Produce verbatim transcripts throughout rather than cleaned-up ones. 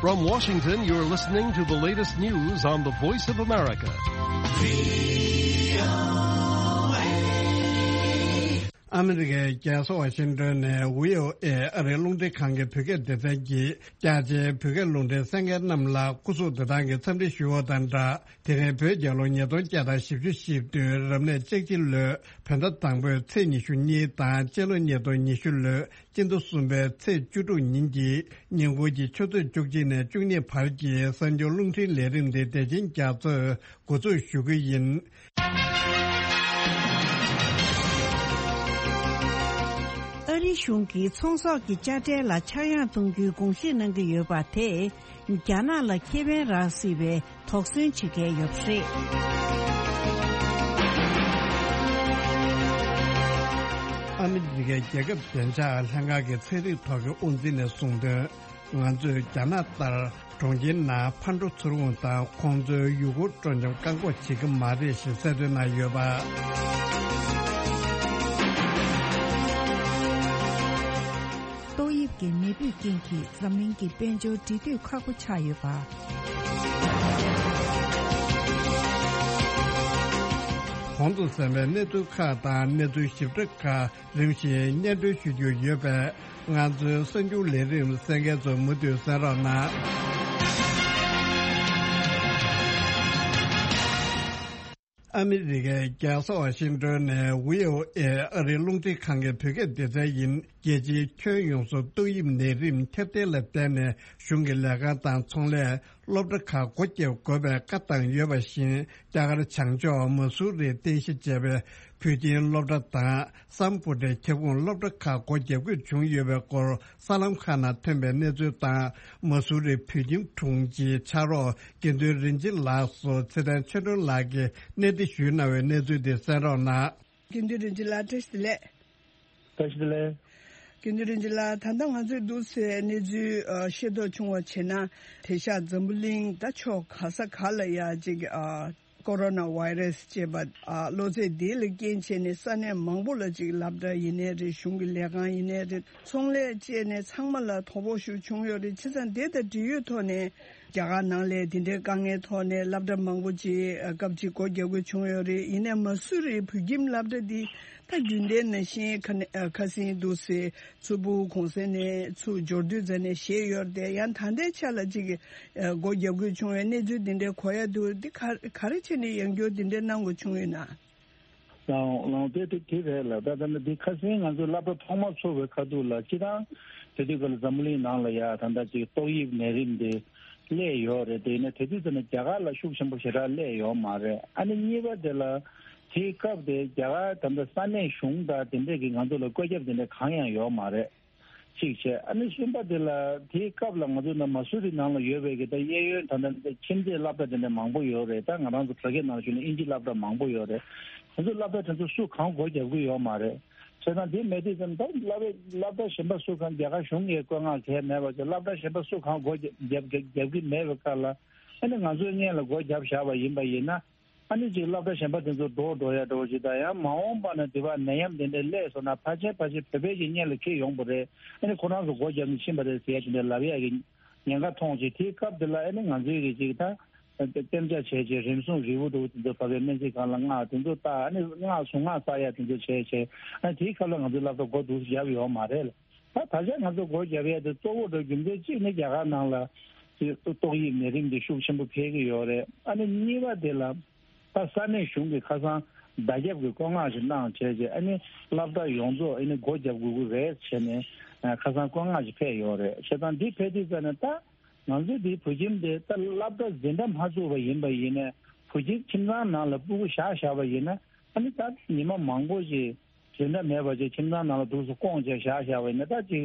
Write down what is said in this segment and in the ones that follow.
From Washington, you're listening to the latest news on the Voice of America. ཨ་མི་རི་ཀའི་རྒྱལ་ས་ཝ་ཤིང་ཏོན་ནས་བྷི་ཨོ་ཨེ་ཨ་རིའི་རླུང་འཕྲིན་ཁང་གི་བོད་སྐད་སྡེ་ཚན་གྱིས། རྒྱ་ཆེའི་བོད་སྐད་རླུང་འཕྲིན་གསན་མཁན་རྣམས་ལ་སྐུ་གཟུགས་བདེ་ཐང་གི་འཚམས་འདྲི་ཞུ་བ་དང་སྦྲགས། དེ་རིང་བོད་རྒྱལ་ལོ་ཉིས་སྟོང་བརྒྱ་དང་བཞི་བཅུ་ཞེ་བདུན་རབ་གནས་ལྕགས་བྱི་ལོའི་བོད་ཟླ་དང་པོའི་ཚེས་ཉི་ཤུ་གཉིས་དང་། སྤྱི་ལོ་ཉིས་སྟོང་ཉི་ཤུ་ལོའི་སྤྱི་ཟླ་གསུམ་པའི་ཚེས་བཅུ་དྲུག་ཉིན་གྱི་ཉིན་གུང་གི་ཆུ་ཚོད་བཅུ་གཅིག་ནས་བཅུ་གཉིས་བར་གྱི་གསར་འགྱུར་རླུང་འཕྲིན་ལས་རིམ་འདི་བདེ་ཆེན་རྒྱ་མཚོས་འགོ་འཛུགས་ཞུ་གི་ཡིན། ཨ་རིའི་གཞུང་གིས་ཚོང་ཟོག་གི་དཔྱ་ཁྲལ་ལ་ཆག་ཡང་གཏོང་རྒྱུའི་དགོངས་བཞེས་གནང་གི་ཡོད་པ་དེས། རྒྱ་ནག་ལ་ཁེ་ཕན་རག་སྲིད་པའི་དོགས་ཟོན་བྱེད་མཁན་ཡོད་པ་རེད། ཨ་མི་རི་ཀའི་རྒྱལ་ཁབ་བདེ་འཇགས་ལྷན་ཁང་གི་ཚན་རིག་ཐོག་གི་དབུ་འཛིན་ནས་གསུངས་དོན། ང་ཚོས་རྒྱ་ནག་ལྟར་གྲོང་ཁྱེར་ནང་ཕར་འགྲོ་ཚུར་འོང་དང་ཁོང་ཚོའི་ཡུལ་སྐོར་སྤྲོ་འཆམ་བཀག་འགོག་བྱེད་ཀྱི་མ་རེད་ཞེས་གསལ་སྟོན་གནང་ཡོད་པ། ཏོག་དབྱིབས་ཀྱི་ནད་འབུའི་རྐྱེན་གྱིས་འཛམ་གླིང་གི་དཔལ་འབྱོར་འབྲེལ་མཐུད་ཁག་པོ་ཆགས་ཡོད་པ། གོང་དུ་གསན་པའི་གནས་ཚུལ་ཁག་དང་གནས་ཚུལ་ཞིབ་ཕྲ་ཁག་རིམ་བཞིན་སྙན་སྒྲོན་ཞུ་རྒྱུ་ཡོད་པས། ང་ཚོའི་གསར་འགྱུར་ལས་རིམ་གསན་མཁན་ཚོ་མུ་མཐུད་གསན་རོགས་གནང་། ཨ་མི་རི་ཀའི་རྒྱལ་ས་ཝ་ཤིང་ཏོན་ནས་བྷི་ཨོ་ཨེ་ཨ་རིའི་རླུང་འཕྲིན་ཁང་གི་བོད་སྐད་སྡེ་ཚན་ཡིན། རྒྱལ་སྤྱིའི་ཁྱོན་ཡོངས་སུ་ཏོག་དབྱིབས་ནད་རིམས་ཁྱབ་གདལ་ལ་བརྟེན་ནས་གཞུང་གི་ལས་ཁང་དང་ཚོང་ལས། སློབ་གྲྭ་ཁག་སྒོ་བརྒྱབ་དགོས་པའི་བཀའ་བཏང་ཡོད་པ་བཞིན། རྒྱ་གར་བྱང་ཕྱོགས་མ་སུ་རིར་རྟེན་གཞི་བྱས་པའི་བོད་ཁྱིམ་སློབ་གྲྭ་དང་སམ་བྷོ་ཊའི་ཁྱབ་ཁོངས་སློབ་གྲྭ་ཁག་སྒོ་བརྒྱབ་དགོས་བྱུང་ཡོད་པའི་སྐོར་གསར་ལམ་ཁག་ནང་ཐོན་པའི་གནས་ཚུལ་དང་། མ་སུ་རིའི་བོད་ཁྱིམ་དྲུང་ཆེའི་ཕྱག་རོགས་དགེ་འདུན་རིན་ཆེན་ལགས་སུ་ཚེ་བརྟན་ཆོས་སྒྲོན་ལགས་ཀྱིས་གནས་འདྲི་ཞུས་གནང་བའི་གནས་ཚུལ་དེ་གསན་རོགས་གནང་། དགེ་འདུན་རིན་ཆེན་ལགས་བཀྲ་ཤིས་བདེ་ལེགས། བཀྲ་ཤིས་བདེ་ལེགས། དགེ་འདུན་རིན་ཆེན་ལགས། ད་ལྟ་ང་ཚོས་འདུག་སེ་གནས་ཚུལ་ཨ་ཤེས་རྟོགས་བྱུང་བ་བྱས་ན། དེང་སང་འཛམ་བུ་གླིང་ད་ཕྱོགས་ག་ས་ག་ལ་ཡ་ཅིག་ཨ་ཀོ་རོ་ན་ཝའི་རས་ཅེས་པ་ཨ་གློ་ཚད་འདི་ལ་རྐྱེན་བྱས་ནས་ས་གནས་མང་པོ་ལ་ཅིག་སློབ་གྲྭ་ཡིན་ནའི་རེད། གཞུང་གི་ལས་ཁང་ཡིན་ནའི་རེད། ཚོང་ལས་བཅས་ནས་ཚང་མ་ལ་དོ་ཕོག་ཤུགས་བྱུང་ཡོད་རེད། བྱས་ཙང་དེ་དང་འབྲེལ་ཡོད་ཐོག་ནས། རྒྱ་གར་ནང་ལ་དེ་འདྲའི་དཀའ་ངལ་ཐོག་ནས་སློབ་གྲྭ་མང་པོ་ཅིག་ཨ་སྐབས་གཅིག་སྒོ་རྒྱག་དགོས་བྱུང་ཡོད་རེད། ཡིན་ནའི་མ་སུ་རིའི་བོད་ཁྱིམ་སློབ་གྲྭ་འདི་ད་རྒྱུན་ལྡན་ནང་བཞིན་ཁ་ནས་ཨ་ཁ་སང་འདུག་སེ་ཚུར་ཕྲུ་གུ་གུང་སེང་ནས་ཚུར་འབྱོར་དུས་ཙམ་ནས་ཞེད་ཡོད་རེད་དེ། ཡང་ད་ལྟའི་ཆ་ལ་ཅིག་ཨ་སྒོ་རྒྱག་དགོས་བྱུང་བའི་གནས་ཚུལ་འདི་འདྲའི་གོ་ཡ་འདུག་འདི་ག་ག་རེ་བྱས་ནས་ཡང་བསྐྱར་འདི་འདྲའི་གནང་དགོས་བྱུང་ཡོད་ན། ལའང་ལའང་དེ་དེ་དེ་རེད་ལ། ད་ད་ནི་འདི་ཁ་སང་ང་ཚོ་སློབ་གྲྭ་ཐོག་མ་ཚུགས་པའི་ཁ་ཐུག་ལ་སྤྱིར་བཏང་དེ་དུས་སྐབས་ལ་འཛམ་བུ་གླིང་ནང་ལ་ཡ་ད་ལྟ་ཅིག་ཏོག་དབྱིབས་ནད་རིམས་དེ་སླེབས་ཡོད་རེད། དེ་ཡིན་ན་དེ་དུས་ཙམ་ནས་རྒྱ་གར་ལ་ཤུགས་ཆེན་པོ་ཞེ་དྲག་སླེབས་ཡོད་མ་རེད། ཨ་ནི་གཉིས་པ་དེ་ལ་དེའི་སྐབས་དེ་རྒྱ་གར་ད་ལྟ་ས་གནས་གཞུང་དང་དེ་འདྲས་ཀྱིས་ང་ཚོ་ལ་བཀོད་ཁྱབ་དེ་འདྲས་གང་ཡང་ཡོད་མ་རེད། གཅིག་བྱས། ཨ་ནི་གསུམ་པ་དེ་ལ་དེའི་སྐབས་ལ་ང་ཚོ་ནང་མ་སུ་རི་ནང་ལ་ཡོད་པའི་གི་ད་གཡས་གཡོན་ད་ལྟ་ཁྱིམ་མཚེས་སློབ་གྲྭ་དེ་འདྲ་མང་པོ་ཡོད་རེད། ད་ང་རང་ཚོ་བོད་སྐད་ནང་ཞུས་ན་ཨིན་ཇི་སློབ་གྲྭ་མང་པོ་ཡོད་རེད། ང་ཚོ་སློབ་གྲྭ་དེ་ཚོ་སུ་གང་སྒོ་རྒྱབ་ཀྱི་ཡོད་མ་རེད། བྱས་ཙང་དེ་མེད་དུས་ཙམ་ད་སློབ་གྲྭ་སློབ་གྲྭ་གཞན་པ་སུ་གང་རྒྱ་གར་གཞུང་གིས་བཀོད་མངགས་གང་ཡང་མེད་པ་བྱས། སློབ་གྲྭ་གཞན་པ་སུ་གང་སྒོ་རྒྱབ་རྒྱབ་རྒྱབ་ཀྱི་མེད་པའི་སྐབས་ལ། ཨ་ནི་ང་ཚོའི་སྔོན་ལ་སྒོ་རྒྱབ་བཞག་པ་ཡིན་པ་ཡིན་ན། ཨ་ནི་ཅིག་སློབ་གྲྭ་གཞན་པ་དེ་ཚོ་འགྲོ་འགྲོ་ཡ་འགྲོ་ཅིག་དང་། ཡང་མ་འོངས་པ་ན་དེ་བ་ནད་ཡམས་དེ་འདྲ་སླེབས་སོང་ན་ཕལ་ཆེར་ཕལ་ཆེར་བོད་པའི་གི་སྔོན་ལ་འཁྱེར་ཡོང་པ་རེད། ཨ་ནི་ཁོ་རང་ཚོ་སྒོ་རྒྱབ་ནས་ཕྱིན་པ་རེད་ཟེར་ཡ་དེ་འདྲ་ལབ་ཡ་གི་ཉེན་ཁ་མཐོང་ཅིག་དེའི་སྐབས་དེ་ལ་ཨ་ནི་ང་ཚོའི་གི་ཅིག་ད་གཏན་འཇགས་བྱས་བྱས་རིམས་སྲུང་རིལ་བུ་འདྲ་བོ་དེ་ཚོ་བབས་པའི་སྨན་རྩིས་ཁང་ལ་མངགས། དེ་ཚོ་ལྟ། ཨ་ནི་མངགས་གཟུངས་སྔགས་བསགས་ཡ་དེ་ཚོ་བྱས་བྱས། ཨ་ནི་དེའི་སྐབས་ལ་ང་ཚོའི་སློབ་གྲྭ་སྒོ་འདུག་སེ་བརྒྱབ་ཡོད་མ་རེད་ལ། ད་ད་ཆ་ང་ཚོ་སྒོ་བརྒྱབ་ཡས་དེ་གཙོ་བོ་འགྲོ་རྒྱུ་མཚན་གཅིག་ནི་རྒྱ་གར་ནང་ལ་ཅིག་ཏོག་དབྱིབས་ནད་རིམས་དེ་ཤུགས་ཆེན་པོ་འཕེལ་གྱི་ཡོད་རེད། ཨ་ནི་གཉིས་པ་དེ་ལ་ད་ས་གནས་གཞུང་གིས་ཁ་སང་བརྡ་ཁྱབ་ཀྱི་བཀོད་མངགས་ཤིག་གནང་བྱས་རྗེས། ཨ་ནི་སློབ་གྲྭ་ཡོངས་རྫོགས་ཨ་ནི་སྒོ་བརྒྱབ་དགོས་ཀྱི་རེད་བྱས་ནས་ཁ་སང་བཀོད་མངགས་ཤིག་ཕེབས་ཡོད་རེད། བྱས་ཙང་འདི་ཕེབས་དུས་ཙམ་ནས་ད་ང་ཚོའི་འདིའི་བོད་ཁྱིམ་དེ་ད་སློབ་གྲྭ་འཛིན་གྲྭ་མ་བཙུགས་པ་ཡིན་པ་ཡིན་ནའི་བོད་ཁྱིམ་ཁྱིམ་ཚང་ནང་ལ་སྤུ་གུ་བཞག་བཞག་པ་ཡིན་ན། ཨ་ནི་ད་ཉི་མ་མང་པོ་ཞིག་འཛིན་གྲྭ་མེད་པ་བྱས་ཁྱིམ་ཚང་ནང་ལ་འདུག་སེ་སྐོང་བྱས་བཞག་བཞག་པ་ཡིན་ན། ད་ཅིག་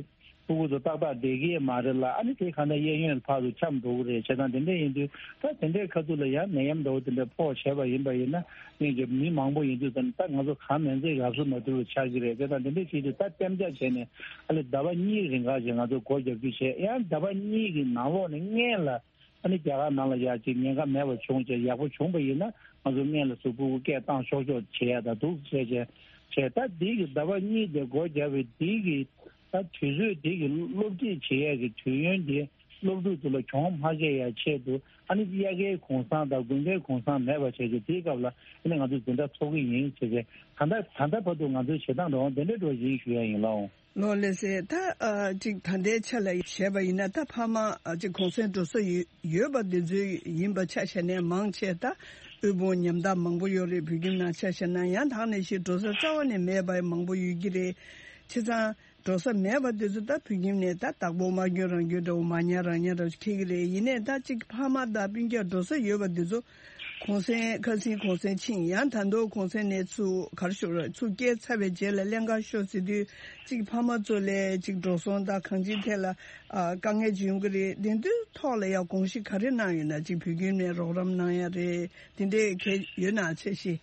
སྤུ་གུ་ཚོ་ཏག་ཏག་བསྡད་ཀྱི་མ་རེད་ལ། ཨ་ནི་དེ་གང་ལྟར་གཡས་གཡོན་ཕར་ཚུར་འཁྱམས་འགྲོ་གི་རེད། བྱས་ཙང་དེ་འདྲ་ཡིན་དུས་ད་དེ་འདྲའི་ཁ་ཐུག་ལ་ཡང་ནད་ཡམས་འདྲ་བོ་དེ་འདྲ་ཕོག་བྱས་པ་ཡིན་པ་ཡིན་ན། སྔོན་གྱི་མི་མང་པོ་ཡིན་དུས་ཙམ་ད་ང་ཚོ་གང་མིན་ཚད་ཡབ་སྲུང་མ་ཐུབ་པ་ཆགས་ཀྱི་རེད། དེ་དང་དེ་འདྲ་བྱེད་དུས་ད་གཏན་འཇགས་བྱས་ནས་ཨ་ལེ་ཟླ་བ་གཉིས་རིང་ག་ཞིག་ང་ཚོ་སྒོ་རྒྱབ་རྒྱུ་བྱས། ཡང་ཟླ་བ་གཉིས་ཀྱི་ནང་ལོགས་ནས་སྔོན་ལ་ཨ་ནི་རྒྱ་གར་ནང་ལ་ཡ་ཅིག་ཉེན་ཁ་མེད་པ་བྱུང་བྱས་ཡག་པོ་བྱུང་པ་ཡིན་ན། ང་ཚོ་སྔོན་ལ་གཟུགས་པོ་སྐད་བཏང་ཆོག་ཆོག་བྱེད་ཡ་ད་འདུག་བྱས་བྱས་བྱས། ད་འདི་གི་ཟླ་བ་གཉིས་དེ་སྒོ་རྒྱབ་པའི་འདི་གི་ད་དུས་ཚོད་འདི་གི་སློབ་ཁྲིད་བྱེད་ཡ་གི་དུས་ཡུན་འདི་ སློབ་ཕྲུག་ཚོ་ལ་གྱོང་མ་བཀལ་ཡ་ཆེད་དུ་ཨ་ནི་དབྱར་ཁའི་གུང་སེང་དང་དགུན་ཁའི་གུང་སེང་མེད་པ་བྱས་རྗེས་དེའི་སྐབས་ལ་ཨ་ནི་ང་ཚོས་འཛིན་གྲྭ་འཚོགས་ཀྱི་ཡིན་བྱས་རྗེས་ད་ལྟ་ད་ལྟ་བར་དུ་ང་ཚོའི་བྱེད་སྟངས་འདྲ་བོ་དེ་འདྲའི་འགྲོ་བཞིན་ཞུ་ཡ་ཡིན་ལགས། ལགས་ལགས་སེ། ད་ཨ་ཅིག་ད་ལྟའི་ཆ་ལ་བྱས་པ་ཡིན་ན་ད་ཕ་མ་ཨ་ཅིག་གུང་སེང་འགྲོ་ས་ཡོད་ཡོད་པ་འདི་ཚོ་ཡིན་པ་ཆ་བཞག་ནས་མང་ཆེ་ད་དབུལ་ཕོངས་ཉམ་ཐག་མང་པོ་ཡོད་རེད། བོད་ཁྱིམ་ནང་ཆ་བཞག་ན་ཡང་དག་ནས་ཤི་འགྲོ་ས་རྩ་བ་ནས་མེད་པ་མང་པོ་ཡོད་ཀྱི་རེད། བྱས་ཙང་འགྲོ་ས་མེད་པ་འདི་ཚོ་ད་བོད་ཁྱིམ་ནས་ད་བདག་པོ་མ་སྐྱོན་རང་སྐྱོན་འདྲ་བོ་མ་ཉར་རང་ཉར་འདྲ་བོ་ཞིག་འཁེལ་གྱི་རེད། ཡིན་ནའི་ད་ཅིག་ཕ་མ་དང་སྤུན་ཀྱག་འགྲོ་ས་ཡོད་པ་འདི་ཚོ་གུང་སེང་ཁ་སང་གུང་སེང་ཕྱིན་ཡང་ད་དུང་གུང་སེང་ནས་ཚུར་ག་རེ་ཞུ་ར་ཚུར་སྐྱེལ་ཚར་བའི་རྗེས་ལ་ཀླན་ཀ་ཤོར་ཟེར་དུས་ཅིག་ཕ་མ་ཚོ་ལས་ཅིག་འགྲོ་སོང་དང་གང་ཅིའི་ཐད་ལ་ཨ་དཀའ་ངལ་ཅིག་ཡོང་གི་རེད། དེ་འདྲའི་ཐོག་ལ་ཡང་དགོངས་གཞི་ག་རེ་གནང་ཡོད་ན་ཅིག་བོད་ཁྱིམ་ནས་རོགས་རམ་གནང་ཡ་རེད། དེ་འདྲའི་གལ་ཡོད་ན་ཚད་གཞི།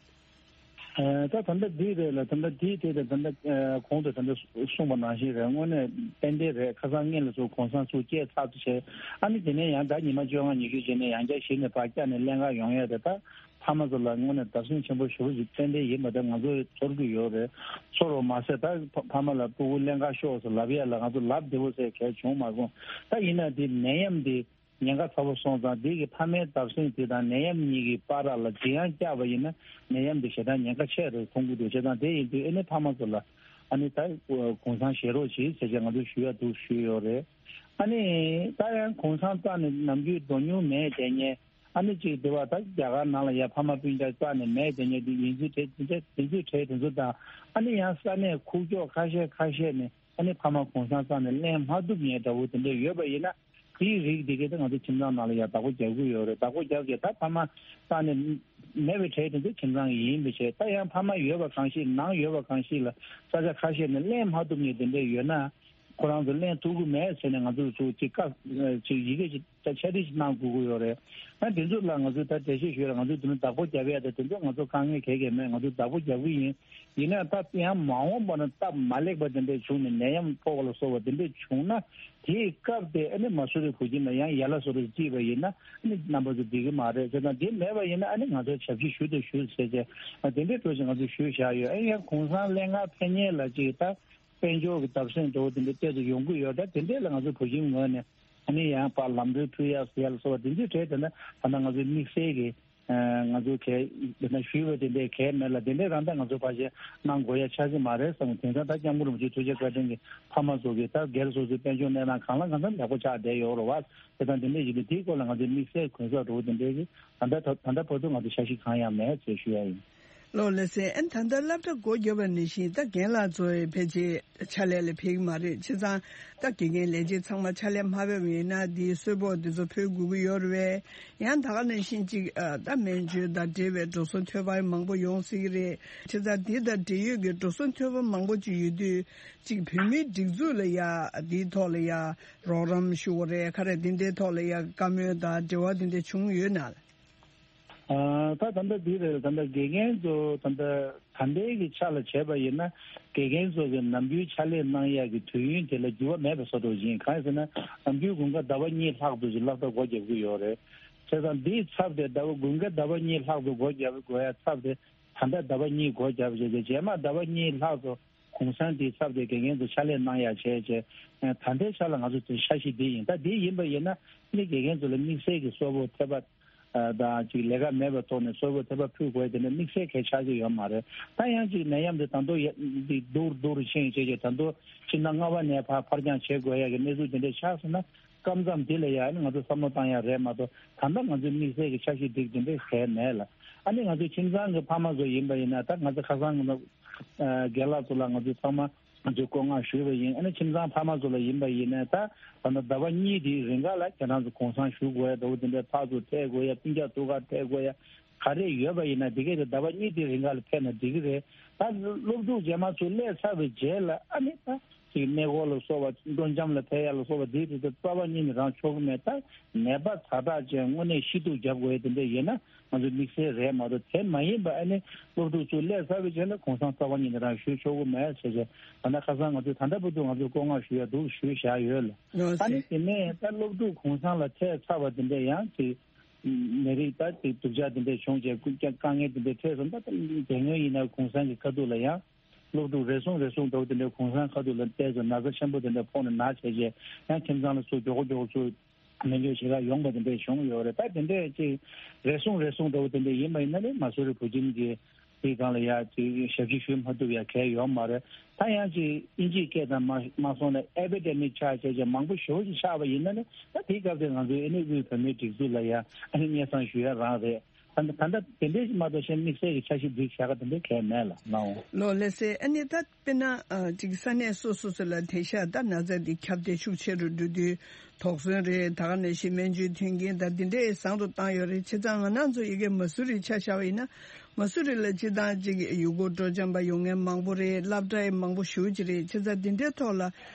ཨ་ད་ད་ལྟ་འདི་རེད་ལ་ད་ལྟ་འདིའི་ཐད་དུ་ད་ལྟ་ཨ་གོང་དུ་ད་ལྟ་གསུངས་པ་ནང་བཞིན་རེད། དངོས་གནས་ཏན་ཏན་རེད། ཁ་སང་སྔོན་ལ་ཚུར་གུང་སེང་ཚུར་སྐྱེལ་ཚར་དུ་བྱས་ཨ་ནི་དེ་ནས་ཡང་ད་ཉི་མ་བཅོ་ལྔ་ཉི་ཤུ་རྗེས་ནས་ཡང་བསྐྱར་གཞི་ནས་ཕར་བསྐྱར་ནས་ཀླན་ཀ་ཡོང་ཡ་དེ་ད་ཕ་མ་ཚོ་ལ་དངོས་གནས་བརྡབ་གསིག་ཆེན་པོ་ཞེ་པོ་ཞིག་ཏན་ཏན་ཡིན་པ་དེ་ང་ཚོས་ཚོར་གྱི་ཡོད་རེད། ཚོར་བ་མ་ཟད་ད་ཕ་ཕ་མ་ལ་སྤུ་གུ་ཀླན་ཀ་ཤོར་ཟེར་ལབ་ཡ་ལ་ང་ཚོ་ལབ་བདེ་པོ་ཟེར་གལ་བྱུང་མ་སོང་། ད་ཡིན་ན་དེ་ནད་ཡམས་དེ། ཉེན་ཁ་ཚ་པོ་སོང་ཙང་དེ་གི་ཕ་མའི་བརྡབ་གསིག་དེ་དང་ནད་ཡམས་གཉིས་ཀྱི་བར་ལ་འཇིགས་ཡང་བསྐྱབས་པ་ཡིན་ན་ནད་ཡམས་དེ་ཞེ་དྲག་ཉེན་ཁ་ཆེ་རུ་མཐོང་གི་འདུག་བྱས་ཙང་དེ་ཡིན་དུས་ཨ་ནི་ཕ་མ་ཚོ་ལ་ཨ་ནི་ད་གུང་སེང་བཞེས་རོགས་གྱིས་ཟེར་བྱས་ང་ཚོས་ཞུ་ཡ་འདུག་ཞུས་ཡོད་རེད། ཨ་ནི་ད་ཡང་གུང་སེང་རྩ་ནས་ནམ་རྒྱུན་འགྲོ་མྱོང་མེད་དེ་ངས་ཨ་ནི་གཅིག་དེ་བ་ད་རྒྱ་གར་ནང་ལ་ཡ་ཕ་མ་སྤུན་ཀྱག་རྩ་ནས་མེད་དེ་ངས་དེ་ཡིན་ཚུལ་དེ་དེ་ཚོའི་གྲས་དེ་ཚོ་དང་ཨ་ནི་ཡང་ས་གནས་ཁུག་ཀྱོག་ཁ་ཤས་ཁ་ཤས་ནས་ཨ་ནི་ཕ་མ་གུང་སེང་རྩ་ནས་ལེན་མ་ཐུབ་མཁན་འདྲ་བོ་དེ་འདྲ་ཡོད་པ་ཡིན་ན། དེའི་རིགས་དེ་གས་ད་ང་ཚོ་ཁྱིམ་ཚང་ནང་ལ་ཡང་བདག་པོ་རྒྱག་གི་ཡོད་རེད། བདག་པོ་རྒྱག་གི་ད་ཕ་མ་རྩ་ནས་མེད་པའི་གྲས་དེ་ཚོ་ཁྱིམ་ཚང་གི་ཡིན་པའི་ཕྱིར། ད་ཡང་ཕ་མ་ཡོད་པ་གང་ཞིག་ནང་ཡོད་པ་གང་ཞིག་ལ་ས་ཆ་ཁ་ཤས་ནས་ལེན་མ་ཐུབ་མཁན་དེ་འདྲ་ཡོད་ན་ཁོ་རང་ཚོ་ལེན་ཐུབ་ཀྱི་མེད་ཟེར་ནས་ང་ཚོ་ཚོ་ཅིག་བཀའ་ཅིག་ཡི་གེ་ཅིག་ད་འཆད་ཁྲིད་ཅིག་གནང་དགོས་ཀྱི་ཡོད་རེད། ད་དེ་ཚོ་ལ་ང་ཚོས་ད་འགྲེལ་བཤད་ཞུས་ལ་ང་ཚོས་དེ་ཚོ་བདག་པོ་རྒྱབ་ཡ་ད་དེ་ཚོ་ང་ཚོ་དཀའ་ངལ་གང་ཡང་མེད། ང་ཚོས་བདག་པོ་རྒྱབ་ཀྱི་ཡིན། ཡིན་ན་ད་ཡང་མ་འོངས་པ་ན་སྟབས་མ་ལེགས་པ་དེ་འདྲ་བྱུང་ནས་ནད་ཡམས་ཕོག་པ་ལ་སོགས་པ་དེ་འདྲ་བྱུང་ན་དེའི་སྐབས་དེ་ཨ་ནི་མ་སུ་རི་བོད་ཁྱིམ་ལ་ཡང་ཡ་ལ་སོ་རི་བརྩིས་པ་ཡིན་ན་ཨ་ནི་རྣམ་པ་ཚོ་འགྲིག་གི་མ་རེད་ཟེར་ན། དེ་མེད་པ་ཡིན་ན་ཨ་ནི་ང་ཚོ་ཞབས་ཕྱི་ཞུ་དང་ཞུ་ཟེར་བྱས་དེ་འདྲའི་འགྲོ་བཞིན་ང་ཚོ་ཞུས་བཞག་ཡོད། ཨ་ཡང་གུང་སེང་ལེན་ག་ཕེབས་མཁན་ལ་ཅིག་ད་དཔལ་འབྱོར་གྱི་བརྡབ་གསིག་འགྲོ་བ་དེ་འདྲ་ཏོག་ཙམ་ཡོང་གི་ཡོད། ད་དེ་འདྲས་ལ་ང་ཚོ་བོད་ཁྱིམ་ངོས་ནས་ཨ་ནི་ཡང་ཕར་ལམ་གྲོན་ཕུལ་ཡག་ཟེར་ཡག་ལ་སོགས་པ་དེ་འདྲའི་གྲས་དེ་འདྲ་ད་ལྟ་ང་ཚོའི་དམིགས་བསལ་གྱི་ང་ཚོ་གལ་དེ་འདྲ་ཞུས་པ་དེ་འདྲའི་གལ་མེད་ལ། དེ་འདྲའི་རང་ད་ང་ཚོ་ཕལ་ཆེར་གནང་དགོས་ཡ་ཆགས་ཀྱི་མ་རེད་བསམ། དེང་སང་ད་སྐྱབས་མགོན་རིན་པོ་ཆེ་ཐུགས་རྗེ་བཀའ་དྲིན་གྱིས་ཕ་མ་ཚོ་གིས་ད་སྒེར་སོ་སོའི་དཔལ་འབྱོར་གནས་སྟངས་གང་ལ་གང་འཚམ་ཡག་པོ་ཆགས་བསྡད་ཡོད་རེད་བ། དེ་དང་དེ་འདྲའི་ཞིག་གིས་དེའི་སྐོར་ལ་ང་ཚོའི་དམིགས་བསལ་གུན་གསབ་འགྲོ་བ་དེ་འདྲའི་གི་ད་ལྟ་ད་ལྟ་བར་དུ་ང་ཚོ་འཆར་གཞི་གང་ཡང་མེད་ཅེས་ཞུ་ཡ་ཡིན། ལགས་ལགས་སེ། ཨ་ནི་ད་ལྟ་སློབ་གྲྭ་སྒོ་བརྒྱབ་པ་ནང་བཞིན་ད་རྒན་ལགས་ཚོ་ཕལ་ཆེར་ཕྱག་ལས་ལ་ཕེབས་ཀྱི་མ་རེད། བྱས་ཙང་ད་དགེ་རྒན་ལས་བྱེད་ཚང་མ་ཕྱག་ལས་མ་ཕེབས་པ་ཡིན་ན་འདིའི་གསོལ་ཕོགས་འདི་ཚོ་ཕུལ་དགོས་ཀྱི་ཡོད་རེད་པས། ཡང་ད་ག་ནང་བཞིན་ཅིག་ཨ་ད་སྨན་བཅོས་དང་འབྲེལ་བའི་འགྲོ་སོང་ཐོབ་པ་མང་པོ་ཡོང་སྲིད་ཀྱི་རེད། བྱས་ཙང་འདི་དང་འབྲེལ་ཡོད་ཀྱི་འགྲོ་སོང་ཐོབ་པ་མང་པོ་ཅིག་ཡོད་དུས་ཅིག་བོད་མིའི་སྒྲིག་འཛུགས་ལ་ཡ་འདིའི་ཐོག་ལ་ཡ་རོགས་རམ་ཞུ་དགོས་རེད། ག་རེ་འདི་འདྲའི་ཐོག་ལ་ཡ་བཀའ་མོལ་དང་འབྲེལ་བ་འདི་འདྲ་བྱུང་ཡོད་ན། ཨ་ད་ད་ལྟ་འདི་རེད། ད་ལྟ་དགེ་རྒན་ཚོ་ད་ལྟ་ད་ལྟའི་གི་ཆ་ལ་བྱས་པ་ཡིན་ན་དགེ་རྒན་ཚོ་གི་ནམ་རྒྱུན་ཕྱག་ལས་གནང་ཡག་གི་དུས་ཡུན་དེ་ལ་འགྱུར་བ་མེད་པ་བཟོ་འདྲ་ཡིན། གང་ཡིན་ཟེར་ན་ནམ་རྒྱུན་དགུན་ཁ་ཟླ་བ་གཉིས་ལྷག་ཏུ་ཅིག་སློབ་གྲྭ་སྒོ་བརྒྱབ་ཀྱི་ཡོད་རེད། བྱས་ཙང་འདིའི་ཚབ་དེ་ཟླ་བ་དགུན་ཁ་ཟླ་བ་གཉིས་ལྷག་ཏུ་སྒོ་བརྒྱབ་དགོས་ཡ་ཚབ་དེ་ད་ལྟ་ཟླ་བ་གཉིས་སྒོ་བརྒྱབ་བྱས་ཏེ་རྗེས་མ་ཟླ་བ་གཉིས་ལྷག་ཏུ་གུང་སེང་དེའི་ཚབ་དེ་དགེ་རྒན་ཚོ་ཕྱག་ལས་གནང་ཡག་བྱས་བྱས། ད་ལྟའི་ཆ་ལ་ང་ཚོ་དེ་འཆར་གཞི་འདི་ཡིན། ད་འདི་ཡིན་པ་ཡིན་ན་ཨ་ནི་དགེ་རྒན་ཚོ་ལ་དམིགས་བསལ་གྱི་གསོལ་ཕོགས་ཐེབས་པ་དང་ཅིག་ལས་ཀ་མེད་པའི་ཐོག་ནས་གསོལ་ཕོགས་ཐེབས་པ་ཕུལ་དགོས་དེ་འདྲ་དམིགས་བསལ་གང་ཆགས་ཀྱི་ཡོད་མ་རེད། ད་ཡང་ཅིག་ནད་ཡམས་དེ་ད་དུང་ཡ་འདི་སྡུག་རུ་སྡུག་རུ་ཕྱིན་བྱས་བྱས་ད་དུང་ཕྱི་ཟླ་ལྔ་པ་ནས་ཕར་ཕར་འགྱངས་བྱེད་དགོས་ཡ་གི་གནས་ཚུལ་དེ་འདྲ་ཆགས་སོང་ན། སྐབས་མཚམས་དེ་ལ་ཡང་ཨ་ནི་ང་ཚོ་བསམ་བློ་བཏང་ཡ་རེད་མ་གཏོགས་ད་ལྟ་ང་ཚོའི་དམིགས་བསལ་གྱི་འཆར་གཞི་སྒྲིག་དེ་འདྲ་གང་ཡང་མེད་ལ། ཨ་ནི་ང་ཚོའི་ཁྱིམ་ཚང་གི་ཕ་མ་ཚོ་ཡིན་པ་ཡིན་ན་ད་ང་ཚོ་ཁ་སང་ང་ཚོ་རྒན་ལགས་ཚོ་ལ་ང་ཚོ་ཚང་མ་ང་ཚོས་བཀོད་མངགས་ཞུས་པ་ཡིན། ཨ་ནི་ཁྱིམ་ཚང་ཕ་མ་ཚོ་ལ་ཡིན་པ་ཡིན་ན་ད་ད་ལྟ་ཟླ་བ་གཉིས་དེའི་རིང་ག་ལ་ཁྱེད་རང་ཚོ་གུང་སེང་ཞུ་དགོས་ཡ་འདྲ་བོ་དེ་འདྲ་ཕར་ཚུར་ཐད་དགོས་ཡ་སྤུན་ཀྱག་ཐུག་ག་ཐད་དགོས་ཡ་ག་རེ་ཡོད་པ་ཡིན་ན་དེ་གས་དེ་ཟླ་བ་གཉིས་དེའི་རིང་ག་ལ་ཕེབས་ན་འགྲིག་གི་རེད། ད་སློབ་ཕྲུག་རྗེས་མ་ཚུར་སླེབས་ཚར་བའི་རྗེས་ལ་ཨ་ནི་ད། ཅིག་གནས་སྐོར་ལ་སོགས་པ་སྤྲོ་འཆམ་ལ་ཕེབས་ཡ་ལ་སོགས་པ་དེའི་དུས་དེ་རྩ་བ་ཉིད་ནས་རང་ཆོག་གི་མེད། ད་ནད་པ་ཛ་དྲག་ཅན་དངོས་གནས་ཤི་སྡུག་རྒྱབ་དགོས་ཡ་དེ་འདྲ་ཡིན་ན་ང་ཚོའི་དམིགས་བསལ་རེད་མ་གཏོགས་དེ་མ་ཡིན་པ་ཨ་ནི་སློབ་ཕྲུག་ཚོ་སླེབས་ཚར་བའི་རྗེས་ལ་གུང་སེང་རྩ་བ་ཉིད་ནས་རང་ཞུ་ཆོག་གི་མེད་ཟེར་བྱས་ད་ནི་ཁ་སང་ང་ཚོས་ད་ལྟ་བར་དུ་ང་ཚོས་བཀོད་མངགས་ཞུ་ཡ་འདུག་ཞུས་བཞག་ཡོད་ལ། ཨ་ནི་དེ་ནས་ད་སློབ་ཕྲུག་གུང་སེང་ལ་ཕེབས་ཚར་བ་དེ་འདྲ་ཡང་ཅིག་ནད་རིགས་ད་ཅིག་སྡུག་ཅག་དེ་འདྲ་བྱུང་རྗེས་དཀའ་ངལ་དེ་འདྲ་འཕྲད་སོང་། ད་དེ་སྔོན་ཡིན་ན་གུང་སེང་གི་ཁ་ཐུག་ལ་ཡང་། སློབ་ཕྲུག་རེ་ཟུང་རེ་ཟུང་འདྲ་བོ་དེ་འདྲའི་གུང་སེང་ཁ་ཐུག་ལ་བལྟས་ཚེ་ན་ཚ་ཆེན་པོ་དེ་འདྲ་ཕོག་ནས་ན་བྱས་རྗེས་ཡང་ཁྱིམ་ཚང་ལ་ཚུར་མགྱོགས་པོ་མགྱོགས་པོ་ཚུར་ སྨན་བཅོས་བྱེད་གར་ཡོང་བ་དེ་འདྲས་བྱུང་ཡོད་རེད། ད་དེ་འདྲས་ཅིག་རེ་ཟུང་རེ་ཟུང་འདྲ་བོ་དེ་འདྲས་ཡིན་པ་ཡིན་ན་ནི་མ་སུ་རི་བུ་ཁྱིམ་གྱི་དེའི་སྒང་ལ་ཡ་ཅིག་ཞབས་ཕྱི་ཞུ་མ་ཐུབ་ཡ་གལ་ཡོད་མ་རེད། ད་ཡང་ཅིག་དབྱིན་ཇིའི་སྐད་དང་མ་མ་སོང་ན་ཨེ་པི་ཌེ་མིག་ཆགས་བྱས་ཀྱི་མང་པོ་ཞེ་པོ་ཅིག་ཆགས་པ་ཡིན་ན་ནི་ད་དེའི་སྐབས་དེ་ང་ཚོའི་ཨ་ནི་དབུས་བོད་མིའི་སྒྲིག་འཛུགས་ལ་ཡ་ཨ་ནི་སྙན་སེང་ཞུ་ཡ་རང་རེད། ད་ད་ལྟ་དེ་འདྲའི་ཞིག་མ་གཏོགས་གཞན་དམིགས་བསལ་གྱི་འཆར་གཞི་འགྲིག་བཞག་ག་དེ་འདྲའི་གལ་མེད་ལ་ནའོ། ལོ་ལེ་སེ་ཨ་ནི་ད་དཔེར་ན་ཨ་ཅིག་ས་གནས་སོ་སོ་སོ་ལ་དེང་སང་ད་ན་ཚ་འདི་ཁྱབ་གདལ་ཤུགས་ཆེ་རུ་འགྲོ་དུས་དོགས་ཟོན་རེད། ད་ག་ནང་བཞིན་སྨན་བཅོས་མཐུན་རྐྱེན་ད་འདི་འདྲའི་བཟང་རུ་བཏང་ཡོད་རེད། བྱས་ཙང་ང་རང་ཚོ་ཡ་གི་མ་སུ་རི་ཆ་བཞག་པ་ཡིན་ན་མ་སུ་རི་ལ་སྤྱིར་བཏང་ཅིག་ཡུལ་སྐོར་སྤྲོ་འཆམ་པ་ཡོང་མཁན་མང་པོ་རེད། སློབ་གྲྭ་ཡང་མང་པོ་ཞེ་པོ་ཅིག་རེད། བྱས་ཙང་འདི་འདྲའི་ཐོག་ལ།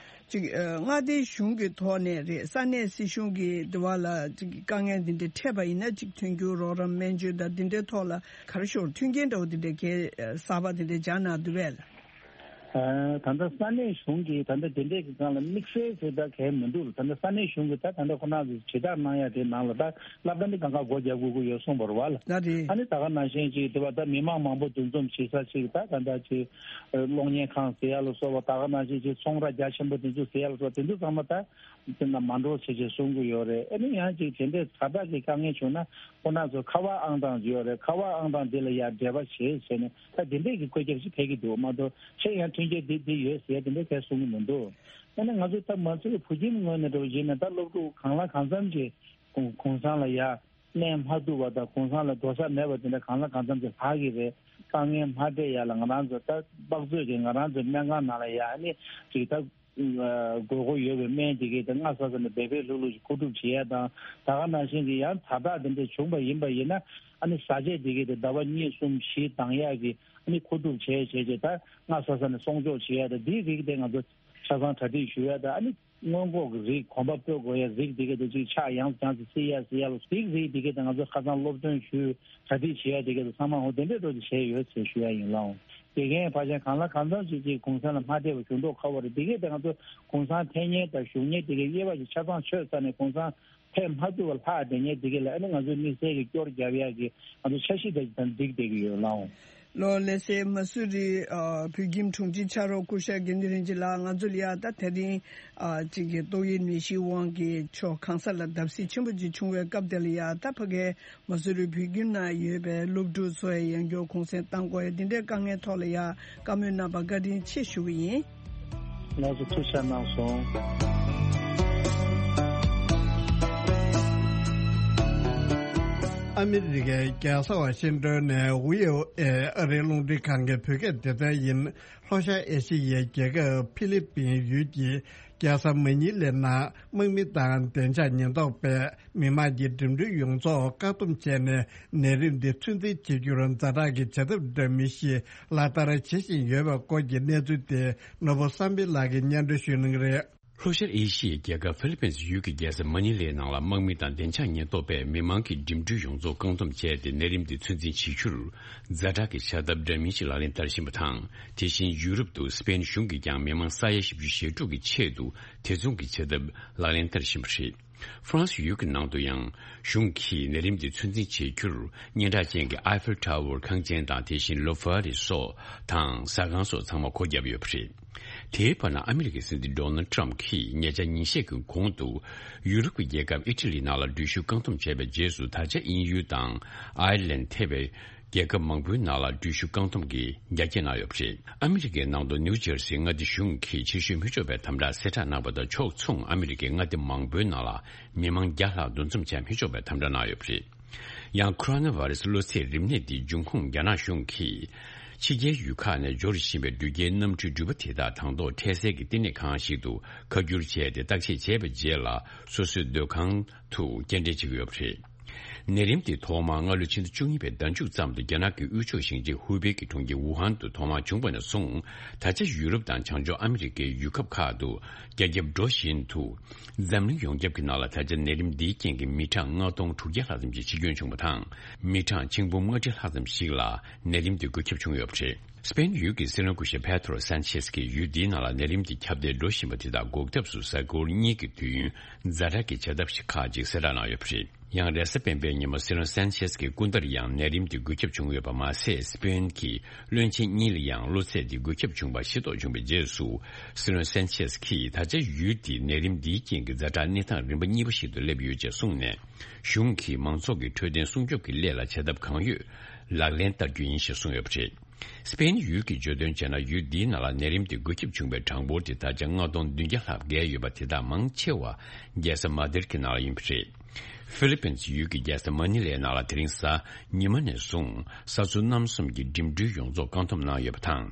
ཅིག་ཨ་མངའ་སྡེའི་གཞུང་གི་ཐོག་ནས་རེད། ས་གནས་སྲིད་གཞུང་གི་དེ་བ་ལ་ཅིག་དཀའ་ངལ་འདི་འདྲ་འཕྲད་པ་ཡིན་ན་ཅིག་མཐུན་འགྱུར་རོགས་རམ་སྨན་བཅོས་དང་འདི་འདྲའི་ཐོག་ལ་ག་རེ་ཞུ་དགོས་རེད། མཐུན་རྐྱེན་འདྲ་བོ་འདི་འདྲ་གལ་གསར་པ་འདི་འདྲ་སྦྱར་གནང་འདུག་པས། ཨ་ད་ལྟ་ས་གནས་གཞུང་གིས་ད་ལྟ་དེ་འདྲས་ཀྱི་སྒང་ལ་དམིགས་བསལ་ཟེར་ད་གལ་མི་འདུག་ད་ལྟ་ས་གནས་གཞུང་གིས་ད་ད་ལྟ་ཁོ་རང་ཚོ་དྲིལ་བསྒྲགས་གནང་ཡ་དེ་ནང་ལ་ད་སློབ་གྲྭ་ནི་གང་ག་སྒོ་རྒྱག་དགོས་ཀྱི་ཡོད་གསུངས་པ་རེད་བ་ལ། ད་རེད། ཨ་ནི་ད་ག་ནང་བཞིན་ཅིག་དེ་བ་ད་མི་མང་མང་པོ་འདུ་འཛོམས་བྱེད་ས་ཅིག་ད་ད་ལྟ་ཅིག་གློག་བརྙན་ཁང་ཟེར་ཡ་ལ་སོགས་པ། ད་ག་ནང་བཞིན་ཅིག་ཚོང་ར་རྒྱ་ཆེན་པོ་དེ་ཚོ་ཟེར་ཡ་ལ་སོགས་པ་དེ་ཚོ་ཚང་མ་ད་དེ་ན་མ་འགྲོ་བྱེད་ཅེས་གསུང་གི་ཡོད་རེད། ཨ་ནི་ཡང་ཅིག་དེ་འདྲའི་ཛ་དྲག་གི་དཀའ་ངལ་བྱུང་ན་ཁོ་རང་ཚོ་ཁ་པར་ཨང་གྲངས་ཡོད་རེད། ཁ་པར་ཨང་གྲངས་དེ་ལ་ཡང་འབྲེལ་བ་བྱེད་ཟེར་ནས་ད་དེ་འདྲས་ཀྱི་བཀོད་ཁྱབ་ཅིག་ཕེབས་ཀྱི་འདུག་མ་གཏོགས་ཆེད་ཡང་མཐུན་རྐྱེན་འདི་འདི་ཡོད་ཟེར་དེ་འདྲས་གས་གསུང་གི་མི་འདུག་ཨ་ནི་ང་ཚོ་ད་མ་ཚོའི་བུ་ཁྱིམ་ངོས་ནས་འགྲོ་བཞིན་ན་ད་སློབ་ཕྲུག་གང་ལ་གང་འཚམ་གྱིས་གུང་གུང་སེང་ལ་ཡ་གནས་མ་ཐུབ་པ་དང་གུང་སེང་ལ་འགྲོ་ས་མེད་པ་དེ་འདྲ་གང་ལ་གང་འཚམ་གྱིས་ལྷག་གི་རེད། དཀའ་ངལ་མ་འཕྲད་ཡ་ལ་ང་རང་ཚོ་ད་དཔག་ཚོད་ཀྱིས་ང་རང་ཚོའི་སྨན་ཁང་ནང་ལ་ཡ་ཨ་ནི་ཅིག་ད་དགོས་མཁོ་ཡོད་པའི་སྨན་དེ་གའི་ད་སྔ་ས་ས་ནས་འབད་འབད་ལྷུག་ལྷུག་ཅིག་མཁོ་སྒྲུབ་བྱེད་ཡ་དང་། ད་ག་ནང་བཞིན་གྱི་ཡང་ཛ་དྲག་དེ་འདྲ་བྱུང་པ་ཡིན་པ་ཡིན་ན་ཨ་ནི་བཟའ་ཆས་དེ་གའི་དེ་ཟླ་བ་གཉིས་གསུམ་བཞི་འདང་ཡ་གི་ཨ་ནི་མཁོ་སྒྲུབ་བྱས་བྱས་བྱས་ད་སྔ་ས་ས་ནས་སྲུང་སྐྱོབ་བྱེད་ཡ་ད་འདིའི་རིགས་དེ་ང་ཚོ་ཆ་ཚང་གྲ་སྒྲིག་ཞུ་ཡ་ད་ཨ་ནི། སྔོན་འགོག་གི་རིགས། གོམ་པ་སྤོ་དགོས་ཡ་རིགས་དེ་ག་དེ་ཅིག་ཆག་ཡང་ཡང་ཅིག་སྲིད་ཡ་སྲིད་ཡ་ལ་རིགས་རིགས་དེ་ག་དེ་ང་ཚོ་ཁ་སང་སློབ་སྟོན་ཞུས་གྲ་སྒྲིག་བྱེད་ཡ་དེ་ག་དེ་ཚང་མ་འོ་དེ་འདྲས་འགྲོ་དེ་བྱས་ཡོད་ཟེར་ཞུ་ཡ་ཡིན་ལགས། དགེ་རྒན་ཕལ་ཆེར་གང་ལ་གང་འཚམ་ཞིག་ཅིག་གུང་སེང་ལ་མ་ཕེབས་པ་བྱུང་མདོག་ཁ་པོ་རེད། དེ་ག་དེ་ང་ཚོ་གུང་སེང་ཐེབས་མཁན་དང་བཞུགས་མཁན་དེ་ག་དབྱེ་བ་ཞིག་ཆ་ཚང་ཆོད་ཚར་ནས་གུང་སེང་ཕེབས་མ་ཐུབ་པ་ལྷག་བསྡད་མཁན་དེ་ག་ལ་ཨ་ནི་ང་ཚོས་དམིགས་བསལ་གྱི་སྐྱོར་རྒྱབ་ཡ་གི་ང་ཚོ་འཆར་གཞི་དེ་དང་འགྲིག་བསྡད་ཀྱི་ཡོད་ལགས། ལོ་ལེ་སེ་མ་སུ་རི་ཨ་བོད་ཁྱིམ་དྲུང་ཆེ་ཕྱག་རོགས་སྐུ་ཞབས་དགེ་འདུན་རིན་ཆེན་ལགས། ང་ཚོ་ལ་ཡ་ད་དེ་རིང་ཨ་གཅིག་གི་ཏོག་དབྱིབས་ནད་གཞི་དབང་གིས་ཕྱོགས་གང་ས་ལ་བརྡབ་གསིག་ཆེན་པོ་ཅིག་བྱུང་བའི་སྐབས་དེ་ལ་ཡ་ད་ཕ་གའི་མ་སུ་རི་བོད་ཁྱིམ་ནང་ཡོད་པའི་སློབ་ཕྲུག་ཚོ་ཡ་ཡང་བསྐྱར་གུང་སེང་བཏང་དགོས་ཡ་འདི་འདྲའི་དཀའ་ངལ་ཐོག་ལ་ཡ་བཀའ་མོལ་གནང་བར་བཀའ་དྲིན་ཆེ་ཞུ་གི་ཡིན། ལགས་སོ། ཐུགས་རྗེ་གནང་སོང་། ཨ་མི་རི་ཀའི་རྒྱལ་ས་ཝ་ཤིང་ཏོན་ནས་ཝི་ཨོ་ཨེ་ཨ་རིའི་རླུང་འཕྲིན་ཁང་གི་བོད་སྐད་སྡེ་ཚན་ཡིན། ལྷོ་ཤར་ཨེ་ཤི་ཡའི་རྒྱལ་ཁབ་ཧྥི་ལི་པིན་ཡུལ་གྱི་རྒྱལ་ས་མ་ཉི་ལའི་ནང་དམག་མི་དང་བདེ་འཇགས་ཉེན་རྟོག་པས་མི་མང་གི་འགྲིམ་འགྲུལ་ཡོངས་རྫོགས་བཀག་སྡོམ་བྱས་ནས་ནད་རིམས་འདི་ཚོད་འཛིན་བྱེད་རྒྱུར་ཛ་དྲག་གི་བྱ་ཐབས་འདྲ་མིན་ཞིག་ལག་བསྟར་བྱེད་བཞིན་ཡོད་པའི་སྐོར་གྱི་གནས་ཚུལ་དེ་ནོར་བུ་བསམ་འཕེལ་ལགས་ཀྱིས་སྙན་སྒྲོན་ཞུ་གནང་གི་རེད། ལྷོ་ཤར་ཨེ་ཤི་ཡའི་རྒྱལ་ཁབ་ཧྥི་ལི་པིན་ཡུལ་གྱི་རྒྱལ་ས་མ་ནི་ལའི་ནང་ལ་དམག་མི་དང་བདེ་འཇགས་ཉེན་རྟོག་པས་མི་མང་གི་འགྲིམ་འགྲུལ་ཡོངས་རྫོགས་བཀག་སྡོམ་བྱས་ཏེ་ནད་རིམས་འདི་ཚོད་འཛིན་བྱེད་རྒྱུར་ཛ་དྲག་གི་བྱ་ཐབས་འདྲ་མིན་ཞིག་ལག་ལེན་བསྟར་བཞིན་པ་དང་། དེ་བཞིན་ཡུ་རོབ་ཏུ་སི་པེན་གཞུང་གིས་ཀྱང་མི་མང་ས་ཡ་བཞི་བཅུ་ཞེ་དྲུག་གི་ཆེད་དུ་དེ་མཚུངས་ཀྱི་བྱ་ཐབས་ལག་ལེན་བསྟར་བཞིན་པ་རེད། ཧྥ་རན་སི་ཡུལ་གྱི་ནང་དུ་ཡང་གཞུང་གིས་ནད་རིམས་འདི་ཚོད་འཛིན་བྱེད་རྒྱུར་སྙན་གྲགས་ཅན་གྱི་ཨའི་ཧྥེལ་ཊ་ཝར་ཁང་ཆེན་དང་དེ་བཞིན་ལོ་ཕ་རི་སོགས་དང་ཟ་ཁང་སོགས་ཚང་མ་སྒོ་བརྒྱབ་ཡོད་པ་རེད། དེའི་བར་ན་ཨ་མི་རི་ཀའི་སྲིད་འཛིན་ཌོ་ནལ་ཊམ་གྱིས་ཉེ་ཆར་ཉིན་ཤས་ཀྱི་གོང་དུ་ཡུ་རོབ་ཀྱི་རྒྱལ་ཁབ་ཨི་ཊ་ལི་ནང་ལ་འགྲུལ་བཞུད་བཀག་སྡོམ་བྱས་པའི་རྗེས་སུ་ད་ཆ་དབྱིན་ཡུལ་དང་ཨའི་ལན་ཐེ་བའི་རྒྱལ་ཁབ་མང་པོའི་ནང་ལ་འགྲུལ་བཞུད་བཀག་སྡོམ་གྱི་རྒྱ་སྐྱེད་གནང་ཡོད་པ་རེད། ཨ་མི་རི་ཀའི་ནང་དུ་ནིའུ་ཇར་སིའི་མངའ་སྡེ་གཞུང་གིས་ཕྱིར་བཤོལ་མི་ཆོག་པའི་དམ་དྲག་གསལ་བསྒྲགས་གནང་བ་དང་ཕྱོགས་མཚུངས་ཨ་མི་རི་ཀའི་མངའ་སྡེ་མང་པོའི་ནང་ལ་མི་མང་བརྒྱ་ལྷག་འདུ་འཛོམས་བྱ་མི་ཆོག་པའི་དམ་དྲག་གནང་ཡོད་པ་རེད། ཡང་ཁོ་རོ་ན་ཝ་རེ་སི་གློ་ཚད་རིམས་ནད་འདིའི་འབྱུང་ཁུངས་རྒྱ་ནག་གཞུང་གིས་ཕྱི་རྒྱལ་ཡུལ་ཁག་ནས་འབྱོར་བཞིན་པའི་འགྲུལ་སྐྱེལ་གནམ་གྲུའི་འགྲུལ་པ་དེ་དག་དང་ཐོག་འཕྲལ་སེལ་གྱི་བསྟི་གནས་ཁང་ཞིག་ཏུ་ཁ་བསྒྱུར་བྱས་ཏེ་བརྟག་དཔྱད་བྱས་པའི་རྗེས་ལ་སོ་སོའི་སྡོད་ཁང་དུ་སྐྱེལ་འདྲེན་བྱེད་ཀྱི་ཡོད་པ་རེད། ནད་རིམས་དེ་ཐོག་མར་སྔ་ལོ་ཕྱི་ཟླ་བཅུ་གཉིས་པའི་ཟླ་མཇུག་ཙམ་དུ་རྒྱ་ནག་གི་དབུས་ཕྱོགས་ཞིང་ཆེན་ཧུའུ་པེ་གི་གྲོང་ཁྱེར་ཝུ་ཧན་དུ་ཐོག་མར་བྱུང་བ་ནས་བཟུང་། ད་ཆ་ཡུ་རོབ་དང་བྱང་ཕྱོགས་ཨ་མི་རི་ཀའི་ཡུལ་ཁབ་ཁག་ཏུ་རྒྱ་ཁྱབ་འགྲོ་བཞིན་དུ། འཛམ་གླིང་ཡོངས་ཁྱབ་ཀྱི་ནང་ལ་ད་ཆ་ནད་རིམས་འདིའི་རྐྱེན་གྱིས་མི་གྲངས་ལྔ་སྟོང་དྲུག་བརྒྱ་ལྷག་ཙམ་ཞིག་འཆི་སྐྱོན་བྱུང་བ་དང་། མི་གྲངས་ཆིག་འབུམ་ལྔ་ཁྲི་ལྷག་ཙམ་ཞིག་ལ་ནད་རིམས་འདི་འགོས་ཁྱབ་བྱུང་ཡོད་པ་རེད། སི་པེན་ཡུལ་གྱི་སྲིད་བློན་སྐུ་ཞབས་པེ་ཏྲོ་སན་ཆེས་ཀྱིས་ཡུལ་འདིའི་ནང་ལ་ནད་རིམས་དེ་ཁྱབ་གདལ་འགྲོ་བཞིན་པ་དེ་དག་འགོག་ཐབས་སུ་གཟའ་འཁོར་གཉིས་ཀྱི་དུས་ཡུན་ཛ་དྲག་གི་བྱ་ཐབས་ཤིག་ཁག་ཅིག་གསལ་བསྒྲགས་གནང་ཡོད་པ་རེད། ཡང་རེས་གཟའ་སྤེན་པའི་ཉིན་མོ་སྲིད་བློན་སན་ཆེས་ཀྱི་སྐུ་འདར་ཡང་ནད་རིམས་དེ་འགོས་ཁྱབ་བྱུང་ཡོད་པ་མ་ཟད། སི་པེན་གྱི་བློན་ཆེན་གཉིས་ལ་ཡང་གློ་ཚད་དེ་འགོས་ཁྱབ་བྱུང་བ་ཤེས་རྟོགས་བྱུང་བའི་རྗེས་སུ། སྲིད་བློན་སན་ཆེས་ཀྱིས་ད་ཆ་ཡུལ་དེའི་ནད་རིམས་འདིའི་རྐྱེན་གྱིས་ཛ་དྲག་གནས་སྟངས་རིམ་པ་གཉིས་པ་ཞིག་ཏུ་སླེབས་ཡོད་ཅེས་གསུངས་ནས། གཞུང་གིས་མང་ཚོགས་ཀྱི་འཕྲོད་བསྟེན་སྲུང་སྐྱོབ་ཀྱི་སླད་ལ་བྱ་ཐབས་གང་ཡོད་ལག་ལེན་བསྟར་རྒྱུ་ཡིན་ཞེས་གསུངས་ཡོད་པ་རེད། སི་པེན་ཡུལ་གྱི་བརྗོད་དོན་བྱས་ན། ཡུལ་འདིའི་ནང་ལ་ནད་རིམས་དེ་འགོས་ཁྱབ་བྱུང་བའི་གྲངས་འབོར་དེ་ད་ཆ་ལྔ་སྟོང་བདུན་བརྒྱ་ལྷག་བརྒལ་ཡོད་པ། དེ་དག་མང་ཆེ་བ་རྒྱལ་ས་མ་དིར་གྱི་ནང་ལ་ཡིན་པ་རེད། ཧྥི་ལི་པིན་ཡུལ་གྱི་རྒྱལ་ས་མ་ནི་ལའི་ནང་ལ་དེ་རིང་གཟའ་ཉི་མ་ནས་བཟུང་ས་ཚོ་རྣམ་གསུམ་གྱི་འགྲིམ་འགྲུལ་ཡོངས་རྫོགས་བཀག་སྡོམ་གནང་ཡོད་པ་དང་།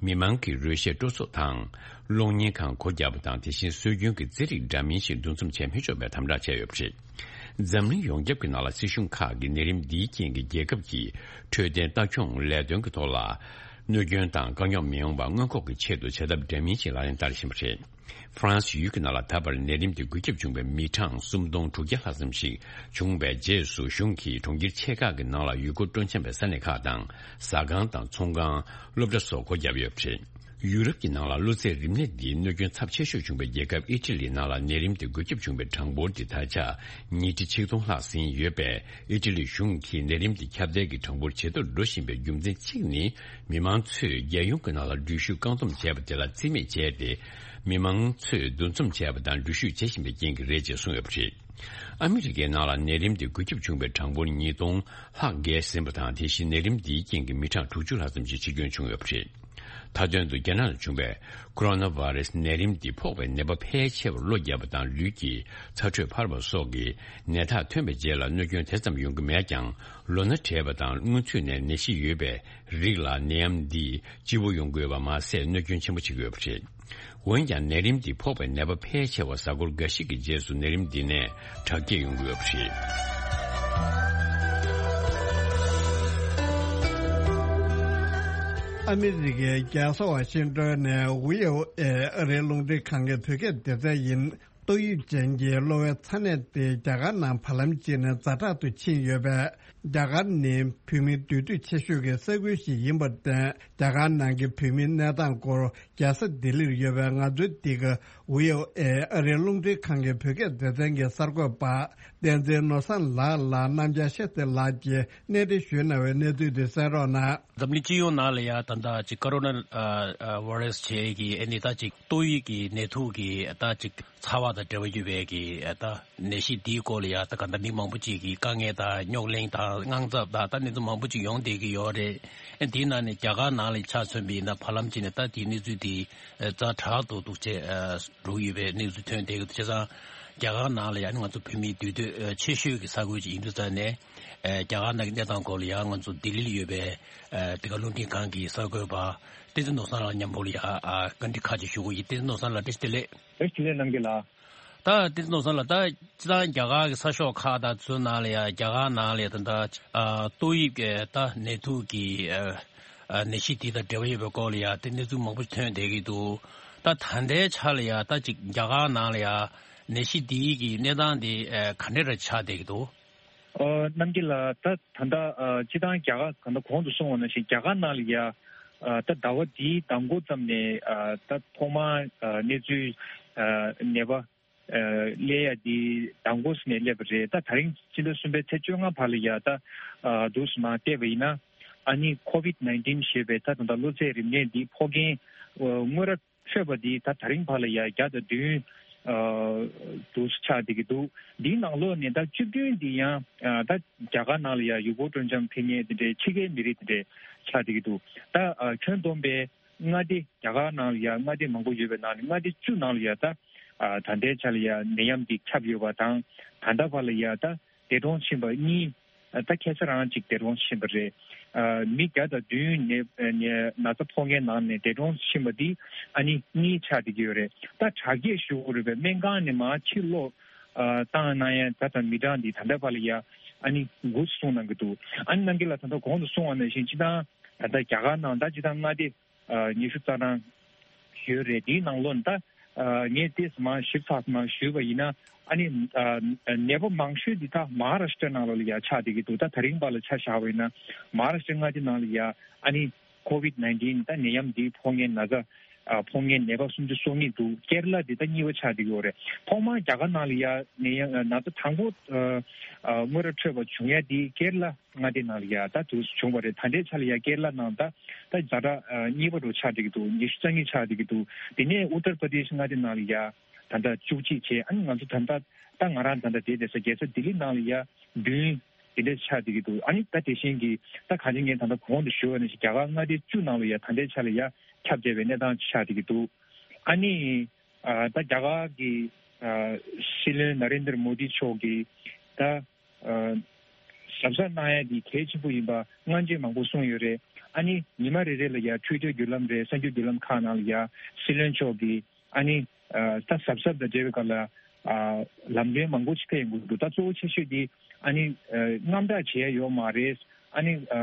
མི་མང་གིས་རོལ་གཞས་སྤྲོ་ཚོགས་དང་། གློག་བརྙན་ཁང་སྒོ་བརྒྱབ་པ་དང་། དེ་བཞིན་སྲོལ་རྒྱུན་གྱི་རྩེད་རིགས་འདྲ་མིན་ཞིག་འདུ་འཛོམས་བྱས་མི་ཆོག་པའི་དམ་དྲག་བྱས་ཡོད་པ་རེད། འཛམ་གླིང་ཡོངས་ཁྱབ་ཀྱི་ནང་ལ་སྲིད་གཞུང་ཁག་གིས་ནད་རིམས་འདིའི་རྐྱེན་གྱིས་རྒྱལ་ཁབ་ཀྱི་འཕྲོད་བསྟེན་ལྟ་སྐྱོང་ལས་དོན་གྱི་ཐོག་ལ་གནོད་སྐྱོན་དང་དཀའ་རྙོག་མི་ཡོང་བ་སྔོན་འགོག་གི་ཆེད་དུ་བྱ་ཐབས་འདྲ་མིན་ཞིག་ལག་ལེན་བསྟར་བཞིན་པ་རེད། ཧྥ་རན་སི་ཡུལ་གྱི་ནང་ལ་ད་བར་ནད་རིམས་དེ་འགོས་ཁྱབ་བྱུང་བའི་མི་གྲངས་སུམ་སྟོང་དྲུག་བརྒྱ་ལྷག་ཙམ་ཞིག་བྱུང་བའི་རྗེས་སུ། གཞུང་གིས་གྲོང་ཁྱེར་ཆེ་ཁག་གི་ནང་ལ་ཡུལ་སྐོར་སྤྲོ་འཆམ་པའི་ས་གནས་ཁག་དང་། ཟ་ཁང་དང་ཚོང་ཁང་། སློབ་གྲྭ་སོགས་སྒོ་བརྒྱབ་ཡོད་པ་རེད། ཡུ་རོབ་ཀྱི་ནང་ལ་གློ་ཚད་རིམས་ནད་འདིའི་གནོད་སྐྱོན་ཚབས་ཆེ་ཤོས་བྱུང་བའི་རྒྱལ་ཁབ་ཨི་ཊ་ལིའི་ནང་ལ་ནད་རིམས་དེ་འགོས་ཁྱབ་བྱུང་བའི་གྲངས་འབོར་དེ་ད་ཆ་ཉིས་ཁྲི་ཆིག་སྟོང་ལྷག་ཟིན་ཡོད་པས། ཨི་ཊ་ལིའི་གཞུང་གིས་ནད་རིམས་དེ་ཁྱབ་གདལ་གྱི་གྲངས་འབོར་ཇེ་མཐོར་འགྲོ་བཞིན་པའི་རྒྱུ་མཚན་གཅིག་ནི། མི་མང་ཚོས་རྒྱལ་ཡོངས་ཀྱི་ནང་ལ་འགྲུལ་བཞུད་བཀག་སྡོམ་བྱས་པ་དེ་ལ་རྩིས་མེད་བྱས་ཏེ། མི་མང་ཚོས་འདུ་འཛོམས་བྱས་པ་དང་འགྲུལ་བཞུད་བྱེད་བཞིན་པའི་རྐྱེན་གྱིས་རེད་ཅེས་གསུངས་ཡོད་པ་རེད། ཨ་མི་རི་ཀའི་ནང་ལ་ནད་རིམས་དེ་འགོས་ཁྱབ་བྱུང་བའི་གྲངས་འབོར་ཉིས་སྟོང་ལྷག་བརྒལ་ཟིན་པ་དང་། དེ་བཞིན་ནད་རིམས་འདིའི་རྐྱེན་གྱིས་མི་གྲངས་དྲུག་ཅུ་ལྷག་ཙམ་ཞིག་འཆི་སྐྱོན་བྱུང་ཡོད་པ་རེད། མཐའ་དོན་དུ་རྒྱ་ནག་ལ་བྱུང་བའི་ཁོ་རོ་ན་བྷ་རེ་སི་ནད་རིམས་འདི་ཕོག་པའི་ནད་པ་ཕལ་ཆེ་བར་གློ་བརྒྱབ་པ་དང་། ལུས་ཀྱི་ཚ་དྲོད་འཕར་བ་སོགས་ཀྱི་ནད་རྟགས་ཐོན་པའི་རྗེས་ལ་གནོད་སྐྱོན་དེ་ཙམ་ཡོང་གི་མེད་ཀྱང་། ལོ་ན་བགྲེས་པ་དང་སྔོན་ཚུད་ནས་ནད་གཞི་ཡོད་པའི་རིགས་ལ་ནད་ཡམས་འདིས་སྐྱིད་པོ་ཡོང་དགོས་པ་མ་ཟད། གནོད་སྐྱོན་ཆེན་པོ་བྱེད་ཀྱི་ཡོད་པ་རེད། འོན་ཀྱང་། ནད་རིམས་འདི་ཕོག་པའི་ནད་པ་ཕལ་ཆེ་བ་གཟའ་འཁོར་འགའ་ཞིག་གི་རྗེས་སུ་ནད་རིམས་འདི་ནས་དྲག་སྐྱེད་ཡོང་གི་ཡོད་པ་རེད། ཨ་མི་རི་ཀའི་རྒྱལ་ས་ཝ་ཤིང་ཏོན་ནས་ཝི་ཨོ་ཨེ་ཨ་རིའི་རླུང་འཕྲིན་ཁང་གི་བོད་སྐད་སྡེ་ཚན་ཡིན། ཏོག་དབྱིབས་ཅན་གྱི་གློ་བའི་ཚ་ནད་དེ་རྒྱ་གར་ནང་བར་ལམ་གཅིག་ནས་ཛ་དྲག་ཏུ་ཕྱིན་ཡོད་པས། རྒྱ་གར་ནི་བོད་མིའི་འདུས་སྡོད་ཆེ་ཤོས་ཀྱི་ས་ཁུལ་ཞིག་ཡིན་པར་བརྟེན། རྒྱ་གར་ནང་གི་བོད་མིའི་གནས་སྟངས་སྐོར་རྒྱལ་ས་ལྡི་ལིར་ཡོད་པའི་ང་ཚོའི་འདི་ག་ཝི་ཨོ་ཨེ་ཨ་རིའི་རླུང་འཕྲིན་ཁང་གི་བོད་སྐད་སྡེ་ཚན་གྱི་གསར་འགོད་པ་བསྟན་འཛིན་ནོར་བཟང་ལགས་ལ་རྣམ་རྒྱལ་ཤེས་ཚེ་ལགས་ཀྱིས་གནས་འདྲི་ཞུས་གནང་བའི་གནས་ཚུལ་དེ་གསན་རོགས་གནང་། འཛམ་གླིང་སྤྱི་ཡོངས་ནང་ལ་ཡ་ད་ལྟ་ཅིག་ཀོ་རོ་ན་ཨ་ཨ་བྷ་རེ་སི་བྱས་ཀྱི་ཨ་ནི་ད་ཅིག་ཏོག་དབྱིབས་ཀྱི་ནད་དུག་གི་ད་ཅིག་ཚ་བ་དང་འབྲེལ་བ་ཡོད་པའི་གི་ད་ནད་གཞི་འདིའི་སྐོར་ལ་ཡ་ད་ག་ད་མི་མང་པོ་ཅིག་གི་དཀའ་ངལ་དང་རྙོག་གླེང་དང་དངངས་འཚབ་དང་ད་གནས་ཚུལ་མང་པོ་ཅིག་ཡོང་བསྡད་ཀྱི་ཡོད་རེད། ཨ་དེའི་ནང་ནས་རྒྱ་གར་ནང་ལ་ཆ་མཚོན་པ་ཡིན་ན་བར་ལམ་ཅིག་ནས་ད་དེའི་གནས་ཚུལ་དེ་ཛ་དྲག་ཏུ་འདུག་ཅེས་འགྲོ་གི་ཡོད་པའི་གནས་ཚུལ་ཐོན་བསྡད་ཀྱི་འདུག་བྱས་ཙང་རྒྱ་གར་ནང་ལ་ཡ་ནི་ང་ཚོ་བོད་མིའི་འདུས་སྡོད་ཆེ་ཤོས་ཀྱི་ས་ཁུལ་ཅིག་ཡིན་དུས་ཙང་ནས། ཨེ་རྒྱ་གར་ནང་གི་གནས་སྟངས་སྐོར་ལ་ཡང་ང་ཚོ་ལྡི་ལིར་ཡོད་པའི་ཨེ་དེ་ག་རླུང་འཕྲིན་ཁང་གི་གསར་འགོད་པ་བསྟན་འཛིན་ནོར་བཟང་ལགས་མཉམ་པོ་ལ་ཡང་ཨ་བཀའ་འདྲི་ཁག་ཅིག་ཞུ་དགོས་ཡིན། བསྟན་འཛིན་ནོར་བཟང་ལགས་བཀྲ་ཤིས་བདེ་ལེགས། བཀྲ་ཤིས་བདེ་ལེགས་རྣམ་རྒྱལ་ལགས། ད་བསྟན་འཛིན་ནོར་བཟང་ལགས་ད་སྤྱིར་བཏང་རྒྱ་གར་གྱི་ས་ཕྱོགས་ཁག་དང་ཚོའི་ནང་ལ་ཡང་རྒྱ་གར་ནང་ལ་ཡང་ད་ལྟ་ཨ་ཏོག་དབྱིབས་ཀྱི་ད་ནད་དུག་གི་ཨ་ཨ་ནད་གཞི་དེ་དང་འབྲེལ་བ་ཡོད་པའི་སྐོར་ལ་ཡང་དེ་གནས་ཚུལ་མང་པོ་ཐོན་བསྡད་ཀྱི་འདུག་ད་ད་ལྟའི་ཆ་ལ་ཡང་ད་ཅིག་རྒྱ་གར་ནང་ལ་ཡང་ནད་གཞི་དེའི་གི་གནས་སྟངས་དེ་ཨ་ག་འདྲ་རེ་ཆགས་བསྡད་ཀྱི་འདུག་ཨོ། རྣམ་རྒྱལ་ལགས། ད་ད་ལྟ་ཨ་སྤྱིར་བཏང་རྒྱ་གར་གང་ལྟར་གོང་དུ་གསུངས་པ་ནང་བཞིན་རྒྱ་གར་ནང་ལ་ཡ་ཨ་ད་ཟླ་བ་འདིའི་མདང་དགོང་ཙམ་ནས་ཨ་ད་ཐོག་མར་ཨ་གནས་ཚུལ་ཨ་ནད་པ་ཨ་སླེབས་ཡ་འདི་མདང་དགོང་ཙམ་ནས་སླེབས་པ་རེད། ད་ད་རིང་སྤྱི་ཟླ་གསུམ་པའི་ཚེས་བཅོ་ལྔ་བར་ལ་ཡ་ད་ཨ་འདུག་སེ་མར་བལྟས་པ་ཡིན་ན་ཨ་ནི་ཁོ་ཝིད་ནའིན་ཊིན་ཞེས་པའི་ད་ད་ལྟ་གློ་ཚད་རིམས་ནད་འདིའི་ཕོག་མཁན་ཨ་དངོས་ར་འཕྲོད་པ་འདི་ད་ད་རིང་བར་ལ་ཡ་བརྒྱ་དང་བདུན་ཨ་འདུག་སེ་ཆགས་བསྡད་ཀྱི་འདུག་འདིའི་ནང་ལོགས་ནས་ད་བཅུ་བདུན་འདི་ཡང་ཨ་ད་རྒྱ་གར་ནང་ལ་ཡ་ཡུལ་སྐོར་སྤྲོ་འཆམ་ཕེབས་མཁན་དེ་འདྲའི་ཕྱི་རྒྱལ་མི་རིགས་དེ་འདྲའི་ཆགས་བསྡད་ཀྱི་འདུག་ད་ཨ་ཁྱོན་བསྡོམས་པའི་མངའ་སྡེ་རྒྱ་གར་ནང་ལ་ཡ་མངའ་སྡེ་མང་པོ་ཡོད་པའི་ནང་ནས་མངའ་སྡེ་བཅུ་ནང་ལ་ཡ་ད་ཨ་ད་ལྟའི་ཆ་ལ་ཡ་ནད་ཡམས་འདི་ཁྱབ་ཡོད་པ་དང་། ད་ལྟ་བར་ལ་ཡ་ད་འདས་གྲོངས་ཕྱིན་པ་གཉིས། ད་ཁ་སང་རང་ཅིག་འདས་གྲོངས་ཕྱིན་པ་རེད། ཨ་མི་བརྒྱ་དང་བདུན་ནས་ནས་ན་ཚ་ཕོག་མཁན་ནང་ནས་འདས་གྲོངས་ཕྱིན་པ་འདི་ཨ་ནི་གཉིས་ཆགས་བསྡད་ཀྱི་ཡོད་རེད། ད་དྲག་སྐྱེད་ཞུ་དགོས་རེད་པས། སྨན་ཁང་ནས་མར་ཕྱིར་ལོག་ཨ་བཏང་གནང་ཡ་ད་ད་མི་གྲངས་འདི་ད་ལྟ་བར་ལ་ཡ་ཨ་ནི་དགུ་གསུངས་གནང་གི་འདུག་ཨ་ནི་རྣམ་རྒྱལ་ལགས་ད་ལྟ་གོང་དུ་གསུངས་པ་ནང་བཞིན་སྤྱིར་བཏང་ད་ལྟ་རྒྱ་གར་ནང་ད་སྤྱིར་བཏང་མངའ་སྡེ་ཨ་ཉི་ཤུ་རྩ་གྲངས་ཡོད་རེད། དེའི་ནང་ལོགས་ནས་ད་ཨ་ངས་ཏོག་ཙམ་མར་ཞིབ་ཚགས་མར་ཞུས་པ་ཡིན་ན། ཨ་ནི་ཨ་ནད་པ་མང་ཤོས་འདི་ད་མ་ཧཱ་རཱ་ཤི་ཏྲ་ནང་ལོགས་ལ་ཡ་ཆགས་བསྡད་ཀྱི་འདུག་ད་ད་རིང་བར་ལ་ཆ་བཞག་པ་ཡིན་ན་མ་ཧཱ་རཱ་ཤི་ཏྲ་མངའ་སྡེ་ནང་ལ་ཡ་ཨ་ནི་ ཀོ་ཝིད་ནའིན་ཊིན་ད་ནད་ཡམས་འདིའི་ཕོག་མཁན་ན་ཚ་ཨ་ཕོག་མཁན་ནད་པ་སུམ་ཅུ་སོ་གཉིས་འདུག་ཀེ་ར་ལ་འདི་ད་གཉིས་པ་ཆགས་བསྡད་ཀྱི་ཡོད་རེད། ཐོག་མར་རྒྱ་གར་ནང་ལ་ཡ་ནད་ཡམས་ན་ཚ་དང་པོ་ཨ་ཨ་དངོས་ར་འཕྲོད་པ་བྱུང་ཡ་འདི་ཀེ་ར་ལ་མངའ་སྡེ་ནང་ལ་ཡ་ད་དུ་བྱུང་བ་རེད། ད་ལྟའི་ཆ་ལ་ཡ་ཀེ་ར་ལ་ནང་ད་ད་ཛ་དྲག་ཨ་གཉིས་པ་འདྲ་ཆགས་བསྡད་ཀྱི་འདུག་ཉི་ཤུ་རྩ་གཉིས་ཆགས་བསྡད་ཀྱི་འདུག་དེ་ནས་ཨུ་ཏར་པར་དེ་ཤི་མངའ་སྡེ་ནང་ལ་ཡ་ད་ལྟ་བཅུ་གཅིག་བྱས། ཨ་ནི་ང་ཚོ་ད་ལྟ་ད་ང་རང་ད་ལྟ་བསྡད་བསྡད་ས་རྒྱལ་ས་ལྡི་ལི་ནང་ལ་ཡ་བདུན་དེ་འདྲ་ཆགས་བསྡད་ཀྱི་འདུག་ཨ་ནི་ད་དེ་བཞིན་གྱི་ད་གང་ཅི་ངས་ད་ལྟ་གོང་དུ་ཞུས་པ་ནང་བཞིན་རྒྱ་གར་མངའ་སྡེ་བཅུ་ནང་ལ་ཡ་ད་ལྟའི་ཆ་ལ་ཡ་ཁྱབ་བསྡད་པའི་གནས་སྟངས་ཆགས་བསྡད་ཀྱི་འདུག་ཨ་ནི་ཨ་ད་རྒྱ་གར་གྱི་ཨ་སྲིད་བློན་ན་རེན་དར་མོ་དི་མཆོག་གིས་ད་ཨ་གཟབ་གཟབ་གནང་ཡ་འདི་གལ་ཆེན་པོ་ཡིན་པ་སྔ་རྗེས་མང་པོ་གསུངས་ཡོད་རེད། ཨ་ནི་ཉི་མ་རེ་རེ་ལ་ཡ་ཊུའི་ཊར་བརྒྱུད་ལམ་རེད། གསར་འགྱུར་བརྒྱུད་ལམ་ཁག་ནང་ལ་ཡ་སྲིད་བློན་མཆོག་གིས་ཨ་ནི་ཨ་ད་གཟབ་གཟབ་དང་འབྲེལ་བའི་སྐོར་ལ་ཨ་ལམ་སྟོན་མང་པོ་ཞིག་ཕེབས་ཡོང་གི་འདུག་ད་གཙོ་བོ་ཆེ་ཤོས་འདི་ཨ་ནི་ཨ་རྔམ་སྐྲག་བྱེད་ཡ་ཡོད་མ་རེད། ཨ་ནི་ཨ་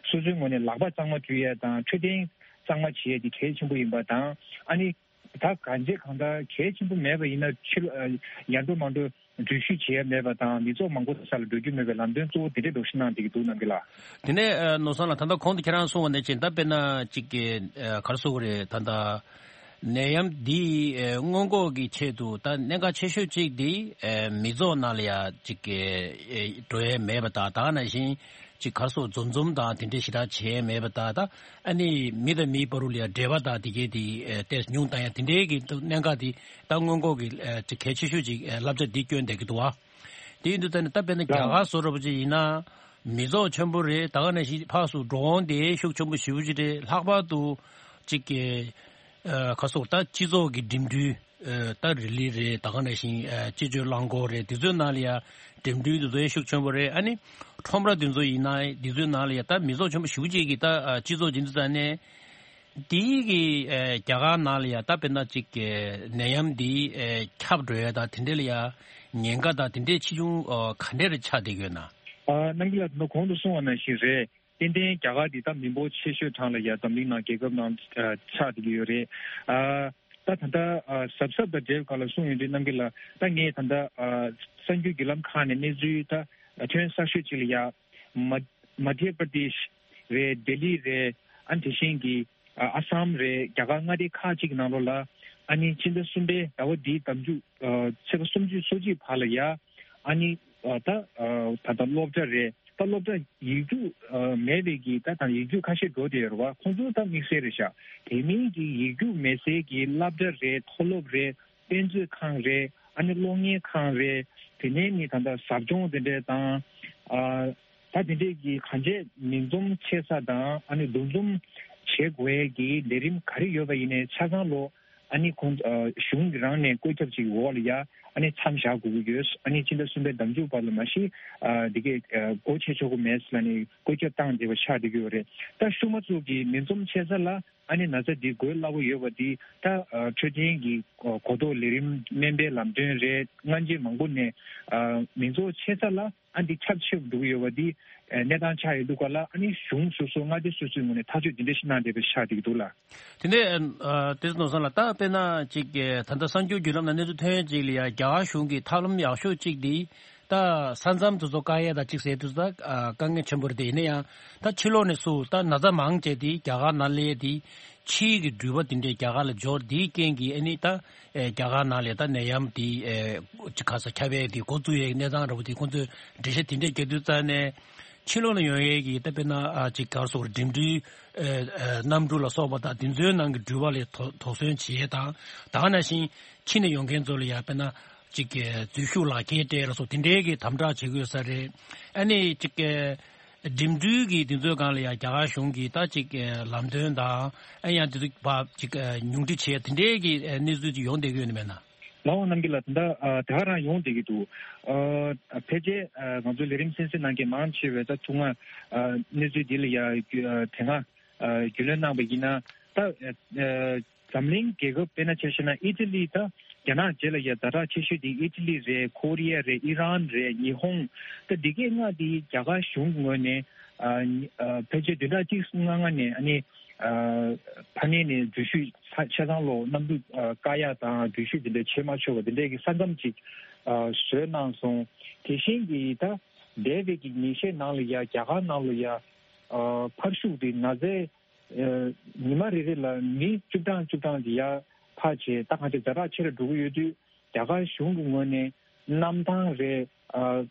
སོ་སོའི་ངོས་ནས་ལག་པ་གཙང་མ་འཁྲུ་ཡ་དང་འཕྲོད་བསྟེན་གཙང་མ་བྱེད་ཡ་འདི་གལ་ཆེན་པོ་ཡིན་པ་དང་། ཨ་ནི་ད་གང་ཅི་གང་ལྟར་གལ་ཆེན་པོ་མེད་པ་ཡིན་ན་ཕྱི་ལོགས་ཡར་འགྲོ་མར་འགྲོ་འགྲུལ་བཞུད་བྱེད་ཡ་མེད་པ་དང་། མི་ཚོགས་མང་པོ་སར་ལ་འགྲོ་རྒྱུ་མེད་པའི་ལམ་སྟོན་གཙོ་བོ་དེ་འདྲས་འདྲ་ཞིག་གནང་བསྡད་ཀྱི་འདུག་ནམ་རྒྱུན་ལགས། དེ་ནས་ནོར་བཟང་ལགས། ད་ལྟ་གོང་དུ་ཁྱེད་རང་གསུངས་པ་ནང་བཞིན་ད་དཔེར་ན་གཅིག་གི་ག་རེ་ཟེར་དགོས་རེད། ད་ལྟ་ནད་ཡམས་འདི་སྔོན་འགོག་གི་ཆེད་དུ་ད་གནད་འགག་ཆེ་ཤོས་གཅིག་འདི་མི་ཚོགས་ནང་ལ་ཡ་གཅིག་གི་འགྲོ་ཡ་མེད་པ་དང་། ད་ག་ནང་བཞིན་ཅིག་ག་རེ་ཟེར་འཛོམས་འཛོམས་དང་དེ་འདྲས་ཞེ་དྲག་བྱས་མེད་པ་དང་། ད་ཨ་ནི་མི་དང་མིའི་བར་དུ་ལ་ཡ་འབྲེལ་བ་དང་དེ་གའི་དེ་ཨེ་ཏོག་ཙམ་ཉུང་བཏང་ཡ་དེ་འདྲས་ཀྱི་གནད་འགག་དེ་ད་སྔོན་འགོག་གི་ཨེ་ཅིག་གལ་ཆེ་ཤོས་ཅིག་ཨེ་བསླབ་བྱ་འདི་བསྐྱོན་བསྡད་ཀྱི་འདུག་བ། དེ་ཡིན་དུས་ད་ནི་ད་དཔེར་ན་རྒྱ་གར་བཟོ་འདྲ་པོ་ཅིག་ཡིན་ན་མི་ཚོགས་ཆེན་པོ་རེད། ད་ག་ནང་བཞིན་ཕར་ཚུར་འགྲོ་འོང་དེ་ཤུགས་ཆེན་པོ་ཞེ་པོ་ཅིག་རེད། ལྷག་པར་དུ་ཅིག་གི་ཨ་ག་རེ་ཟེར་ད་སྤྱི་ཚོགས་ཀྱི་འགྲིམ་འགྲུལ་ཨ་ད་རི་ལི་རེད། ད་ག་ནང་བཞིན་ཨ་སྤྱི་སྤྱོད་རླངས་འཁོར་རེད། དེ་ཚོའི་ནང་ལ་ཡ་འགྲིམ་འགྲུལ་དེ་ཚོ་ཡ་ཤུགས་ཆེན་པོ་རེད། ཨ་ནི་ཁྲོམ་ར་དེ་ཚོ་ཡིན་ན་དེ་ཚོའི་ནང་ལ་ཡ་ད་མི་ཚོགས་ཆེན་པོ་ཞེ་པོ་ཅིག་གིས་ད་ཨ་སྤྱི་ཚོགས་ཡིན་དུས་ཙང་ནས་དེའི་གི་ཨ་རྒྱ་གར་ནང་ལ་ཡ་ད་དཔེར་ན་ཅིག་གི་ནད་ཡམས་འདི་ཨ་ཁྱབ་འགྲོ་ཡ་ད་དེ་འདྲ་ལ་ཡ་ཉེན་ཁ་ད་དེ་འདྲའི་ཆེ་ཆུང་ཨ་ག་འདྲ་རེ་ཆགས་བསྡད་ཀྱི་ཡོད་ན། ཨ་རྣམ་རྒྱལ་ལགས་ད་གོང་དུ་གསུངས་པ་ནང་བཞིན་རེད། ཏན་ཏན་རྒྱ་གར་འདི་ད་མི་འབོར་ཆེ་ཤོས་གྲས་ལ་ཡ་འཛམ་གླིང་ནང་རྒྱལ་ཁབ་ནང་ཨ་ཆགས་བསྡད་ཀྱི་ཡོད་རེད། ཨ་ད་ད་ལྟ་ཨ་གཟབ་གཟབ་དང་འབྲེལ་བའི་སྐོར་ལ་གསུངས་ཡོང་དུས་རྣམ་རྒྱལ་ལགས། ད་ངས་ད་ལྟ་ཨ་གསར་འགྱུར་བརྒྱུད་ལམ་ཁག་ནས་གནས་ཚུལ་ད་ཐོན་གསར་ཤོས་ཅིག་ལ་ཡ་མ་མ་དྷྱ་པྲ་དེཤ་རེད། ལྡི་ལི་རེད། ཨ་ནི་དེ་བཞིན་གྱི་ཨ་ཨ་སམ་རེད། རྒྱ་གར་མངའ་སྡེ་ཁག་ཅིག་གི་ནང་ལོགས་ལ་ཨ་ནི་ཕྱི་ཟླ་གསུམ་པའི་ཟླ་བ་འདིའི་ཟླ་མཇུག་ཨ་ཚེས་པ་སུམ་ཅུ་སོ་གཅིག་བར་ལ་ཡ་ཨ་ནི་ཨ་ད་ཨ་ད་ལྟ་སློབ་གྲྭ་རེད། ད་སློབ་གྲྭ་ཡིག་རྒྱུགས་ཨ་མེད་པའི་གི་ད་ད་ཡིག་རྒྱུགས་ཁ་ཤས་འགྲོ་བསྡད་ཡོད་རེད་བ། ཁོང་ཚོ་ད་དམིགས་བསལ་རེད་ཤག་དེ་མིན་གྱི་ཡིག་རྒྱུགས་མེད་སའི་གི་སློབ་གྲྭ་རེད། མཐོ་སློབ་རེད། དཔེ་མཛོད་ཁང་རེད། ཨ་ནི་གློག་བརྙན་ཁང་རེད། དེ་ནས་ནི་ད་ལྟ་ཟབ་སྦྱོང་དེ་འདྲས་དང་ཨ་ད་དེ་འདྲས་ཀྱི་གང་ཅི་མིང་འཛོམས་ཆེ་ས་དང་ཨ་ནི་འདུ་འཛོམས་བྱེད་དགོས་ཀྱི་ལས་རིམ་ག་རེ་ཡོད་པ་ཡིན་ནའི་ཆ་ཚང་ལོ་ཨ་ནི་ཁོང་ཨ་གཞུང་གི་རང་ནས་བཀོད་ཁྱབ་ཅིག་འོག་ལ་ཡ་ཨ་ནི་མཚམས་བཞག་དགོས་ཀྱི་ཡོད། ཨ་ནི་ཕྱི་ཟླ་གསུམ་པའི་ཟླ་མཇུག་བར་ལ་མ་གཞི་ཨ་འདི་གས་ཨ་སྒོ་ཕྱེ་ཆོག་གི་མེད་ཟེར་ལ་ནི་བཀོད་ཁྱབ་བཏང་བསྡད་པ་ཆགས་བསྡད་ཀྱི་ཡོད་རེད། ད་ཤུལ་མ་ཚོ་གི་མིང་འཛོམས་ཆེ་ས་ལ་ཨ་ནི་ན་ཚ་འདི་འགོས་སླ་པོ་ཡོད་པ་འདི་ད་ཨ་འཕྲོད་བསྟེན་གྱི་གོ་གོ་རྟོགས་ལས་རིམ་སྨན་པའི་ལམ་སྟོན་རེད། སྔ་རྗེས་མང་པོ་ནས་ཨ་མིང་ཚོགས་ཆེ་ས་ལ་ཨ་འདི་ཁྱབ་ཆེ་རུ་འགྲོ་གི་ཡོད་པ་འདི་ཨ་གནས་སྟངས་ཆགས་ཡོད་འདུག་ག་ལ། ཨ་ནི་གཞུང་སོ་སོ་མངའ་སྡེ་སོ་སོའི་ངོས་ནས་ཐག་གཅོད་འདི་འདྲ་ཞིག་གནང་བསྡད་པ་ཆགས་བསྡད་ཀྱི་འདུག་ལ། དེ་ནས་ཨ་དེ་ཚོ་ནོར་བཟང་ལགས། ད་དཔེར་ན་ཅིག་ད་ལྟ་གསར་འགྱུར་བརྒྱུད་ལམ་ནང་གནས་ཚུལ་ཐོན་ཡས་ཅིག་ལ་ཡ་རྒྱ་གར་གཞུང་གི་ཐབས་ལམ་ཡག་ཤོས་ཅིག་འདི་ད་ས་མཚམས་དེ་ཚོ་བཀག་ཡས་དང་ཅིག་ཟེར་དུས་ད་ཨ་དཀའ་ངལ་ཆེན་པོ་རེད། དེ་ཡིན་ན་ཡང་ད་ཕྱི་ལོགས་ནས་སུ་ད་ན་ཚ་མང་ཆེ་དེ་རྒྱ་གར་ནང་སླེབས་དེ་ཕྱིའི་གི་འགྲུལ་པ་དེ་འདྲས་རྒྱ་གར་ལ་འབྱོར་དེའི་རྐྱེན་གྱིས་ཨ་ནི་ད་ཨེ་རྒྱ་གར་ནང་ལ་ད་ནད་ཡམས་དེ་ཨེ་ཅིག་ག་ས་ཁྱབ་ཡས་དེ་འགོ་བཙུགས་ཡས་གནས་སྟངས་འདྲ་པོ་དེ་ཁོང་ཚོས་འགྲེལ་བཤད་དེ་འདྲས་རྒྱག་དུས་ཙང་ནས་ཕྱི་ལོགས་ནས་ཡོང་ཡས་ཀྱི་ད་དཔེར་ན་ཨ་ཅིག་ག་རེ་ཟེར་དགོས་རེད། འགྲིམ་འགྲུལ་ཨེ་ཨེ་གནམ་གྲུ་ལ་སོགས་པ་དང་དེ་ཚོའི་ནང་གི་འགྲུལ་པ་ལ་དོ་དོགས་ཟོན་བྱེད་ཡས་དང་། ད་ག་ནང་བཞིན་ཕྱི་ནས་ཡོང་མཁན་ཚོ་ལ་ཡང་དཔེར་ན་ཅིག་གི་འཛུལ་ཞུགས་ལག་ཁྱེར་སྤྲད་ལ་སོགས་དེ་འདྲའི་གི་དམ་དྲག་བྱེད་དགོས་ས་རེད། ཨ་ནི་ཅིག་གི་འགྲིམ་འགྲུལ་གྱི་དེ་ཚོའི་སྒང་ལ་ཡང་རྒྱ་གར་གཞུང་གིས་ད་ཅིག་གི་ལམ་སྟོན་དང་ཨ་ཡང་དེ་ཚོ་ཕར་ཅིག་གི་ཉུང་འཕྲི་བྱེད་དེ་འདྲའི་གི་གནས་ཚུལ་ཅིག་ཡོང་བསྡད་ཀྱི་ཡོད་ནི་མེད་ན། ལགས་འོང་རྣམ་རྒྱལ་ལགས། ད་ལྟ་ཨ་དེ་ག་རང་ཡོང་བསྡད་ཀྱི་འདུག་ཨ་ཕལ་ཆེར་ཨ་ང་ཚོའི་ལས་རིམ་གསན་གཟིགས་གནང་མཁན་མང་ཆེ་བས་ད་ཐུག་སྔ་ཨ་གནས་ཚུལ་འདི་ལ་ཡ་རྒྱུ་ཨ་དེ་སྔ་ཨ་རྒྱུས་ལོན་གནང་བ་ཡིན་ན་ད་ཨ་འཛམ་གླིང་རྒྱལ་ཁབ་དཔེར་ན་ཆ་བཞག་ན་ཨི་ཊ་ལི་ད་རྒྱ་ནག་རྗེས་ལ་ཡ་ཛ་དྲག་ཆེ་ཤོས་དེ་ཨི་ཊ་ལི་རེད། ཁོ་རི་ཡ་རེད། ཨི་རན་རེད། ཉི་ཧོང་ད་འདི་གས་ལྔ་དེ་རྒྱ་གར་གཞུང་གི་ངོས་ནས་ཨ་ཨ་ཕལ་ཆེར་བདུན་ཕྲག་གཅིག་ལྔ་ལྔ་ནས་ཨ་ནི་ཨ་ཕ་ནས་ནས་འགྲུལ་བཞུད་ཆ་ཆ་ཚང་ལོ་གནམ་གྲུ་ཨ་བཀག་ཡག་དང་འགྲུལ་བཞུད་འདི་འདྲ་བྱེད་མ་ཆོག་པ་འདི་འདྲའི་གི་ས་མཚམས་ཅིག་ཨ་བཟོས་གནང་སོང་། དེ་བཞིན་གྱི་ད་འདས་པའི་གི་ཉིན་ཤས་ནང་ལ་ཡ་རྒྱ་གར་ནང་ལ་ཡ་ཨ་ཕར་ཤུག་དེ་ན་ཚའི་ ཉི་མ་རེ་རེ་ལ་མི་བཅུ་གྲངས་བཅུ་གྲངས་ཀྱི་ཡར་ཕར་བྱས། ད་གང་ཅི་ཛ་དྲག་ཆེ་རུ་འགྲོ་གི་ཡོད་དུས། རྒྱ་གར་གཞུང་གི་ངོས་ནས་གནམ་ཐང་རེད། ཨ་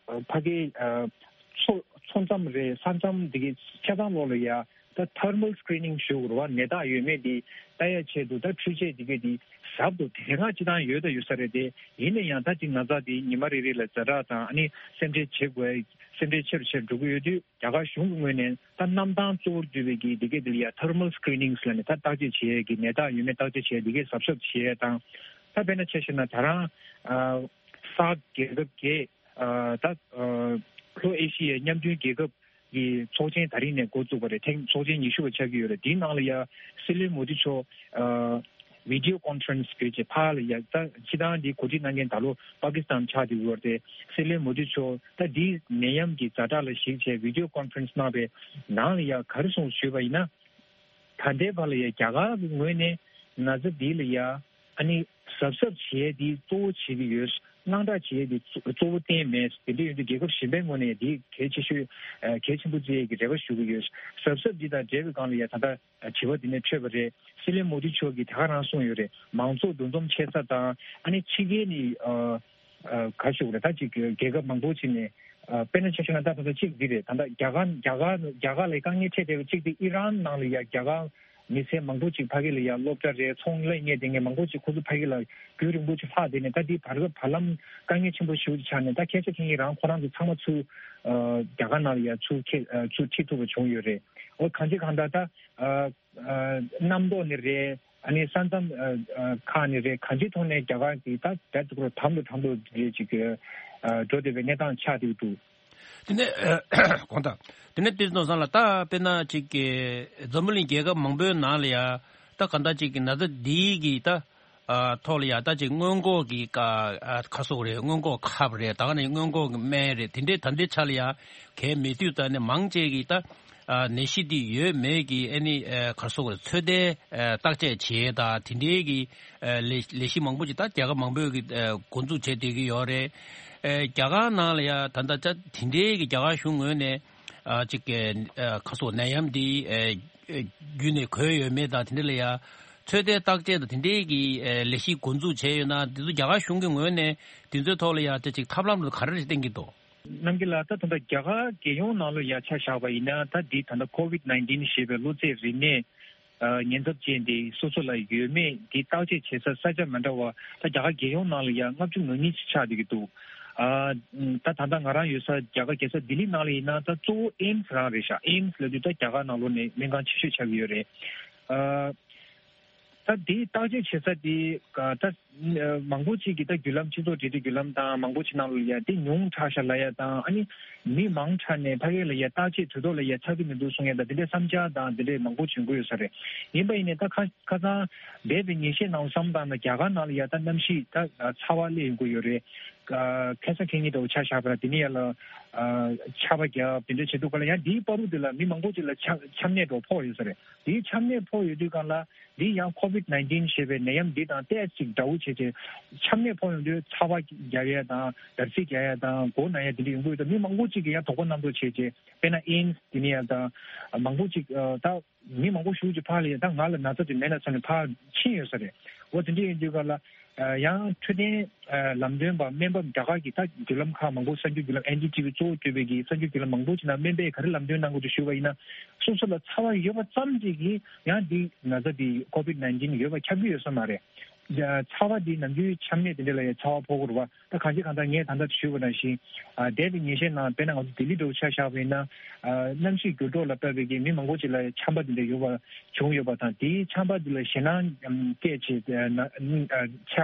ཕ་གི་ཨ་མཚོ་མཚོ་མཚམས་རེད། ས་མཚམས་འདི་གའི་ཆ་ཚང་ལོགས་ལ་ཡ་ད་thermal screening ཞུ་དགོས་རེད་བ། ནད་རྟགས་ཡོད་མེད་འདི་ལྟ་ཡ་ཆེད་དུ། ད་འཕྲུལ་ཆས་འདི་གའི་འདི་ཟབ་ཏུ་དེ་སྔ་སྤྱི་བཏང་ཡོད་ད་ཡོད་ས་རེད་དེ། ཡིན་ན་ཡང་ད་ཅིག་ན་ཚ་འདི་ཉི་མ་རེ་རེ་ལ་ཛ་དྲག་དང་ཨ་ནི་སེམས་ཁྲལ་བྱེད་དགོས། སེམས་ཁྲལ་ཆེ་རུ་ཆེ་རུ་འགྲོ་གི་ཡོད་དུས། རྒྱ་གར་གཞུང་གི་ངོས་ནས་ད་གནམ་ཐང་གཙོ་བོར་འདུས་པའི་གི་འདི་གའི་འདི་ལ་ཡ་thermal screenings ལབ་ནས་ད་བརྟག་དཔྱད་བྱེད་ཡས་ཀྱི། ནད་རྟགས་ཡོད་མེད་བརྟག་དཔྱད་བྱེད་ཡས་འདི་གའི་གཟབ་གཟབ་བྱེད་ཡས་དང་། ད་དཔེར་ན་ཆ་བཞག་ན་ད་རང་ཨ་སཱག་རྒྱལ་ཁབ་བརྒྱད། ཨ་ད་ཨ་ལྷོ་ཨེ་ཤི་ཡའི་མཉམ་མཐུན་རྒྱལ་ཁབ་ཀྱི་ཚོགས་ཆེན་ད་རིང་ནས་འགོ་བཙུགས་པ་རེད། ཐེངས་ཚོགས་ཆེན་ཉི་ཤུ་པ་ཆགས་ཀྱི་ཡོད་རེད། དེའི་ནང་ལ་ཡ་སྲིད་བློན་མོ་དི་མཆོག་ཨ་video conference བྱས་བྱས་ཕར་ལ་ཡ། ད་སྤྱི་བཏང་འདི་གོ་སྒྲིག་གནང་མཁན་ད་ལོ་པ་ཀི་སི་ཐན་ཆགས་བསྡད་ཡོད་རེད། སྲིད་བློན་མོ་དི་མཆོག་ད་འདི་ནད་ཡམས་ཀྱི་ཛ་དྲག་ལ་གཞིགས་བྱས་video conference གནང་བའི་ནང་ལ་ཡ་ག་རེ་གསུངས་ཞུས་པ་ཡིན་ན། ད་ལྟའི་བར་ལ་ཡ་རྒྱ་གར་གྱི་ངོས་ནས་ན་ཚ་འདི་ལ་ཡ་ཨ་ནི་གཟབ་གཟབ་བྱེད་ཡས་འདི་གཙོ་བོ་བྱེད་ཀྱི་ཡོད། དངངས་སྐྲག་བྱེད་ཡས་འདི་གཙོ་བོ་གཏན་མེད། དེ་འདྲ་ཡོད་དུས་རྒྱལ་ཁབ་གཞན་པའི་ངོས་ནས་འདི་གལ་ཆེ་ཤོས་ཨ་གལ་ཆེན་པོ་བརྩི་ཡས་ཀྱི་རེ་བ་ཞུ་གི་ཡོད། གཟབ་གཟབ་འདི་དང་འབྲེལ་བའི་སྒང་ལ་ཡ་ད་ལྟ་དྲི་བ་འདི་ནས་འཕྲོས་པ་རེད། སྲིད་བློན་མོ་དི་མཆོག་གིས་དེ་ག་རང་གསུངས་ཡོད་རེད། མང་ཚོགས་འདུ་འཛོམས་ཆེ་ས་དང་ཨ་ནི་ཕྱི་རྒྱལ་ནས་ཨ་ཨ་ག་ཞུ་དགོས་རེད། ད་ཅིག་རྒྱལ་ཁབ་མང་པོ་ཅིག་ནས་ཨ་དཔེར་ན་ཆ་བཞག་ན་ད་ད་ལྟ་གཅིག་འདི་རེད། ད་ལྟ་རྒྱ་གར་རྒྱ་གར་རྒྱ་གར་ལ་དཀའ་ངལ་འཕྲད་བསྡད་པ་གཅིག་དེ་ཨི་རན་ནང་ལ་ཡ་རྒྱ་གར་མི་སེར་མང་པོ་ཅིག་ཕ་གི་ལ་ཡ་སློབ་གྲྭ་རེད། ཚོང་ལས་གཉེར་བསྡད་མཁན་མང་པོ་ཅིག་ཁོ་ཚོ་ཕ་གི་ལ་རྒྱུན་རིང་པོ་ཅིག་ལྷག་བསྡད་ནས། ད་འདི་བར་སྐབས་བར་ལམ་དཀའ་ངལ་ཆེན་པོ་ཞེ་པོ་ཅིག་ཆགས་ནས། ད་ཁ་ཤས་ཁེ་ཉིན་རང་ཁོ་རང་ཚོ་ཚང་མ་ཚུར་ཨ་རྒྱ་གར་ནང་ལ་ཡ་ཚུར་ཁེ་ཨ་ཚུར་ཁྲིད་ཐུབ་པ་བྱུང་ཡོད་རེད། འོ་གང་ཅི་གང་ལྟར་ད་ཨ་ཨ་གནམ་ཐོག་ནས་རེད། ཨ་ནི་ས་མཚམས་ཨ་ཨ་ཁག་ནས་རེད། གང་ཅིའི་ཐོག་ནས་རྒྱ་གར་གྱི་ད་ད་དུ་གྲམ་དུ་གྲམ་དུ་རེད་ཅིག་ཨ་འགྲོ་བསྡད་པའི་གནས་སྟངས་ཆགས་བསྡད་འདུག་དེ་ནས་གོང་དང་། དེ་ནས་དེ་ཚོ་སང་ལ་ད་དཔེར་ན་ཅིག་གི་འཛམ་བུ་གླིང་རྒྱལ་ཁབ་མང་པོའི་ནང་ལ་ཡ་ད་ག་འདྲ་ཅིག་གི་ན་ཚ་འདིའི་གི་ད་ཨ་ཐོག་ལ་ཡ་ད་ཅིག་སྔོན་འགོག་གི་ཀ་ཨ་ཁ་སོག་རེད། སྔོན་འགོག་ཁབ་རེད། ད་ག་ནས་སྔོན་འགོག་གི་སྨན་རེད། དེ་འདྲའི་ད་འདྲའི་ཆ་ལ་ཡ་གལ་མེད་དུས་ད་ནས་མང་ཆེ་གི་ད་ཨ་ནད་གཞི་འདི་ཡོད་མེད་ཀྱི་ཨ་ནི་ཨ་ག་སོག་རེད། ཚོད་ལྟའི་ཨ་བརྟག་དཔྱད་བྱེད་ད་དེ་འདྲའི་གི་ཨ་ལས་ལས་གཞི་མང་པོ་ཅིག་ད་རྒྱལ་ཁབ་མང་པོས་གི་ཨ་འགོ་འཛུགས་བྱས་བསྡད་ཀྱི་ཡོད་རེད། ཨ་རྒྱ་གར་ནང་ལ་ཡ་ད་ལྟ་ཅག་དེ་འདྲའི་གི་རྒྱ་གར་གཞུང་ངོས་ནས་ཨ་ཅིག་གི་ཨ་ཁ་སོག་ནད་ཡམས་འདི་ཨ་བརྒྱུད་ནས་འགོས་ཡོད་མེད་དང་དེ་འདྲ་ལ་ཡ་ཚོད་ལྟའི་བརྟག་དཔྱད་དང་དེ་འདྲའི་གི་ཨ་ལས་གཞི་འགོ་འཛུགས་བྱས་ཡོད་ན། དེ་ཚོ་རྒྱ་གར་གཞུང་གི་ངོས་ནས་དེ་ཚོའི་ཐོག་ལ་ཡ་ཅིག་ཐབས་ལམ་རུ་ག་རེ་རེ་བསྟན་གྱི་འདུག་རྣམ་རྒྱལ་ལགས། ད་ད་ལྟ་རྒྱ་གར་རྒྱལ་ཡོངས་ནང་ལ་ཡ་ཆ་བཞག་པ་ཡིན་ན། ད་འདི་ད་ལྟ་ཀོ་ཝིད་ནའིན་ཊིན་ཞེས་པའི་གློ་ཚད་རིམས་ནད་ཨ་ཉེན་ཚབས་ཅན་དེ་སོ་སོ་ལ་ཡོད་མེད་འདི་བརྟག་དཔྱད་བྱེད་ས་ས་ཆ་མི་འདྲ་བ། ད་རྒྱ་གར་རྒྱལ་ཡོངས་ནང་ལ་ཡ་ལྔ་བཅུ་ང་གཉིས་ཅིག་ཆགས་བསྡད་ཀྱི་འདུག་ཨ་ད་ད་ལྟ་ང་རང་ཡོད་ས་རྒྱ་གར་རྒྱལ་ས་ལྡི་ལི་ནང་ལ་ཡིན་ན། ད་གཙོ་བོ་ཨེམ་སི་རང་རེད་ཤག་ཨེམ་སི་ལབ་དུས་ད་རྒྱ་གར་ནང་ལོགས་ནས་སྨན་ཁང་ཆེ་ཤོས་ཆགས་ཀྱི་ཡོད་རེད། ཨ། ད་དེའི་བརྟག་དཔྱད་བྱེད་ས་དེ་ད་མང་པོ་ཅིག་གིས་ད་བརྒྱུད་ལམ་སྤྱི་ཚོགས་འབྲེལ་མཐུད་བརྒྱུད་ལམ་དང་མང་པོ་ཅིག་ནང་ལ་ཡ་དེ་ཉུང་དྲགས་ཤག་ལབ་ཡ་དང་། ཨ་ནི་མི་མང་དྲགས་ནས་ཕ་གི་ལ་ཡ་བརྟག་དཔྱད་དུས་ཐོག་ལ་ཡ་ཆགས་ཀྱི་མི་འདུག་གསུང་ཡ་དང་། དེ་འདྲའི་བསམ་འཆར་དང་དེ་འདྲའི་མང་པོ་བྱུང་གི་ཡོད་ས་རེད། ཡིན་པ་ཡིན་ནའི་ད་ཁ་ཁ་སང་འདས་པའི་ཉིན་ཤས་ནང་བསམ་བཏང་ན་རྒྱ་གར་ནང་ལ་ཡ་ད་གནམ་གཤིས་ད་ཚ་བ་སླེབས་ཡོང་གི་ཡོད་རེད། ཁ་སང་ཁེ་ཉིན་འདྲ་བོ་ཆ་བཞག་པ་ན་དེ་ནས་ཡ་ལ་ཆར་པ་བརྒྱབ་དེ་འདྲ་བྱེད་དུས་ག་ལ་ཡང་དེའི་བར་དུ་དེ་ལ་མི་མང་པོ་ཅིག་ལ་ཆམ་ཆམ་ནད་འདྲ་བོ་ཕོག་ཡོད་ས་རེད། དེའི་ཆམ་ནད་ཕོག་ཡོད་དུས་སྒང་ལ་འདི་ཡང་ཀོ་ཝིད་ནའིན་ཊིན་ཞེས་པའི་ནད་ཡམས་འདི་དང་ཏོག་ཙམ་འདྲ་བོ་བྱས་ཏེ། ཆམ་ནད་ཕོག་ཡོང་དུས་ཚ་བ་རྒྱག་ཡས་དང་འདར་སིག་རྒྱག་ཡས་དང་མགོ་ན་ཡས་དེ་འདྲ་ཡོང་གི་ཡོད། ད་མི་མང་པོ་ཅིག་གིས་ཡང་དོགས་པ་རྣམ་རྟོག་བྱས་ཏེ། དཔེར་ན་ཨེམ་སི་དེ་ནས་ཡང་དང་མང་པོ་ཅིག་ད་མི་མང་པོ་ཞེ་པོ་ཅིག་ཕར་ལ་ཡ་ད་ང་ལ་ན་ཚ་དེ་མེད་ན་བསམ་ནས་ཕར་ཕྱིན་ཡོད་ས་རེད། འོ་དེ་འདྲ་ཡིན་དུས་སྒང་ལ། ཡང་འཕྲོད་བསྟེན་ལམ་སྟོན་པ་སྨན་པ་རྒྱ་གར་གྱི་ད་བརྒྱུད་ལམ་ཁག་མང་པོ་གསར་འགྱུར་བརྒྱུད་ལམ་ཨེན་ཌི་ཊི་ཝི་གཙོ་བོ་གྱུར་པའི་གི་གསར་འགྱུར་བརྒྱུད་ལམ་མང་པོ་ཅིག་ནང་སྨན་པས་ག་རེ་ལམ་སྟོན་གནང་གི་འདུག་ཞུས་པ་ཡིན་ན། སོ་སོ་ལ་ཚ་བ་ཡོད་པ་ཙམ་ཅིག་གིས་ཡང་འདི་ན་ཚ་འདི་ཀོ་ཝིད་ནའིན་ཊིན་ཡོད་པ་ཁྱབ་ཀྱི་ཡོད་ས་མ་རེད། ཚ་བ་འདི་ནམ་རྒྱུན་ཆམ་ནད་དེ་འདྲ་ལ་ཡང་ཚ་བ་ཕོག་གི་རེད་བ། ད་གང་ཅི་གང་ལྟར་ངས་ད་ལྟ་ཞུས་པ་ནང་བཞིན། ཨ་འདས་པའི་ཉིན་ཤས་ནང་དཔེར་ན་ང་ཚོ་ལྡི་ལི་འདྲ་བོ་ཆ་བཞག་པ་ཡིན་ན། ཨ་གནམ་གཤིས་འགྱུར་ལྡོག་ལ་བལྟས་པའི་གི་མི་མང་པོ་ཅིག་ལ་ཆམ་པ་འདི་འདྲ་ཡོད་པ་བྱུང་ཡོད་པ་དང་། དེའི་ཆམ་པ་འདི་ལ་ཞེད་སྣང་སྐྱེས་བྱས་ན་ཨ་ཆ་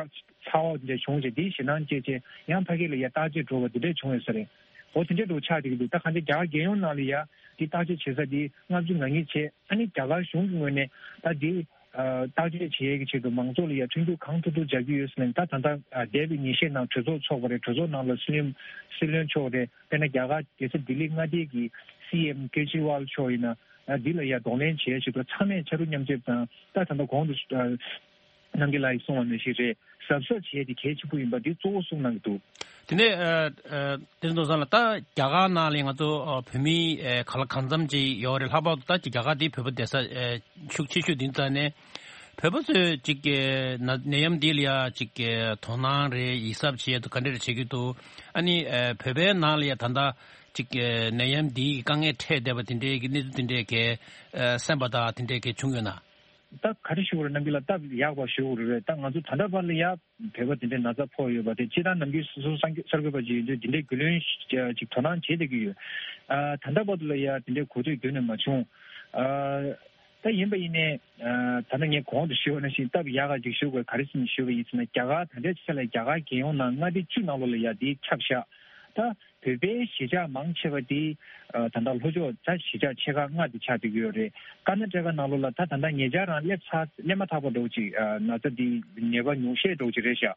ཚ་བ་འདི་འདྲ་བྱུང་བྱས། དེའི་ཞེད་སྣང་སྐྱེས་བྱས་ཡང་ཕ་གི་ལ་ཡ་བརྟག་དཔྱད་འགྲོ་བ་འདི་འདྲ་བྱུང་ཡོད་ས་རེད། འོ་དེ་འདྲ་འདྲ་བོ་ཆགས་བསྡད་ཀྱི་འདུག་ད་གང་ལྟར་རྒྱ་གར་རྒྱལ་ཡོངས་ནང་ལ་ཡ་དེ་བརྟག་དཔྱད་བྱེད་ས་དེ་ལྔ་བཅུ་ང་གཉིས་བྱས། ཨ་ནི་རྒྱ་གར་གཞུང་གི་ངོས་ནས་ད་དེ། ཨ་བརྟག་དཔྱད་བྱེད་ཡས་ཀྱི་ཆེད་དུ་མང་ཚོགས་ལ་ཡ་མཐུན་འགྱུར་གང་ཐུབ་ཐུབ་སྦྱར་གྱི་ཡོད་ཟེར་ནས། ད་ད་ལྟ་ཨ་འདས་པའི་ཉིན་ཤས་ནང་གྲོས་ཚོགས་ཚོགས་པ་རེད། གྲོས་ཚོགས་ནང་ལ་སྲིད་བློན་སྲིད་བློན་མཆོག་རེད། དཔེར་ན་རྒྱ་གར་རྒྱལ་ས་ལྡི་ལི་མངའ་སྡེ་གི་སི་ཨེམ་ཀེ་ཇི་ཝལ་མཆོག་ཡིན་ན། ཨ་འདི་ལ་ཡ་གདོང་ལེན་བྱེད་ཡས་ཆེད་དུ་ཚང་མས་ཕྱར་གྲུ་མཉམ་རྩེད་དང་། ད་ད་ལྟ་གོང་དུ་ཨ་རྣམ་རྒྱལ་ལགས་ཀྱིས་གསུངས་པ་ནང་བཞིན་རེད། གཟབ་གཟབ་བྱས་ཏེ་གལ་ཆེན་པོ་ཡིན་པ་འདི་གཙོ་བོ་གསུངས་གནང་གི་འདུག། དེ་ནས་ཨ་ཨ་དེ་ཚོ་ཚང་ལ་ད་རྒྱ་གར་ནང་ལ་ང་ཚོ་ཨ་བོད་མི་ཨ་ག་ལ་གང་འཚམ་ཅིག་ཡོད་རེད། ལྷག་པར་དུ་ད་རྒྱ་གར་འདི་བོད་པ་བསྡད་ས་ཨ་ཤུགས་ཆེ་ཤོས་འདི་ཙང་ནས་བོད་པ་ཚོས་ཅིག་ཨ་ན་ནད་ཡམས་འདི་ལ་ཡ་ཅིག་ཨ་དོ་སྣང་རེད། ཡིད་གཟབ་བྱེད་ཡ་དང་ག་འདྲ་རེ་བྱེད་ཀྱི་འདུག། ཨ་ནི་ཨ་བོད་པའི་ནང་ལ་ཡ་ད་ལྟ་ཅིག་ཨ་ནད་ཡམས་འདིའི་དཀའ་ངལ་འཕྲད་བསྡད་པ་དེ་འདྲའི་གི་གནས་ཚུལ་དེ་འདྲའི་གི་ཨ་གསན་པ་དང་དེ་འདྲའི་གི་བྱུང་ཡོད་ན། ད་ག་རེ་ཞུ་དགོས་རེད། རྣམ་པ་ལ་སྟབས་ཡག་པ་ཞུ་དགོས་རེད། ད་ང་ཚོ་ད་ལྟ་བར་ལ་ཡ་བོད་པ་དེ་འདྲའི་ན་ཚ་ཕོག་ཡོད་པ་དེ་སྤྱིར་བཏང་ནམ་རྒྱུན་སོ་སོ་གསར་འགོད་པ་ཅིག་ཡིན་དུས་དེ་འདྲའི་རྒྱུས་ལོན་ཅིག་དོ་སྣང་བྱེད་བསྡད་ཀྱི་ཡོད། ཨ་ད་ལྟ་བར་དུ་ལ་ཡ་དེ་འདྲའི་གོ་ཐོས་རྒྱུན་ནས་མ་བྱུང་། ཨ་ད་ཡིན་པ་ཡིན་ནའི་ཨ་ད་ལྟ་ངས་གོང་དུ་ཞུས་པ་ནང་བཞིན་སྟབས་ཡག་ག་ཅིག་ཞུ་དགོས། ག་རེ་ཟེར་ནས་ཞུས་པ་ཡིན་ཟེར་ན། རྒྱ་གར་ད་ལྟའི་ཆ་ལ་རྒྱ་གར་རྒྱལ་ཡོངས་ནང་མངའ་སྡེ་བཅུ་ནང་ལོགས་ལ་ཡ་དེ་ཁྱབ་ཤག། ད་བོད་པའི་གཞིས་ཆགས་མང་ཆེ་བ་དེ་ཨ་ད་ལྟ་ལྷོ་ཕྱོགས་ད་གཞིས་ཆགས་ཆེ་ཁག་ལྔ་དེ་ཆགས་བསྡད་ཀྱི་ཡོད་རེད། ཀར་ན་ཊ་ཀ་ནང་ལོགས་ལ་ད་ད་ལྟ་ཉེ་ཆར་རང་སླེབས་ཚར་སླེབས་མ་ཐག་པ་འདྲ་བོ་ཅིག་ཨ་ན་ཚ་དེ་ནད་པ་ཉུང་ཤས་འདྲ་བོ་ཅིག་རེད་ཤག།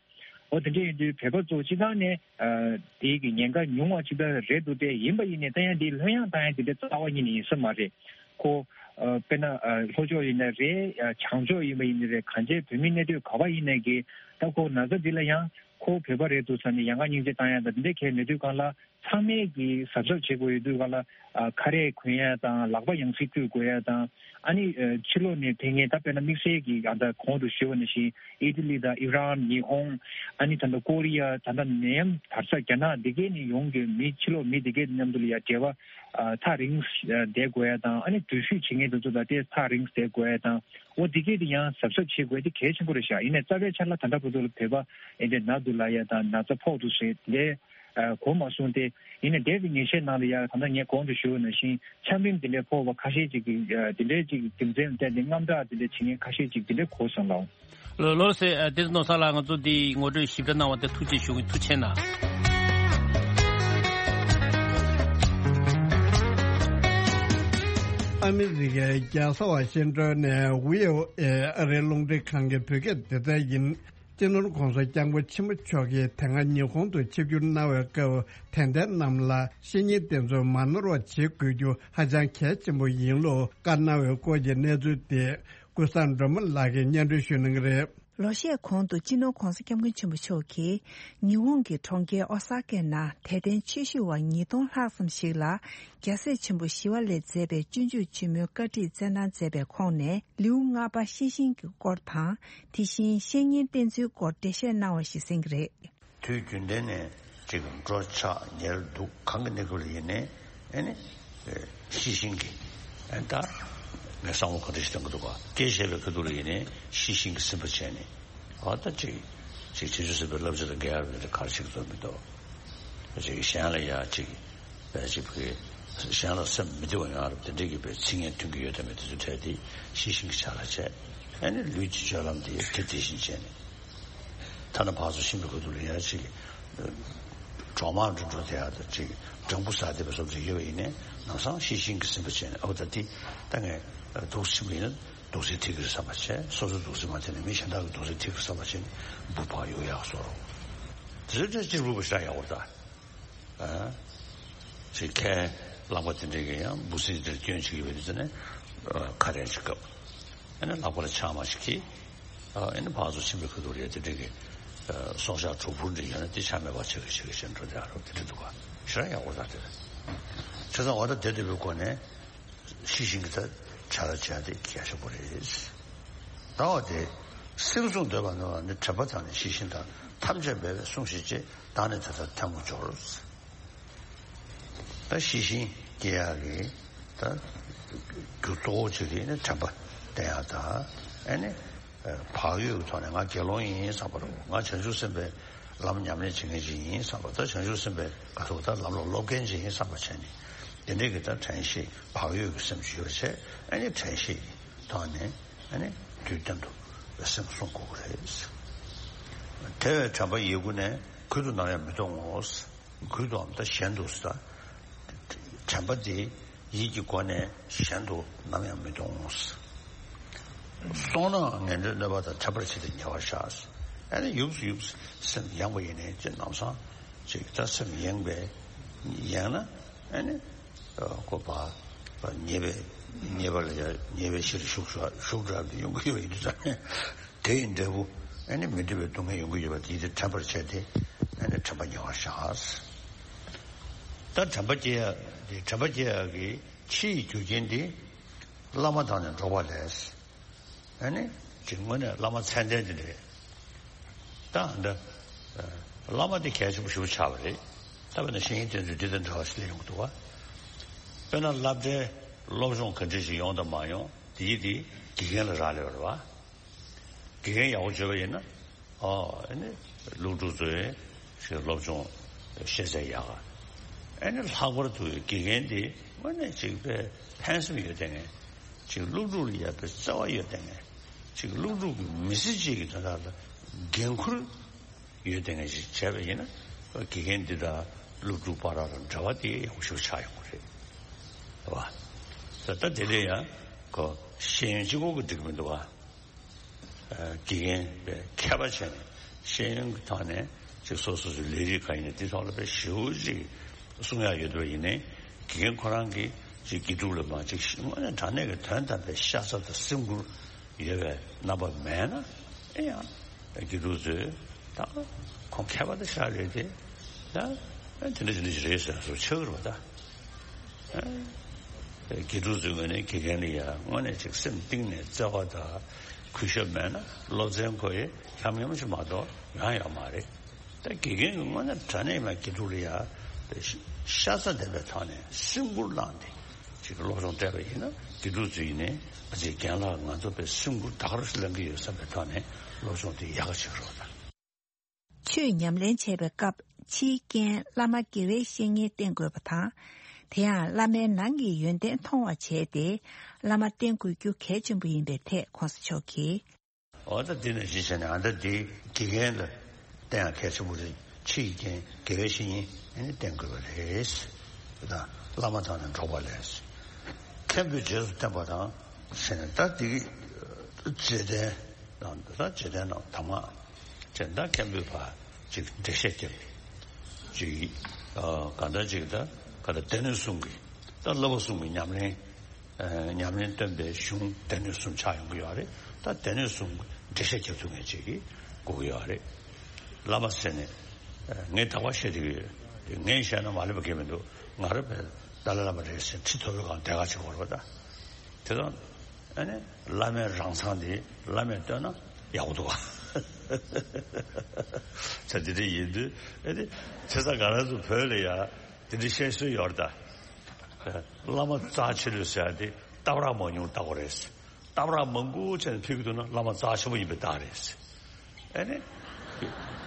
འོ་དེ་འདྲ་ཡིན་དུས་བོད་པ་ཚོ་སྤྱི་བཏང་ནས་ཨ་དེའི་གི་ཉེན་ཁ་ཉུང་བ་ཅིག་ད་རེད་འདུག་སྟེ། ཡིན་པ་ཡིན་ནའི་ད་ཡང་དེ་ལྷོད་ཡངས་བཏང་ཡ་དེ་འདྲ་རྩ་བ་ཉིད་ནས་ཡིན་ས་མ་རེད། ཁོ་ཨ་དཔེར་ན་ཨ་ལྷོ་ཕྱོགས་ཡིན་ནའི་རེད། ཨ་བྱང་ཕྱོགས་ཡིན་པ་ཡིན་ནའི་རེད། གང་ཅིའི་བོད་མི་གནས་སྡོད་ག་པ་ཡིན་ནའི་གི་ད་ཁོ་ན་ཚ་འདི་ལ་ཡང་ཁོ་བོད་པ་རེད་འདུག་ཟེར་ནས་ཡང་ཁ་སྙིང་རྗེ་བཏང་ཡ་དང་དེ་འདྲ་གལ་མེད་དུས་སྒང་ལ། ཚང་མས་ཀྱིས་གཟབ་གཟབ་བྱེད་དགོས་ཡོད་དུས་སྒང་ལ། ཨ་ཁ་རས་གོན་ཡ་དང་ལག་པ་ཡང་སེ་བཀྲུ་དགོས་ཡ་དང་། ཨ་ནི་ཨ་ཕྱི་ལོགས་ནས་ཕེབས་མཁན་ད་དཔེར་ན་དམིགས་བསལ་གྱིས་ཨ་ད་གོང་དུ་ཞུས་པ་ནང་བཞིན་ཨི་ཏི་ལི་དང་ཨི་རན། ཉི་ཧོང་། ཨ་ནི་ད་ལྟ་ཀོ་རི་ཡ། ད་ལྟ་ནད་ཡམས་དར་ས་རྒྱ་ནག་འདི་གའི་ནས་ཡོང་གི་མི་ཕྱི་ལོགས་མི་འདི་གའི་མཉམ་དུ་ལ་ཡ་འབྲེལ་བ་ཨ་ཐག་རིང་ཨ་བསྡད་དགོས་ཡ་དང་། ཨ་ནི་འགྲུལ་བཞུད་བྱེད་མཁན་དེ་ཚོ་དང་དེ་ཐག་རིང་བསྡད་དགོས་ཡ་དང་། འོ་འདི་གའི་དེ་ཡང་གཟབ་གཟབ་བྱེད་དགོས་དེ་གལ་ཆེན་པོ་རེད་ཤག། ཡིན་ནའི་རྩ་བའི་ཆ་ལ་ད་ལྟ་བར་དུ་ལ་བོད་པ་ཨེ་འདྲ་ན་འདུག་ལབ་ཡ་དང་ན་ཚ་ཕོག་འདུག་ཟེར་དེ། ཨ་གོ་མ་སོང་སྟེ། ཡིན་ནའི་འདས་པའི་ཉིན་ཤས་ནང་ལ་ཡང་ད་ལྟ་ངས་གོང་དུ་ཞུས་པ་ནང་བཞིན་ཆམ་རིམས་དེ་འདྲའི་ཕོག་པ་ཁ་ཤས་ཅིག་གིས་ཨ་དེ་འདྲའི་ཅིག་རྒྱུ་མཚན་བསྟན་ཏེ་དངངས་སྐྲག་དེ་འདྲ་བྱེད་མཁན་ཁ་ཤས་ཅིག་དེ་འདྲ་གོ་སོང་ལགས། ལོ་ལོ་སེ་ཨ་དེ་ནོར་ས་ལགས། ང་ཚོ་འདི་ངོ་སྤྲོད་ཞིབ་ཕྲ་གནང་བ་དེ་ཐུགས་རྗེ་ཆེ་ཞུ་གི། ཐུགས་རྗེ་ཆེ་གནང་། ཨ་མི་རི་ཀའི་རྒྱལ་ས་ཝ་ཤིང་ཏོན་ནས་བྷི་ཨོ་ཨེ་ཨ་རིའི་རླུང་འཕྲིན་ཁང་གི་བོད་སྐད་སྡེ་ཚན་ཡིན། སྤྱི་ནོར་༧གོང་ས་༧སྐྱབས་མགོན་ཆེན་པོ་མཆོག་གིས་དེ་སྔ་ཉི་ཧོང་དུ་ཆིབས་བསྒྱུར་གནང་བའི་སྐབས་དད་ལྡན་རྣམས་ལ་བཤེས་གཉེན་བསྟེན་ཚུལ་མ་ནོར་བ་བྱེད་དགོས་རྒྱུ་ཧ་ཅང་གལ་ཆེན་པོ་ཡིན་ལུགས་བཀའ་གནང་བའི་སྐོར་གྱི་གནས་ཚུལ་དེ་ཀུན་བཟང་སྒྲོལ་མ་ལགས་ཀྱིས་སྙན་སྒྲོན་ཞུ་གནང་གི་རེད། ལོ་ཤས་གོང་དུ་སྤྱི་ནོར་༧གོང་ས་༧སྐྱབས་མགོན་ཆེན་པོ་མཆོག་གིས་ཉི་ཧོང་གི་གྲོང་ཁྱེར་ཨོ་ས་ཀའི་ནང་དད་ལྡན་ཆོས་ཞུ་བ་ཉིས་སྟོང་ལྷག་ཙམ་ཞིག་ལ་རྒྱལ་སྲས་ཆེན་པོ་ཞི་བ་ལྷས་མཛད་པའི་སྤྱོད་འཇུག་ཆེན་མོའི་བཀའ་ཁྲིད་སྩལ་གནང་མཛད་པའི་ཁོངས་ནས། ལེའུ་ལྔ་པ་ཤེས་བཞིན་གྱི་སྐོར་དང་། དེ་བཞིན་བཤེས་གཉེན་བསྟེན་ཚུལ་སྐོར་འགྲེལ་བཤད་གནང་བ་ཞིག་གསན་གྱི་རེད། དུས་རྒྱུན་ལྡན་ནས་ཅིག་འགྲོ་འཆག་ཉལ་འདུག་གང་གི་གནས་སྐབས་ལ་ཡིན་ནའི་ཨེ་ནི་ཤེས་བཞིན་གྱི་ཨེ་ད་ངས་བསམ་བློ་ག་འདྲ་ཞིག་གཏོང་གི་འདུག་ག། སྐད་བཤད་པའི་ཁ་ཐུག་ལ་ཡིན་ནའི་ཤེས་བཞིན་གྱི་སེམས་པ་བྱས་ནས་ཨ་ད་ཅིག་ཅིག་བྱང་ཆུབ་སེམས་དཔའི་བསླབ་བྱ་དང་འགལ་བ་དེ་འདྲ་ག་རེ་བྱེད་ཀྱི་འདུག་མི་འདུག། ཅིག་གཞན་ལ་ཡ་ཅིག་པས་ཅིག་གི་གཞན་ལ་སེམས་མི་བདེ་བ་ཡོང་ཡ་རབས་དེ་འདྲ་གི་པའི་ཚིག་ངན་ཐོན་གྱི་ཡོད་དམ་མེད་དེ་ཚོ་ཐད་དེ་ཤེས་བཞིན་གྱི་ཆ་ལ་བྱས། ཨ་ནི་ལུས་ཀྱི་སྤྱོད་ལམ་དེ་དེ་དེ་བཞིན་བྱས་ནས། ཐ་ན་ཕར་ཚུར་ཕྱིན་པའི་ཁ་ཐུག་ལ་ཡ་ཅིག་གྲོག་མ་འགྲོ་འགྲོ་དེ་ཡ་དང་ཅིག་སྦྲང་བུ་ཟ་བསྡད་པ་བཟོ་འདྲ་ཡོད་པ་ཡིན་ནའི་ལམ་སང་ཤེས་བཞིན་གྱི་སེམས་པ་བྱས་ནས་ཨོ་ད་དེ་ད་ངས་འདུག་སེ་ཕྱིན་པ་ཡིན་ན་འདུག་སེ་ཐེག་གི་རེད་བསམ་པ་བྱས། སོ་སོའི་འདུག་སེ་མ་ཐེག་ནས་མི་གཞན་དག་གི་འདུག་སེ་ཐེག་གི་རེད་བསམ་པ་བྱས་ནས་འབུ་ཕར་གཡུག་ཡག་བཟོ་རོགས། དེ་ཚོ་ཅིག་འབུ་བ་ཤ་ཡག་པོ་ད། ཨ། ཅིག་ཁའི་རླངས་པ་དེ་འདྲས་ཀྱི་ཡང་འབུ་སྲིན་དེར་སྐྱོན་བྱེད་ཀྱི་ཡོད་པའི་ཚེ་ནས་ཁ་རས་ཅིག་བཀབ། ཨ་ནི་ལག་པ་ལ་ཆང་མ་ཞིག་འཁྱེར། ཨ་ནི་ཕར་ཚུར་ཕྱིན་པའི་ཁ་ཐུག་རེད་དེ་འདྲས་ཀྱི་སྲོག་ཆགས་གྲོག་ཕུར་འདྲ་ཡོད་ན་དེ་ཆ་མེད་པ་བྱེད་ཀྱི་བྱེད་ཀྱི་བྱེད་འགྲོ་དེ་ཨ་རོ་དེ་འདྲས་འདུག་ག། ཞེ་དྲག་ཡག་པོ་ད་དེ་རེད། བྱས་ཙང་འོ་ད་དེ་འདྲ་བའི་སྒོ་ནས། ཤེས་བཞིན་གྱི་ད་བྱ་ལ་བྱ་དེ་རྒྱ་ཆེན་པོ་རེད། ད་བ་དེ་སེམས་བཟུང་འདོད་པ་ནི་བ་ནི་དྲན་པ་དང་ནི་ཤེས་བཞིན་དང་ཐམས་ཅད་འབད་པས་བསྲུང་ཞིག་ཅེས་བདག་ནི་དེ་ལྟར་ཐལ་མོ་སྦྱོར། ད་ཤེས་བཞིན་སྐྱེ་ཡག་གི་ད་རྒྱུ་གཙོ་བོ་གཅིག་དེ་ནི་དྲན་པ་བསྟེན་ཡག་དང་ཨ་ནི། བག་ཡོད་ཀྱི་ཐོག་ནས་ང་དགེ་སློང་ཡིན་བསམ་པ་རེད། ང་བྱང་ཆུབ་སེམས་དཔའི་ལམ་ཉམས་ལེན་བྱེད་མཁན་ཅིག་ཡིན་བསམ་པ། ད་བྱང་ཆུབ་སེམས་དཔའི་ག་ཐུག་ད་ལམ་ལ་སློབ་མཁན་ཅིག་ཡིན་བསམ་པ་བྱས་ནས་དེ་འདྲའི་གི་ད་དྲན་ཤེས་བག་ཡོད་ཀྱི་སེམས་ཤིག་ཡོད་བྱས་ཨ་ནི་དྲན་ཤེས་ཀྱི་ཐོག་ནས་ཨ་ནི་དུས་གཏན་དུ་སེམས་བསྲུང་དགོས་ཀྱི་རེད། དེ་བས་དྲན་པ་ཡིད་ཀུན་ནས་གུད་དུ་ནམ་ཡང་མི་གཏོང་ངོ་། གུད་དུའམ་ད་གཞན་དུ་ཟེར། དྲན་པ་དེ་ཡིད་ཀྱི་སྒོ་ནས་གཞན་དུ་ནམ་ཡང་མི་གཏོང་། སོང་ནའང་ངན་འགྲོའི་གནོད་པ་དང་ཕྲད་པར་བྱེད་དེ་ཉེ་བར་བཞག། ཨ་ནི་ཡུགས་སུ་ཡུགས་སུ་སེམས་ཡེངས་པ་ཡིན་ནའི་ཅི་ལམ་སང་ཅིག་ད་སེམས་ཡེངས་པས་ཡེངས་ན་ཨ་ནི་ཁོ་པ་ཉེས་པའི་ཉེས་པ་ལ་ཡ་ཉེས་པའི་གཞིར་ཞུགས་ཞུགས་འགྲོ་བ་ཡོང་གི་ཡོད་ཡིན་དུས་ཙང་ནས། དེ་ཡི་འབྲས་བུ་ ཨ་ནི་མི་འདོད་པའི་སྡུག་བསྔལ་ཡོང་གི་ཡོད་པ་དེ་དེ་དྲན་པར་བྱས་ཏེ། ཨ་ནི་དྲན་པ་ཉེ་བར་བཞག། ད་དྲན་པ་སྐྱེ་ཡ་དེ་དྲན་པ་སྐྱེ་ཡ་གི་ཕྱིའི་རྒྱུ་རྐྱེན་དེ་བླ་མ་དང་ནི་འགྲོགས་པ་ལས། ཨ་ནི་ཅིག་དངོས་གནས་བླ་མ་མཚན་ལྡན་དེ་རེད། ད་འདི་བླ་མ་དེ་གལ་ཆེན་པོ་ཞེ་པོ་ཆགས་པ་རེད། ད་དཔེར་ན་བཤེས་གཉེན་བསྟེན་ཚུལ་འདི་དང་འདྲ་བ་ཞིག་སླེབས་ཡོང་གི་འདུག་བ། དཔེར་ན་སློབ་གྲྭའི་སློབ་སྦྱོང་ག་འདྲ་ཞིག་ཡོང་དང་མ་ཡོང་དེ་ཡིས་དེ་དགེ་རྒན་ལ་རག་ལས་པ་རེད་བ། དགེ་རྒན་ཡག་པོ་བྱོས་པ་ཡིན་ན། ཨོ་ཨ་ནི་སློབ་ཕྲུག་ཚོའི་ཞིག་སློབ་སྦྱོང་ཤེས་ཚད་ཡག་ག་ཨ་ནི་ལྷག་པར་དུ་དགེ་རྒན་དེ་དངོས་གནས་ཅིག་དཔེ་ཕན་སེམས་ཡོད་བསྡད་མཁན། ཅིག་སློབ་ཕྲུག་ལ་ཡག་པའི་བརྩེ་བ་ཡོད་བསྡད་མཁན། ཅིག་སློབ་ཕྲུག་གི་མི་ཚེ་གཅིག་གི་དོན་དག་ལ་འགན་ཁུར་ཡོད་བསྡད་མཁན་ཞིག་བྱས་པ་ཡིན་ན། དགེ་རྒན་འདི་དང་སློབ་ཕྲུག་བར་ལ་འབྲེལ་བ་དེ་ཡག་པོ་ཞིག་ཆགས་ཡོང་གི་རེད། རེད་བ། ད་ལྟ་དེ་འདྲ་ཡང་ཁོ་ཤེས་ཡོན་གཅིག་པོ་གིས་འགྲིག་གི་མི་འདུག་བ། དགེ་རྒན་པའི་མཁས་པ་བྱས་ནས་ཤེས་ཡོན་གྱི་ཐོག་ནས་ཅིག་སོ་སོ་སོའི་ལས་རིགས་གང་ཡིན་ནའི་དེ་ཐོག་ལ་དཔེ་ཞེ་པོ་ཅིག་གསུང་ཡག་ཡོད་པ་ཡིན་ནའི། དགེ་རྒན་ཁོ་རང་གིས་ཅིག་དགེ་ཕྲུག་ལ་མ་ཅིག་དངོས་གནས་དྲང་གནས་ཀྱི་དོན་དམ་པའི་ཤ་ཚ་དང་སེམས་ཁུར་ཡོད་པའི་རྣམ་པ་མེད་ན། ཨེ་ཡང་དགེ་ཕྲུག་ཚོས་ད་ཁོང་མཁས་པ་དེ་ཤ་རེད་དེ། ད་ཨེ་དེ་འདྲ་དེ་འདྲ་ཞིག་རེད་ཟེར་བཟོ་ཆགས་ཀྱི་རེད་པ་ད། དགེ་ཕྲུག་ཚོའི་ངོས་ནས་དགེ་རྒན་ལ་ཡང་དངོས་གནས་ཅིག་སེམས་གཏིང་ནས་བརྩེ་བ་དང་གུས་ཞབས་མེད་ན་སློབ་ཚན་ཁོ་ཡི་ཡམ་ཡོམ་ཞིག་མ་གཏོགས་ཡོང་ཡོད་མ་རེད། ད་དགེ་རྒན་གྱིས་དངོས་གནས་དྲང་གནས་མ་དགེ་ཕྲུག་ལ་ཡང་ཤ་ཚ་ལྡན་པའི་ཐོག་ནས་སེམས་ཁུར་བླངས་ཏེ་ཅིག་སློབ་སྦྱོང་སྤྲད་པ་ཡིན་ན། དགེ་ཕྲུག་ཚོ་ཡིན་ནའི་ཨ་ཅེ་རྒན་ལགས་ང་ཚོ་དཔེ་སེམས་ཁུར་ད་ག་རེ་ཞིག་ལེན་གྱི་ཡོད་བསམ་པའི་ཐོག་ནས་སློབ་སྦྱོང་དེ་ཡག་ག་བྱེད་ཀྱི་རེད་པ་ད། ཆོས་ཉམས་ལེན་བྱེད་པའི་སྐབས་ཕྱིའི་རྐྱེན་བླ་མ་དགེ་བའི་བཤེས་གཉེན་བསྟེན་དགོས་པ་དང་། དེ་ཡང་བླ་མའི་ནང་གི་ཡོན་ཏན་མཐོང་བ་བྱས་ཏེ་བླ་མ་བསྟེན་དགོས་རྒྱུ་གལ་ཆེན་པོ་ཡིན་པའི་ཐད་གོང་ས་མཆོག་གིས། འོ་ད་འདི་ནས་གཞི་བྱས་ནས་ཨ་ད་འདི་དགེ་རྒན་ལ་བསྟེན་ཡག་གལ་ཆེན་པོ་རེད། ཕྱིའི་རྐྱེན་དགེ་བའི་བཤེས་གཉེན་ཨ་ནི་བསྟེན་དགོས་པ་རེད། དེ་དང་བླ་མ་དང་ནི་འགྲོགས་པ་ལས། མཁན་པོས་རྗེས་སུ་བསྟན་པ་དང་ཟེར་ནས་ད་འདི་རྗེས་བསྟན་དང་ད་རྗེས་བསྟན་ནང་དང་མ། ཅེས་ད་མཁན་པོས་ཕར་ཅིག་འགྲེལ་བཤད་རྒྱབ། ཅིག་ཨ་གང་ལྟར་ཅིག་ད་ག་ད་སྡེ་སྣོད་གསུམ་གྱི་ད་བསླབ་པ་གསུམ་གྱི་ཉམས་ལེན། ཨ་ཉམས་ལེན་སྟོན་པའི་གཞུང་སྡེ་སྣོད་གསུམ་ཆགས་ཡོང་གི་ཡོད་རེད། ད་སྡེ་སྣོད་གསུམ་འགྲེལ་བཤད་རྒྱབ་ཐུབ་མཁན་ཅིག་གི་དགོས་ཀྱི་ཡོད་རེད། བླ་མ་ཟེར་ནས་ཨ་ངས་དག་པ་བཤད་བསྡད་ཀྱི་ཡོད། དེ་ངས་བཤད་ན་མ་ལེགས་པ་གང་ཡང་མི་འདུག་ང་རང་བས་ཏཱ་ལའི་བླ་མ་རེད་ཟེར་ཁྲི་ཐོབ་པའི་སྒང་དེ་ག་ཅིག་བོར་བ་ད། དེ་དང་། ཨ་ནི་བླ་མའི་རང་མཚང་དེ་བླ་མས་བཏོན་ན་ཡག་པོ་འདུག་ག་ཆ་དེ་འདྲ་ཡིན་དུས་ཨ་ནི་བྱས་ཙང་ང་རང་ཚོ་བོད་ལ་ཡ་དེ་འདྲ་བཤད་སྲོལ་ཡོད་རེད་ད། བླ་མ་རྩ་ཆེ་ལོས་ཟེར་ཡ་དེ་སྟབས་ར་མ་ཉུང་ལྟ་བུ་རེད། སྟབས་ར་མང་པོ་བྱས་ནས་ཕེབས་ཀྱི་འདུག་ན་བླ་མ་རྩ་ཆེན་པོ་ཡིན་པའི་རྟགས་རེད། ཨ་ནི།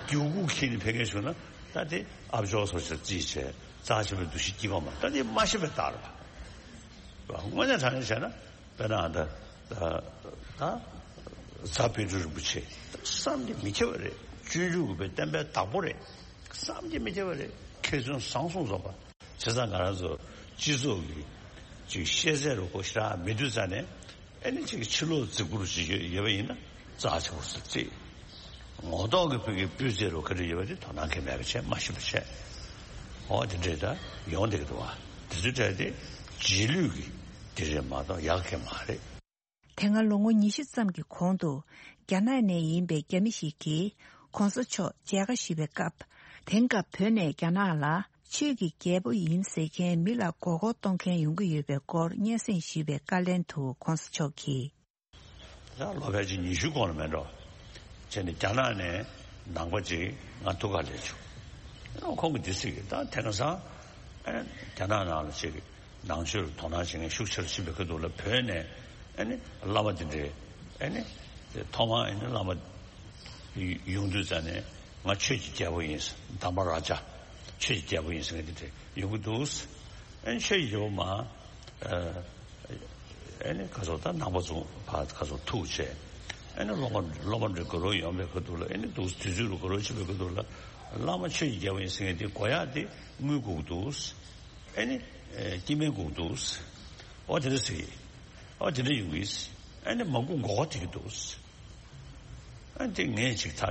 མགྱོགས་གུག་ཁྱེར་ནས་ཕེབས་མཁན་བྱུང་ན་ད་དེ་ཨ་ཅོག་སོགས་ཀྱིས་རྩིས་བྱས་རྩ་ཆེན་པོའི་འདུ་ཤེས་སྐྱེས་པ་མ་ད་དེ་མ་ཤེས་པའི་རྟགས་རེད་པ། དངོས་གནས་དྲང་གནས་བྱས་ན་དཔེར་ན་ཨ་ད་ད་ད་རྫ་དཔལ་སྤྲུལ་རིན་པོ་ཆེ་བསམ་གྱིས་མི་ཁྱབ་པ་རེད། སྤྱོད་འཇུག་གི་བསྟན་པའི་བདག་པོ་རེད། བསམ་གྱིས་མི་ཁྱབ་པ་རེད། མཁས་བཙུན་བཟང་གསུམ་རྫོགས་པ། བྱས་ཙང་ང་རང་ཚོ་སྤྱི་ཚོགས་ཀྱི་ཅིག་ཤེས་ཚད་རུ་ཁོ་ཞེ་དྲག་མི་འདུག་ཙང་ནས། ཨ་ནི་ཅིག་ཕྱི་ལོགས་རྫིག་པོ་རུ་ཅིག་ཡོད་ཡོད་པ་ཡིན་ན་རྩ་ཆེ་པོ་ཟེར་རྩིས། ངོ་ཐོག་གི་བོད་ཀྱི་སྤུས་ཚད་རུ་ག་འདྲ་ཡོད་པ་དེ་དོ་སྣང་གང་ཡང་མེད་པ་བྱས་མ་ཤེས་པ་བྱས། འོ་དེ་འདྲས་ད་ཡོང་བསྡད་ཀྱི་འདུག་བ། དེ་ཚོའི་གྲས་དེ་རྗེས་ལུས་ཀྱི་དེ་རེད་མ་གཏོགས་ཡག་གང་ཡང་མ་རེད། དེ་སྔ་ལོ་ངོ་ཉི་ཤུ་ཙམ་གྱི་གོང་དུ་རྒྱ་ནག་ནས་ཡིན་པའི་རྒྱ་མི་ཞིག་གིས་གོང་ས་མཆོག་མཇལ་ཁ་ཞུས་པའི་སྐབས། དེང་སྐབས་བོད་ནས་རྒྱ་ནག་ལ་ཆོས་ཀྱི་རྒྱལ་པོ་ཡིན་ཟེར་མཁན་མི་ལ་མགོ་སྐོར་གཏོང་མཁན་ཡོང་གི་ཡོད་པའི་སྐོར་སྙན་སེང་ཞུས་པའི་བཀའ་ལན་དུ་གོང་ས་མཆོག་གིས། ད་ལོ་ཕལ་ཆེར་ཉི་ཤུ་གོང་ལ་མེད་འགྲོ། བྱས་ནས་རྒྱ་ནག་ནས་ནང་པ་ཅིག་ང་ཐུག་ག་སླེབས་བྱུང་། ཁོང་གིས་འདི་ཟེར་གི་ད་དེང་སང་ཨ་རྒྱ་ནག་ནང་ལ་ཅིག་ནང་ཆོས་ལ་དོ་སྣང་བྱེད་མཁན་ཤུགས་ཆེ་རུ་ཕྱིན་པའི་ཁ་ཐུག་ལ་བོད་ནས་ཨ་ནི་བླ་མ་དེ་འདྲས་ཨ་ནི་ཐོག་མར་ཨ་ནི་བླ་མ་ཡོང་དུས་ཙ་ནས་ང་ཆོས་ཀྱི་རྒྱལ་པོ་ཡིན། དྷརྨ་རཱ་ཛ་ཆོས་ཀྱི་རྒྱལ་པོ་ཡིན་ཟེར་མཁན་དེ་འདྲས་ཡོང་གི་འདུག་ཨ་ནི་ཆོས་ཀྱི་རྒྱལ་པོ་མ། ཨ་ནི་ཁ་སོ་ད་ནང་པ་ཚོ་ཕར་ཁ་སོ་ཐུག་བྱས། ཨ་ནི་སློབ་མ་སློབ་མ་འདྲ་ག་རུ་ཡོང་བའི་ཁ་ཐུག་ལ་ཨ་ནི་འདུག་དུས་ཚོད་རུ་ག་རུ་ཕྱིན་པའི་ཁ་ཐུག་ལ་བླ་མ་ཆོས་ཀྱི་རྒྱལ་པོ་ཡིན་ཟེར་མཁན་དེ་གོ་ཡག་དེ་དངུལ་དགོས་ཀྱི་འདུག་ཨ་ནི་སྐྱེ་དམན་དགོས་ཀྱི་འདུག་འོ་དེ་འདྲ་ཟེར་གི། འོ་དེ་འདྲ་ཡོང་གི། ཨ་ནི་མང་པོ་མགོ་སྐོར་ཐེབས་ཀྱི་འདུག་ཨ་ནི་དེ་ངས་ཅིག་ད་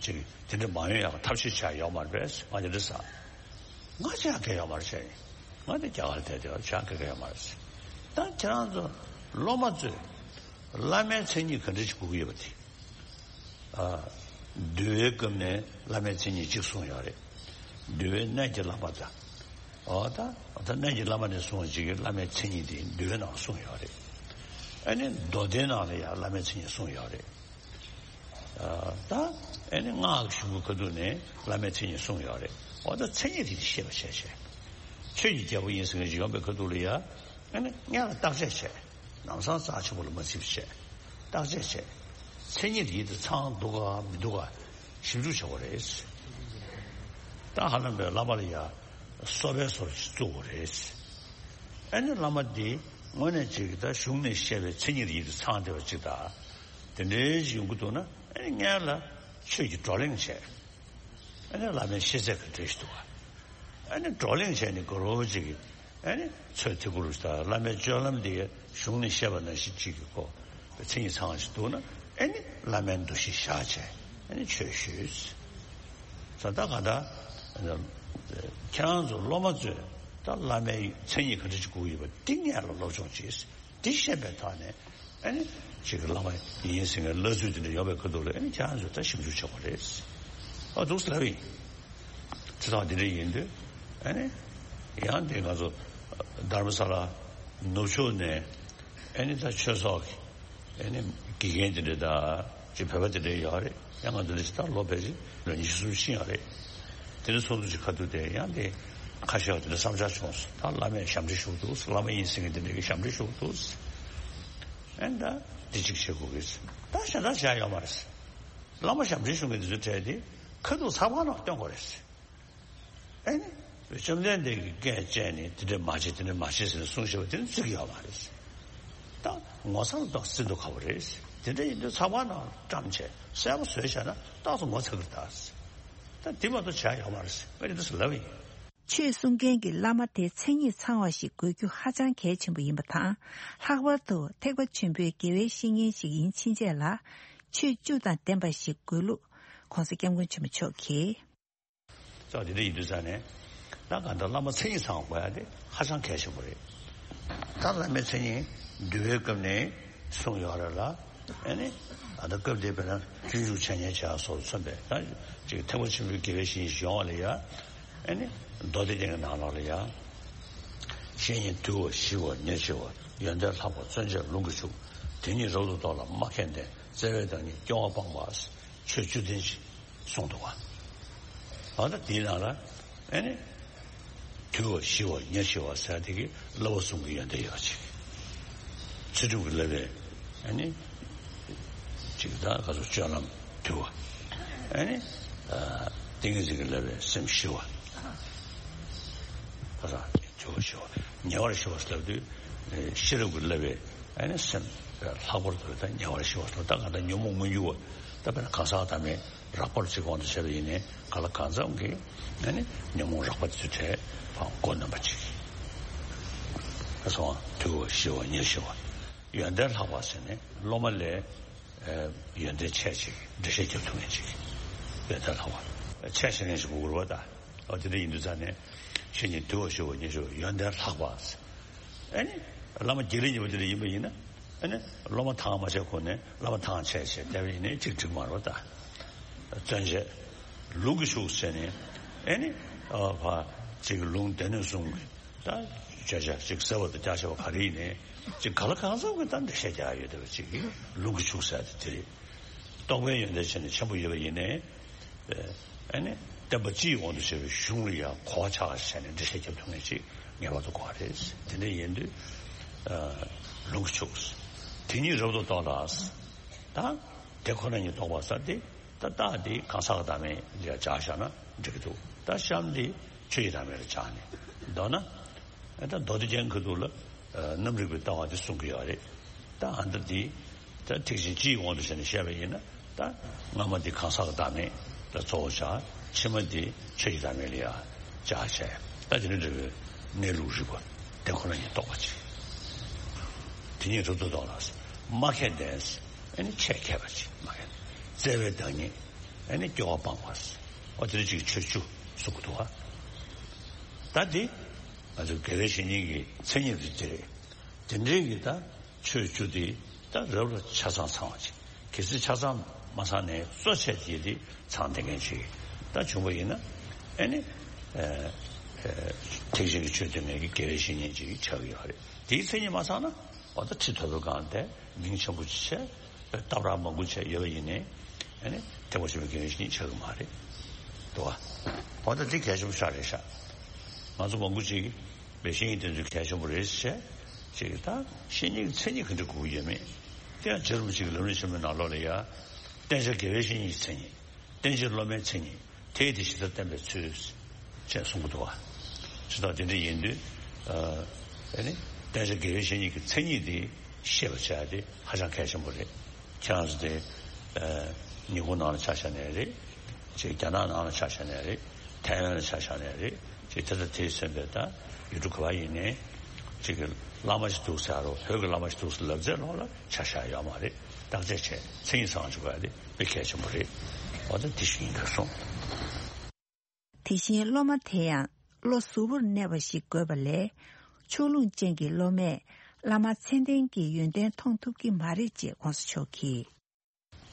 ཅིག་དེ་འདྲ་མ་ཡོང་ཡག་ཐབས་ཤེས་བྱས་ཡོད་མ་རེད་པས། ང་དེ་འདྲ་ཟེར། ང་ཅི་ཡང་གང་ཡོད་མ་རེད་བྱས་ནས། ང་དེ་རྒྱ་གར་བསྡད་དེ་ཅི་ཡང་གང་ཡོད་མ་རེད་ཟེར། ད་ཁྱེད་རང་ཚོ་སློབ་མ་ཚོས་བླ་མའི་མཚན་ཉིད་ག་འདྲ་ཞིག་དགོས་ཀྱི་ཡོད་པ་དེ། ཨ། འདུལ་བའི་སྐབས་ནས་བླ་མའི་མཚན་ཉིད་གཅིག་གསུངས་ཡོད་རེད། འདུལ་བའི་གནས་ཀྱི་བླ་མ་དང་། འོ་ད། ད་གནས་ཀྱི་བླ་མ་ནས་གསུངས་པ་གཅིག་གིས་བླ་མའི་མཚན་ཉིད་དེ་འདུལ་བའི་ནང་གསུངས་ཡོད་རེད། ཨ་ནི་མདོ་སྡེའི་ནང་ལ་ཡང་བླ་མའི་མཚན་ཉིད་གསུངས་ཡོད་རེད། ཨ། ད་ཨ་ནི་སྔགས་ཀྱི་གཞུང་གི་ཁ་ཐུག་ནས་བླ་མའི་མཚན་ཉིད་གསུངས་ཡོད་རེད། འོ་ད་མཚན་ཉིད་དེ་བཤད་པ་བྱས་བྱས། ཆོས་ཀྱི་རྒྱལ་པོ་ཡིན་ཟེར་མཁན་ཅིག་ཡོང་པའི་ཁ་ཐུག་ལ་ཡ། ཨ་ནི་སྔོན་ལ་བརྟག་དཔྱད་བྱས། ལམ་སང་རྩ་ཆེན་པོ་ལ་མ་ཚིག་པ་བྱས། བརྟག་དཔྱད་བྱས། མཚན་ཉིད་ཡིད་དུ་ཚང་འདུག་ག་མི་འདུག་ག་ཞིབ་འཇུག་བྱེད་དགོས་རེད། ད་ཧ་ལམ་པའི་བླ་མ་ལ་ཡ་གསོལ་བའི་སོར་ཞིག་བཙུགས་དགོས་རེད། ཨ་ནི་བླ་མ་འདི་དངོས་གནས་ཅིག་ད་གཞུང་ནས་བཤད་པའི་མཚན་ཉིད་ཡིད་དུ་ཚང་བསྡད་པ་ཅིག་དང་། དེ་འདྲའི་ཞིག་ཡོང་གི་འདུག་ན། ཨ་ནི་སྔོན་ལ་ཆོས་ཀྱི་བགྲོ་གླེང་བྱས། ཨ་ནི་བླ་མའི་ཤེས་ཚད་ག་འདྲ་ཞིག་འདུག་ག་ཨ་ནི་བགྲོ་གླེང་བྱས་ནས་ག་རོ་ཅིག་གིས། ཨ་ནི་ཚོད་ཐིག་གུ་རུ་ད་བླ་མའི་སྤྱོད་ལམ་འདི་གཞུང་ནས་བཤད་པ་ནང་བཞིན་ཅིག་གི་གོ། མཚན་ཉིད་ཚང་བ་ཞིག་འདུག་ན། ཨ་ནི་བླ་མའི་འདུ་ཤེས་བཞག་བྱས། ཨ་ནི་ཆོས་ཞུས། ས་ད་ག་ད། ཁྱེད་རང་ཚོ་སློབ་མ་ཚོས་ད་བླ་མའི་མཚན་ཉིད་ག་འདྲ་ཅིག་དགོས་ཡོད་པ་འདི་སྔོན་ལ་སློབ་སྦྱོང་བྱས། འདི་ཤེས་པའི་ཐོག་ནས། ཨ་ནི་ཅིག་བླ་མ་ཡིན་ཟེར་མཁན་བླ་ཚུལ་དེ་འདྲ་ཡོད་པའི་ཁ་ཐུག་ལ། ཨ་ནི་ཁྱེད་རང་ཚོས་ད་ཞིབ་འཇུག་བྱེད་དགོས་རེད། ཨ། འདུག་སེ་ལབ་ཡིན། དེ་དང་དེ་འདྲ་ཡིན་དུས། ཨ་ནི་ཡང་དེ་ང་ཚོ་དྷརྨ་ས་ལ་ནུབ་ཕྱོགས་ནས། ཨ་ནི་ད་ཆོས་ཚོགས་ཀྱི། ཨ་ནི་དགེ་རྒན་དེ་འདྲ་དང་ཅིག་བོད་པ་དེ་འདྲ་ཡོད་རེད། ཡང་ང་ཚོ་འདི་ད་ལོ་ཕལ་ཆེར་ལོ་ཉི་ཤུ་སུམ་ཅུ་ཕྱིན་ཡོད་རེད། དེ་འདྲ་ཚོགས་འདུ་ཅིག་ཁ་ཐུག་དེ་ཡང་དེ་ཁ་ཤས་དེ་འདྲ་བསམ་འཆར་བྱུང་སོང་། ད་བླ་མས་ཞབས་འདྲེན་ཞུ་གི་འདུག་བླ་མ་ཡིན་ཟེར་མཁན་དེ་འདྲ་གིས་ཞབས་འདྲེན་ཞུ་གི་འདུག་ཨ་ནི་ད་འདི་གཅིག་བྱེད་དགོས་ཀྱི་རེད། ད་གཞན་དག་བྱ་ཡ་ཡོད་མ་རེད། བླ་མ་ཞབས་འདྲེན་ཞུ་མཁན་དེ་ཚོའི་གྲས་དེ་ཁ་ཐུག་ཚགས་པར་ནང་སྟོན་དགོས་རེད། ཨེ་ནི། བཅོམ་ལྡན་འདས་ཀྱིས་སྐད་བཅད་ནས་དེ་འདྲ་མ་བྱེད་དེ་འདྲ་མ་བྱེད་ཟེར་ནས་གསུངས་བཞག་པ་དེ་ནི་བརྩི་གི་ཡོད་མ་རེད། ད་ངོ་ཚ་ལ་ཏོག་ཙམ་བརྩི་མདོག་ཁ་པོ་རེད། དེ་འདྲ་ཡིན་དུས་ཚགས་པར་ནང་བཀྲམ་བྱས་གསལ་པོ་བཟོས་བཞག་ན་ཏོག་ཙམ་ངོ་ཚ་གི་རེད་ད། ད་དེ་མ་གཏོགས་བྱ་ཡོད་མ་རེད། ང་ཡིན་དུས་ལབ་ཡིན། ཆོས་གསུང་མཁན་གྱི་བླ་མ་དེ་མཚན་ཉིད་ཚང་བ་ཞིག་དགོས་རྒྱུ་ཧ་ཅང་གལ་ཆེན་པོ་ཡིན་པ་དང་། ལྷག་པར་དུ་ཐེག་པ་ཆེན་པོའི་དགེ་བའི་བཤེས་གཉེན་ཞིག་ཡིན་ཕྱིན་ཆད་ལ་ཆོས་བཅུ་དང་ལྡན་པ་ཞིག་དགོས་ལུགས་༸གོང་ས་༸སྐྱབས་མགོན་ཆེན་པོ་མཆོག་གིས། ཙང་དེ་འདྲ་ཡིན་དུས་ཙང་ནས། ད་གང་ལྟར་བླ་མ་མཚན་ཉིད་ཚང་དགོས་ཡ་དེ་ཧ་ཅང་གལ་ཆེན་པོ་རེད། ད་བླ་མའི་མཚན་ཉིད་འདུལ་བའི་སྐབས་ནས་གསུངས་ཡོད་རེད་ལ། ཨ་ནི་ཨ་ད་སྐབས་དེ་བས་ན་སྤྱོད་འཇུག་འཆད་ཉན་བྱ་སོགས་མཚོན་པའི་ད་ཅིག་ཐེག་པ་ཆེན་པོའི་དགེ་བའི་བཤེས་གཉེན་ཞིག་ཡོང་བ་ལ་ཡ། ཨ་ནི་མདོ་སྡེ་རྒྱན་གྱི་ནང་ལོགས་ལ་ཡ། བཤེས་གཉེན་དུལ་བ་ཞི་བ་ཉེར་ཞི་བ། ཡོན་ཏན་ལྷག་པ་བརྩོན་བཅས་ལུང་གིས་ཕྱུག་དེ་ཉིད་རབ་ཏུ་རྟོགས་ལ་སྨྲ་མཁས་ལྡན། བརྩེ་བའི་བདག་ཉིད་སྐྱོ་བ་སྤངས་པ། ཆོས་བཅུ་ལྡན་ཞེས་གསུངས་འདུག་བ། ཨ་ད་དེའི་ནང་ལ་ཨ་ནི་དུལ་བ་ཞི་བ་ཉེར་ཞི་བ་ཟེར་དེ་གི་བསླབ་པ་གསུམ་གྱི་ཡོན་ཏན་ཡོད་ཅིག་ཚུལ་ཁྲིམས་ཀྱི་བསླབ་པའི་ཨ་ནི་ཅིག་ད་ག་ཚོད་སྤྱོད་ལམ་དུལ་བ། ཨ་ནི་ཏིང་ངེ་འཛིན་གྱི་བསླབ་པའི་སེམས་ཞི་བ། ད་ད། དུལ་བ་ཞི་བ། ཉེ་བར་ཞི་བ་ཟེར་དུས། ཤེས་རབ་ཀྱི་བསླབ་པའི་ཨ་ནི་སེམས་ལྷག་པར་དུ་ད་ཉེ་བར་ཞི་བ་ཟེར། ད་གང་ལྟར་ཉོན་མོངས་མི་འགྱུར་བ། ད་དཔེར་ན་གང་ཟག་བདག་མེད་རགས་པར་གཅིག་དབང་དུ་བྱས་པ་ཡིན་ནའི་གང་ལ་གང་འཚམ་གྱི་ཨ་ནི་ཉོན་མོངས་རགས་པ་དེ་ཚོའི་གྲས་ཕར་མགོ་གནོན་པ་གཅིག་ཨ་སོང་དུལ་བ་ཞི་བ་ཉེར་ཞི་བ། ཡོན་ཏན་ལྷག་པ་ཟེར་ནས་སློབ་མ་ལས་ཡོན་ཏན་ཆེ་ཅིག་འགྲེལ་བཤད་རྒྱབ་ཐུབ་མཁན་ཅིག་ཡོན་ཏན་ལྷག་པ་ཆེ་ཤེས་མཁན་ཞིག་དགོས་ཀྱི་རེད་པ་ད། ཨོ་དེ་འདྲ་ཡིན་དུས་ཙང་ནས་བཤེས་གཉེན་དུལ་བ་ཞི་བ་ཉེར་ཞི་བ་ཡོན་ཏན་ལྷག་པ། ཨ་ནི་བླ་མ་རྒྱུན་ལས་ཉེ་བ་དེ་འདྲ་ཡིན་པ་ཡིན་ན། ཨ་ནི་སློབ་མ་ཐང་མ་ཆད་གོང་ནས་བླ་མ་ཐང་ཆད་བྱས་བསྡད་པ་ཡིན་ནའི་གཅིག་འགྲིག་མ་རེད་པ་ད། བརྩོན་བཅས་ལུང་གིས་ཕྱུག་ཟེར་ནས་ཨ་ནི་ཨ་ཕ་ཅིག་ལུང་སྡེ་སྣོད་གསུམ་གྱི་ད་བརྗོད་བྱ་ཅིག་གསལ་བ་དང་རྒྱ་ཆེ་བ་ག་རེ་ཡིན་ནའི་ཅིག་གང་ལ་གང་འཚམ་གྱི་ད་འགྲེལ་བཤད་རྒྱག་ཡོད་བསྡད་པ་ཅིག་གིས་ལུང་གིས་ཕྱུག་ཟེར་དེ་དེ་རེད། རྟོགས་པའི་ཡོན་ཏན་ཆེ་ནས་ཆེན་པོ་ཡོད་པ་ཡིན་ནའི། ཨ་ནི་བསྟན་པ་སྤྱི་ཡི་དབང་དུ་བྱས་པའི་གཞུང་ལ་ཡང་གོ་བ་ཆགས་པ་བྱས་ནས་འགྲེལ་བཤད་རྒྱབ་ཐུབ་མཁན་ཅིག་ངེས་པར་དུ་དགོས་པ་རེད། དེ་འདྲ་ཡིན་དུས་ལུང་གིས་ཕྱུག་དེ་ཉིད་རབ་ཏུ་རྟོགས་ལ། ད་དེ་ཁོ་ན་ཉིད་རྟོགས་པ་ཟེར་དེ་ད་རྟགས་དེ་གང་ཟག་གི་བདག་མེད་ལ་སྦྱར་བཞག་ན་འགྲིག་གི་འདུག་ད་གཤམ་དེ་ཆོས་ཀྱི་བདག་མེད་ལ་སྦྱར་ནས་མདོར་ན། ད་མདོ་སྡེ་རྒྱན་གྱི་ཁ་ཐུག་ལ་རྣམ་རིག་པའི་ལྟ་བ་འདི་གསུང་གི་ཡོད་རེད། ད་ཨ་འདི་འདི་ད་ཐེག་ཆེན་སྤྱི་ཡི་དབང་དུ་བྱས་ནས་བཤད་པ་ཡིན་ན། ད་སྔ་མ་འདི་གང་ཟག་གི་བདག་མེད་ལ་གཙོ་བོ་བཞག་ཕྱི་མ་འདི་ཆོས་ཀྱི་བདག་མེད་ལ་ཡང་སྦྱར་བྱས། ད་དེ་འདྲ་འདྲ་བའི་གནས་ལུགས་རིག་པ་དེ་ཁོ་ན་ཉིད་རྟོགས་པ་ཅིག་དེ་ཉིད་རབ་ཏུ་རྟོགས་ལ། སྨྲ་མཁས་ལྡན། ཨ་ནི་ཆེད་མཁས་པ་ཅིག་སྨྲ་མཁས། བརྩེ་བའི་བདག་ཉིད། ཨ་ནི་སྐྱོ་བ་སྤངས་པ། ཨོ་དེ་འདྲ་ཅིག་ཆོས་བཅུ་གསུང་གི་འདུག་ག་ད་འདི་ང་ཚོ་དགེ་བའི་བཤེས་གཉེན་གྱི་མཚན་ཉིད་དེ་འདི་རེད། དེ་འདྲའི་གི་ད་ཆོས་བཅུ་དེ་ད་རབ་ལ་ཆ་ཚང་ཚང་བ་ཅིག་གལ་སྲིད་ཆ་ཚང་ མ་ཚང་ནས་གཙོ་ཆེ་དེ་དེ་ཚང་བསྡད་མཁན་ཅིག་ད་བྱུང་བ་ཡིན་ན། ཨེ་ནི། ཨེ། ཨེ། ཐེག་ཆེན་གྱི་ཆོས་སྟོན་མཁན་གྱི་དགེ་བའི་བཤེས་གཉེན་ཅིག་ཆགས་ཀྱི་ཡོད་རེད། དེའི་མཚན་ཉིད་མ་ཚང་ན། འོ་ད་ཁྲི་ཐོབ་པའི་སྒང་དེ་མིང་ཆེན་པོ་ཅིག་བྱས། སྟབས་ར་མང་པོ་བྱས་ཡོད་པ་ཡིན་ནའི། ཨེ་ནི། ཐེག་པ་ཆེན་པོའི་དགེ་བའི་བཤེས་གཉེན་ཆགས་ཀྱི་མ་རེད། འདུག་བ། འོ་ད་འདི་གལ་ཆེན་པོ་ཞིག་རེད་ཤག་ང་ཚོ་མང་པོ་ཅིག་བའི་བཤེས་གཉེན་དེ་ཚོ་གལ་ཆེན་པོ་རེད་ཟེར་བྱས། ཅིག་ད་བཤེས་གཉེན་གྱི་མཚན་ཉིད་ག་འདྲ་དགོས་ཀྱི་ཡོད་མེད། དེ་ཡང་རྗེ་རིན་པོ་ཆེ་གི་ལམ་རིམ་ཆེན་མོའི་ནང་ལོགས་ལ་ཡ། བསྟེན་བྱ་དགེ་བའི་བཤེས་གཉེན་གྱི་མཚན་ཉིད། བསྟེན་བྱེད་སློབ་མའི་མཚན་ཉིད། དེས་དེ་ཇི་ལྟར་བསྟན་པའི་ཚུལ། ཅེས་གསུང་གི་འདུག་བ། ཇི་ལྟར་དེ་འདྲ་ཡིན་དུས། ཨ་ནི། བསྟེན་བྱ་དགེ་བའི་བཤེས་གཉེན་གྱི་མཚན་ཉིད་དེ་ཤེས་པར་བྱ་ཡ་དེ་ཧ་ཅང་གལ་ཆེན་པོ་རེད། ཁྱེད་རང་ཚོ་དེ། ཨ། ཉིན་གུང་ནང་ལ་ཆ་བཞག་ནའི་རེད། ཅིག་རྒྱ་ནག་ནང་ལ་ཆ་བཞག་ནའི་རེད། ཐའེ་ཝན་ལ་ཆ་བཞག་ནའི་རེད། ཅིག་དེ་དང་དེས་མཚོན་པའི་ད་ཡུལ་གྲུ་ག་པར་ཡིན་ནའི། ཅིག་གི་བླ་མ་ཞིག་འདུག་ཟེར་རོ། བོད་ཀྱི་བླ་མ་ཞིག་འདུག་ཟེར་ལབ་ཚད་ལོག་ལ་ཆ་བཞག་ཡོད་མ་རེད། བརྟག་དཔྱད་བྱས་མཚན་ཉིད་ཚང་བཅུག་པ་དེ་དཔེ་གལ་ཆེན་པོ་རེད། འོ་ད་དེ་ཞིག་ཡིན་དགོས་གསུངས། དེ་བཞིན་སློབ་མ་དེ་ཡང་བློ་གཟུ་བོར་གནས་པ་ཞིག་དགོས་པ་ལས། ཕྱོགས་ལྷུང་ཅན་གྱི་སློབ་མས་བླ་མ་མཚན་ལྡན་གྱི་ཡོན་ཏན་མཐོང་ཐུབ་ཀྱི་མ་རེད་ཅེས་གོང་ས་མཆོག་གིས།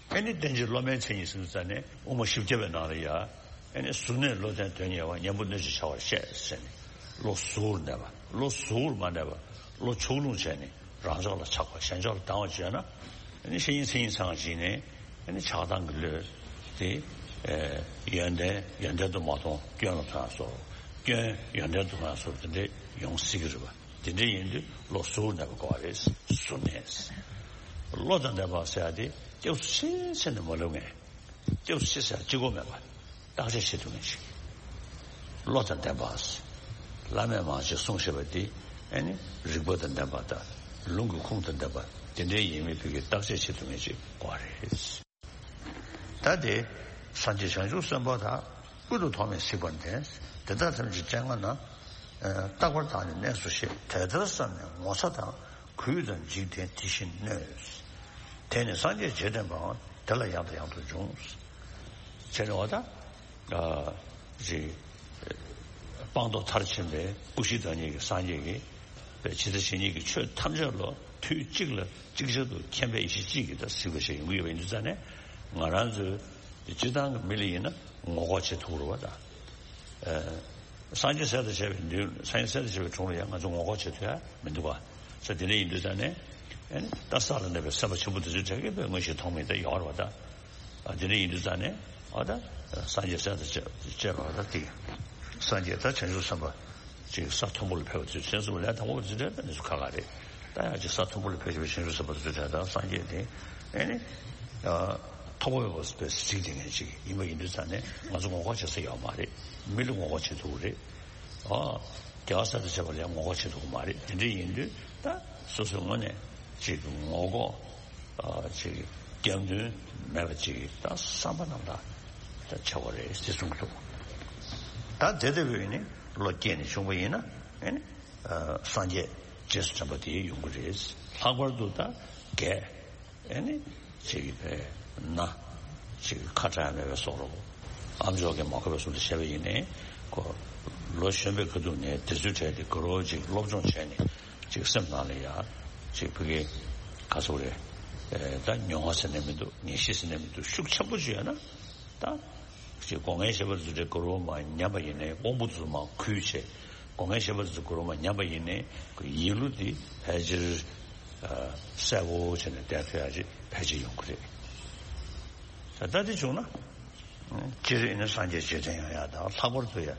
ཨེ་ནི་བསྟེན་བྱའི་སློབ་མའི་མཚན་ཉིད་ཟེར་ཙང་ནས་དབུ་མ་བཞི་བརྒྱ་པའི་ནང་ལ་ཡ། ཨེ་ནི་གཟུར་གནས་བློ་ལྡན་དོན་གཉེར་བ། གཉེན་པོ་སྣོད་བཅུད་བྱ་བར་བཤད་ཟེར་ནས། བློ་གཟུ་བོར་གནས་པ། བློ་གཟུ་བོར་མ་གནས་པ། བློ་ཕྱོགས་ལྷུང་བྱས་ནས་རང་ཕྱོགས་ལ་ཆགས་པ། གཞན་ཕྱོགས་ལ་སྡང་བ་བྱས་ན། ཨེ་ནི་བཤེས་གཉེན་མཚན་ཉིད་ཚང་བ་ཅིག་ནས། ཨེ་ནི་ཆགས་སྡང་གི་བློ་དེ། ཨེ། ཡོན་ཏན་ཡོན་ཏན་དུ་མ་མཐོང་སྐྱོན་ལ་མཐོང་ཡ་བཟོ། སྐྱོན་ཡོན་ཏན་དུ་མཐོང་ཡ་བཟོ། དེ་འདྲས་ཡོང་སྲིད་ཀྱི་རེད་པ། དེ་འདྲས་ཡིན་དུས་བློ་གཟུར་གནས་པ་དགོས་པ་རེད། གཟུར་གནས། བློ་དང་ལྡན་པ་ཟེར་ཡ་དེ་སྐྱབས་སུ་མཆི་ཟེར་ནས་མ་ལབ་མཁན། སྐྱབས་སུ་མཆི་ཟེར་ཡ་གཅིག་པོ་མེད་པ། བརྟག་དཔྱད་བྱེད་ཐུབ་མཁན་ཞིག་བློ་དང་ལྡན་པ། བླ་མས་མང་ཆེ་གསུངས་བཞག་པ་དེ། ཨེ་ནི་རིགས་པ་དང་ལྡན་པ་དང་། ལུང་གི་ཁུངས་དང་ལྡན་པ། དེ་འདྲའི་ཡིན་མིན་ཕ་གིར་བརྟག་དཔྱད་བྱེད་ཐུབ་མཁན་ཞིག་དགོས་པ་རེད། ད་དེ་སངས་རྒྱས་བྱང་ཆུབ་སེམས་དཔའ་དག །ཀུན་ཏུ་ཐོགས་མེད་གཟིགས་པར་འདས། དེ་དག་ཐམས་ཅད་སྤྱན་སྔ་ན། རྟག་པར་བདག་ནི་གནས་སོ་ཞེས། དེ་ལྟར་བསམས་ནས་ངོ་ཚ་དང་། གུས་དང་འཇིགས་ཏེ་དེ་བཞིན་གནོད། དེ་ནི་སངས་རྒྱས་རྗེས་དྲན་པའང་། དེ་ལ་ཡང་དང་ཡང་དུ་འབྱུང་། བྱས་ནས་འོ་ད། ཨ། ཅིག་སྤངས་རྟོགས་མཐར་ཕྱིན་པའི་སྐུ་བཞིའི་བདག་ཉིད་ཀྱི་སངས་རྒྱས་ཀྱིས། ཇི་ལྟ་ཇི་སྙེད་ཀྱི་ཆོས་ཐམས་ཅད་ལ་དུས་གཅིག་ལ་ཅིག་ཅར་དུ་མཁྱེན་པའི་ཡེ་ཤེས་གཅིག་གིས་ད་གཟིགས་པ་ཞིག་ཡོང་གི་ཡོད་པ་ཡིན་དུས་ཙང་ནས། ང་རང་ཚོའི་སྤྱིར་བཏང་གི་མི་ལ་ཡིན་ན་ངོ་ལྐོག་བྱེད་ཐུབ་རེད་པ་ད། ཨ། སངས་རྒྱས་གསེར་དང་བཅས་པའི་མདུན། སངས་རྒྱས་གསེར་དང་བཅས་པའི་དྲུང་ལ་ཡང་ང་ཚོ་ངོ་ལྐོག་བྱེད་ཐུབ་ཡ་མི་འདུག་ག། ས་དེ་འདྲ་ཡིན་དུས་ཙང་ནས། ཨ་ནི་ད་ས་ལ་གནས་པའི་སེམས་དཔའ་ཆེན་པོ་དེ་ཚོའི་གྲས་ཀྱིས་དཔེ་མངོན་ཤེས་མཐོང་མིན་དེ་ཡོད་རེད་པ་ད། ཨ། དེ་འདྲ་ཡིན་དུས་ཙང་ནས། ཨ། ད་སངས་རྒྱས་གསེར་དང་བཅས་པ་ད་དེ། སངས་རྒྱས་ད་བྱང་ཆུབ་སེམས་དཔའ་ཅིག་ས་མཐོན་པོ་ལ་ཕེབས་པ་དུས་ཚོད་སུ་ལས་དང་པོ་དེ་འདྲ་ད་ནི་སུ་ཁ་ཁ་རེད། ད་ཡང་ཅིག་ས་མཐོན་པོ་ལ་ཕེབས་པའི་བྱང་ཆུབ་སེམས་དཔའ་དེ་ཚོའི་གྲས་ད་སངས་རྒྱས་དེ། ཨ་ནི། ཨ། མཐོ་པོ་མེད་པར་གཟིགས་བསྡད་མཁན་ཅིག་ཡིན་པ་ཡིན་དུས་ཙང་ནས་ང་ཚོ་ངོ་ལྐོག་བྱེད་ས་ཡོད་མ་རེད། མི་ལ་ངོ་ལྐོག་བྱེད་ཐུབ་ཀྱི་རེད། ཨ། རྒྱལ་བ་གསེར་དང་བཅས་པ་ལ་ཡང་ངོ་ལྐོག་བྱེད་ཐུབ་ཀྱི་མ་རེད། དེ་འདྲ་ཡིན་དུས་ད་སོ་སོའི་ངོས་ནས་ཅིག་ངོ་ལྐོག་ཨ། ཅིག་རྒྱབ་མདུན་མེད་པ་ཅིག་ད་བསམ་པ་རྣམ་དག་ད་བྱ་དགོས་རེད་ཟེར་གསུངས་འདུག། ད་དེ་ལྟ་བུའི་ནི་བློ་སྐྱེས་ནས་བྱུང་བ་ཡིན་ན། ཨེ་ནི། ཨ། སངས་རྒྱས་རྗེས་སུ་དྲན་པ་དེ་ཡོང་གི་རེད། ལྷག་པར་དུ་ད་རྒས། ཨེ་ནི། ཅིག་དཔེར་ན། ཅིག་ཁ་གྲག་ཡ་མེད་པའི་བཟོ་འདྲ་པོ། ཨ་མཆོག་གིས་མ་གོ་བའི་བཟོ་འདྲ་བྱས་པ་ཡིན་ནའི། ཁོ་ལོ་གཞོན་པའི་ཁ་ཐུག་ནས་དེ་ཚོའི་གྲས་དེ་དགའ་རབ་ཅིག་སློབ་སྦྱོང་བྱས་ནས། ཅིག་སེམས་ནང་ལ་ཡ། ཅིག་ཕ་གི་ག་ཚོད་རེད། ཨེ། ད་མྱོང་བ་ཟེར་ནས་མི་འདུག། ངེས་ཤེས་ཟེར་ནས་མི་འདུག། ཤུགས་ཆེན་པོ་ཅིག་ཡོད་ན། ད་ཅིག་སྒོ་ངའི་བཤད་པ་ཚོ་དེ་དགའ་རབ་མ་ཉམས་པ་ཡིན་ནའི། དབང་པོ་ཚོ་མ་གུས་བྱས། སྒོ་ངའི་བཤད་པ་ཚོ་དགའ་རབ་མ་ཉམས་པ་ཡིན་ནའི། ཁོ་ཡིད་བློ་དེ་ཕལ་ཆེར། ཨ། གསལ་པོ་བྱས་ནས་བསྡད་ཐུབ་ཡ་ཅིག་ཕལ་ཆེར་ཡོང་གི་རེད། ད་ལྟ་དེ་བྱུང་ན། སྤྱིར་ཨེ་ནི་སངས་རྒྱས་རྗེས་དྲན་ཡོང་ཡ་དང་། ལྷག་པར་དུ་ཡ་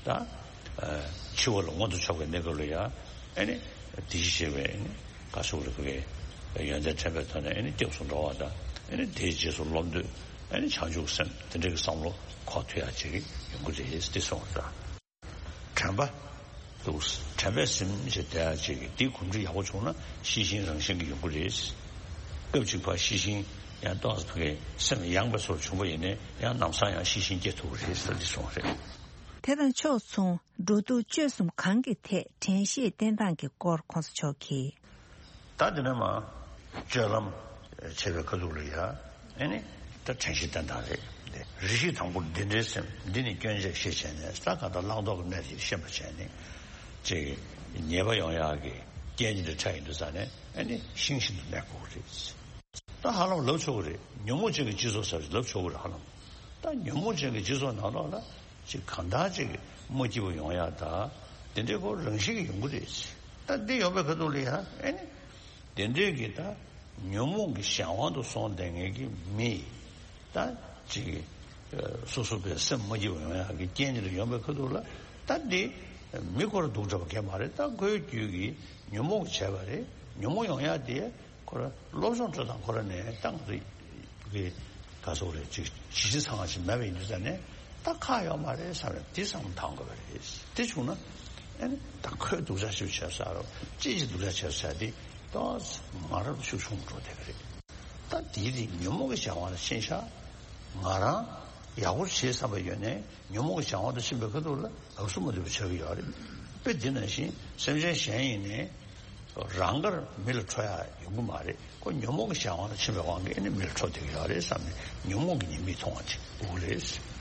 ད། ཨ། འཆི་བ་ལ་མངོན་དུ་ཕྱོགས་པའི་གནས་སྐབས་ལ་ཡ། ཨེ་ནི་དེ་བཞིན་གཤེགས་པའི། ཨེ་ནི་ག་ཟེར་དགོས་རེད། ཡོན་ཏན་དྲན་པའི་ཐོག་ནས་ཨེ་ནི་སྐྱབས་སུ་འགྲོ་བ་དང་། ཨེ་ནི་དེའི་རྗེས་སུ་སློབ་འདོད། ཨེ་ནི་བྱང་ཆུབ་སེམས་དེ་འདྲ་གི་བསམ་བློ་འཁོར་ཐུབ་ཡ་ཅིག་ཡོང་གི་རེད་ཟེར་གསུངས་པ་རེད། དྲན་པ་འདུག། དྲན་པས་ཟིན་བྱས་བསྡད་ཡ་ཅིག་གི་འདི་གོམས་འདྲིས་ཡག་པོ་བྱུང་ན་ཤེས་བཞིན་རང་བཞིན་གྱིས་ཡོང་གི་རེད། སྐབས་གཅིག་ཕར་ཤེས་བཞིན་ཡང་ཏོག་ཙམ་ཕ་གི་སེམས་ཡངས་པའི་བཟོ་བྱུང་བ་ཡིན་ནའི། ཡང་ལམ་སང་ཡང་ཤེས་བཞིན་སྐྱེ་ཐུབ་ཀྱི་རེད་ཟེར་འདི་གསུངས་པ་རེད། དེ་དང་ཕྱོགས་མཚུངས་འགྲོ་འདུག་སྤྱོད་གསུམ་གང་གི་ཐད་དྲན་ཤེས་བསྟེན་སྟངས་ཀྱི་སྐོར་གོང་ས་མཆོག་གིས། ད་འདི་ནས་མར་སྤྱོད་ལམ་བྱེད་པའི་ཁ་ཐུག་ལ་ཡ། ཨེ་ནི་ད་དྲན་ཤེས་བསྟེན་སྟངས་རེད། རེ་ཞིག་དང་པོར་འདི་འདྲའི་སེམས་འདི་ནི་སྐྱོན་ཆ་ཞེས་བྱས་ནས། ད་གང་ལྟར་བླང་དོར་གྱི་གནས་དེ་ཤེས་པར་བྱས་ནས། ཅིག་ཉེས་པ་ཡོང་ཡག་གི་རྐྱེན་འདི་འདྲ་འཕྲད་ཡོང་དུས་ཙང་ནས། ཨེ་ནི་ཤིང་བཞིན་དུ་གནས་དགོས་ཀྱི་རེད། ད་ཧ་ལམ་ལབ་ཆོག་གི་རེད། ཉོན་མོངས་ཅན་གྱི་སྤྱི་ཚོགས་ཟེར་ལབ་ཆོག་གི་རེད། ཧ་ལམ་ད་ཉོན་མོངས་ཅན་གྱི་སྤྱི་ཚོགས་ནང་ལོགས་ལ་ཅིག་གང་ལྟར་ཅིག་མ་སྐྱིད་པོ་ཡོང་ཡ་ད་དེ་འདྲའི་ཁོ་རང་བཞིན་གྱིས་ཡོང་གི་རེད། ད་འདི་ཡོང་པའི་ཁ་ཐུག་ལ་ཡ་ཨེ་ནི་དེ་འདྲའི་གི་ད་ཉོན་མོངས་ཀྱི་གཞན་དབང་དུ་སོང་བསྡད་མཁན་གྱི་མི་ད་ཅིག་སོ་སོ་པའི་སེམས་མ་སྐྱིད་པོ་ཡོང་ཡ་གི་རྐྱེན་འདི་ལ་ཡོང་པའི་ཁ་ཐུག་ལ་ད་འདི་མི་ཁོ་ར་སྡུག་དྲགས་པ་གང་ཡང་མ་རེད། ད་ཁོའི་རྒྱུད་ཀྱི་ཉོན་མོངས་བྱས་པ་རེད། ཉོན་མོངས་ཡོང་ཡ་དེ། ཁོ་ར་སློབ་སྦྱོང་སྤྲོད་སྟངས་ཁོ་ར་ནས་ད་ང་ཚོ་གི་ག་ཚོད་རེད་ཅིག་ཇི་ལྟར་ཚང་བ་ཞིག་མེད་པ་ཡིན་དུས་ཙང་ནས་ད་ཁག་ཡོད་མ་རེད་བསམ་རེད། དེ་བསམ་བློ་བཏང་དགོས་པ་རེད། དེ་བྱུང་ན་ཨ་ནི་ད་ཁོས་སྡུག་ཅག་ཞིག་བྱས་ས་རོ་ཅི་ཞིག་སྡུག་ཅག་བྱས་ས་དེ་ཏོག་ཙམ་མ་རབས་ཤུགས་ཆུང་འགྲོ་བསྡད་ཀྱི་རེད། ད་དེའི་རིགས་ཉོན་མོངས་ཀྱི་བྱ་བ་ལ་ཕྱིན་ཤག་ང་རང་ཡག་པོ་བྱེད་བསམ་པ་ཡོད་ནས་ཉོན་མོངས་ཀྱི་བྱ་བ་དུ་ཕྱིན་པའི་ཁ་ཐུག་ལ་ལབ་སུ་མ་ཐུབ་པ་ཆགས་ཀྱི་ཡོད་རེད། དཔེ་འདི་ནང་བཞིན་སེམས་ཅན་གཞན་ཡིན་ནའི། རང་དགར་མི་ལ་ཁྲོ་ཡ་ཡོང་གི་མ་རེད། ཁོ་ཉོན་མོངས་ཀྱི་བྱ་བ་ལ་ཕྱིན་པའི་དབང་གིས་ཨ་ནི་མི་ལ་ཁྲོ་བསྡད་ཀྱི་ཡོད་རེད་བསམ་ནས་ཉོན་མོངས་ཀྱི་ཉེས་དམིགས་མཐོང་བ་ཅིག་དགོས་ཀྱི་རེད།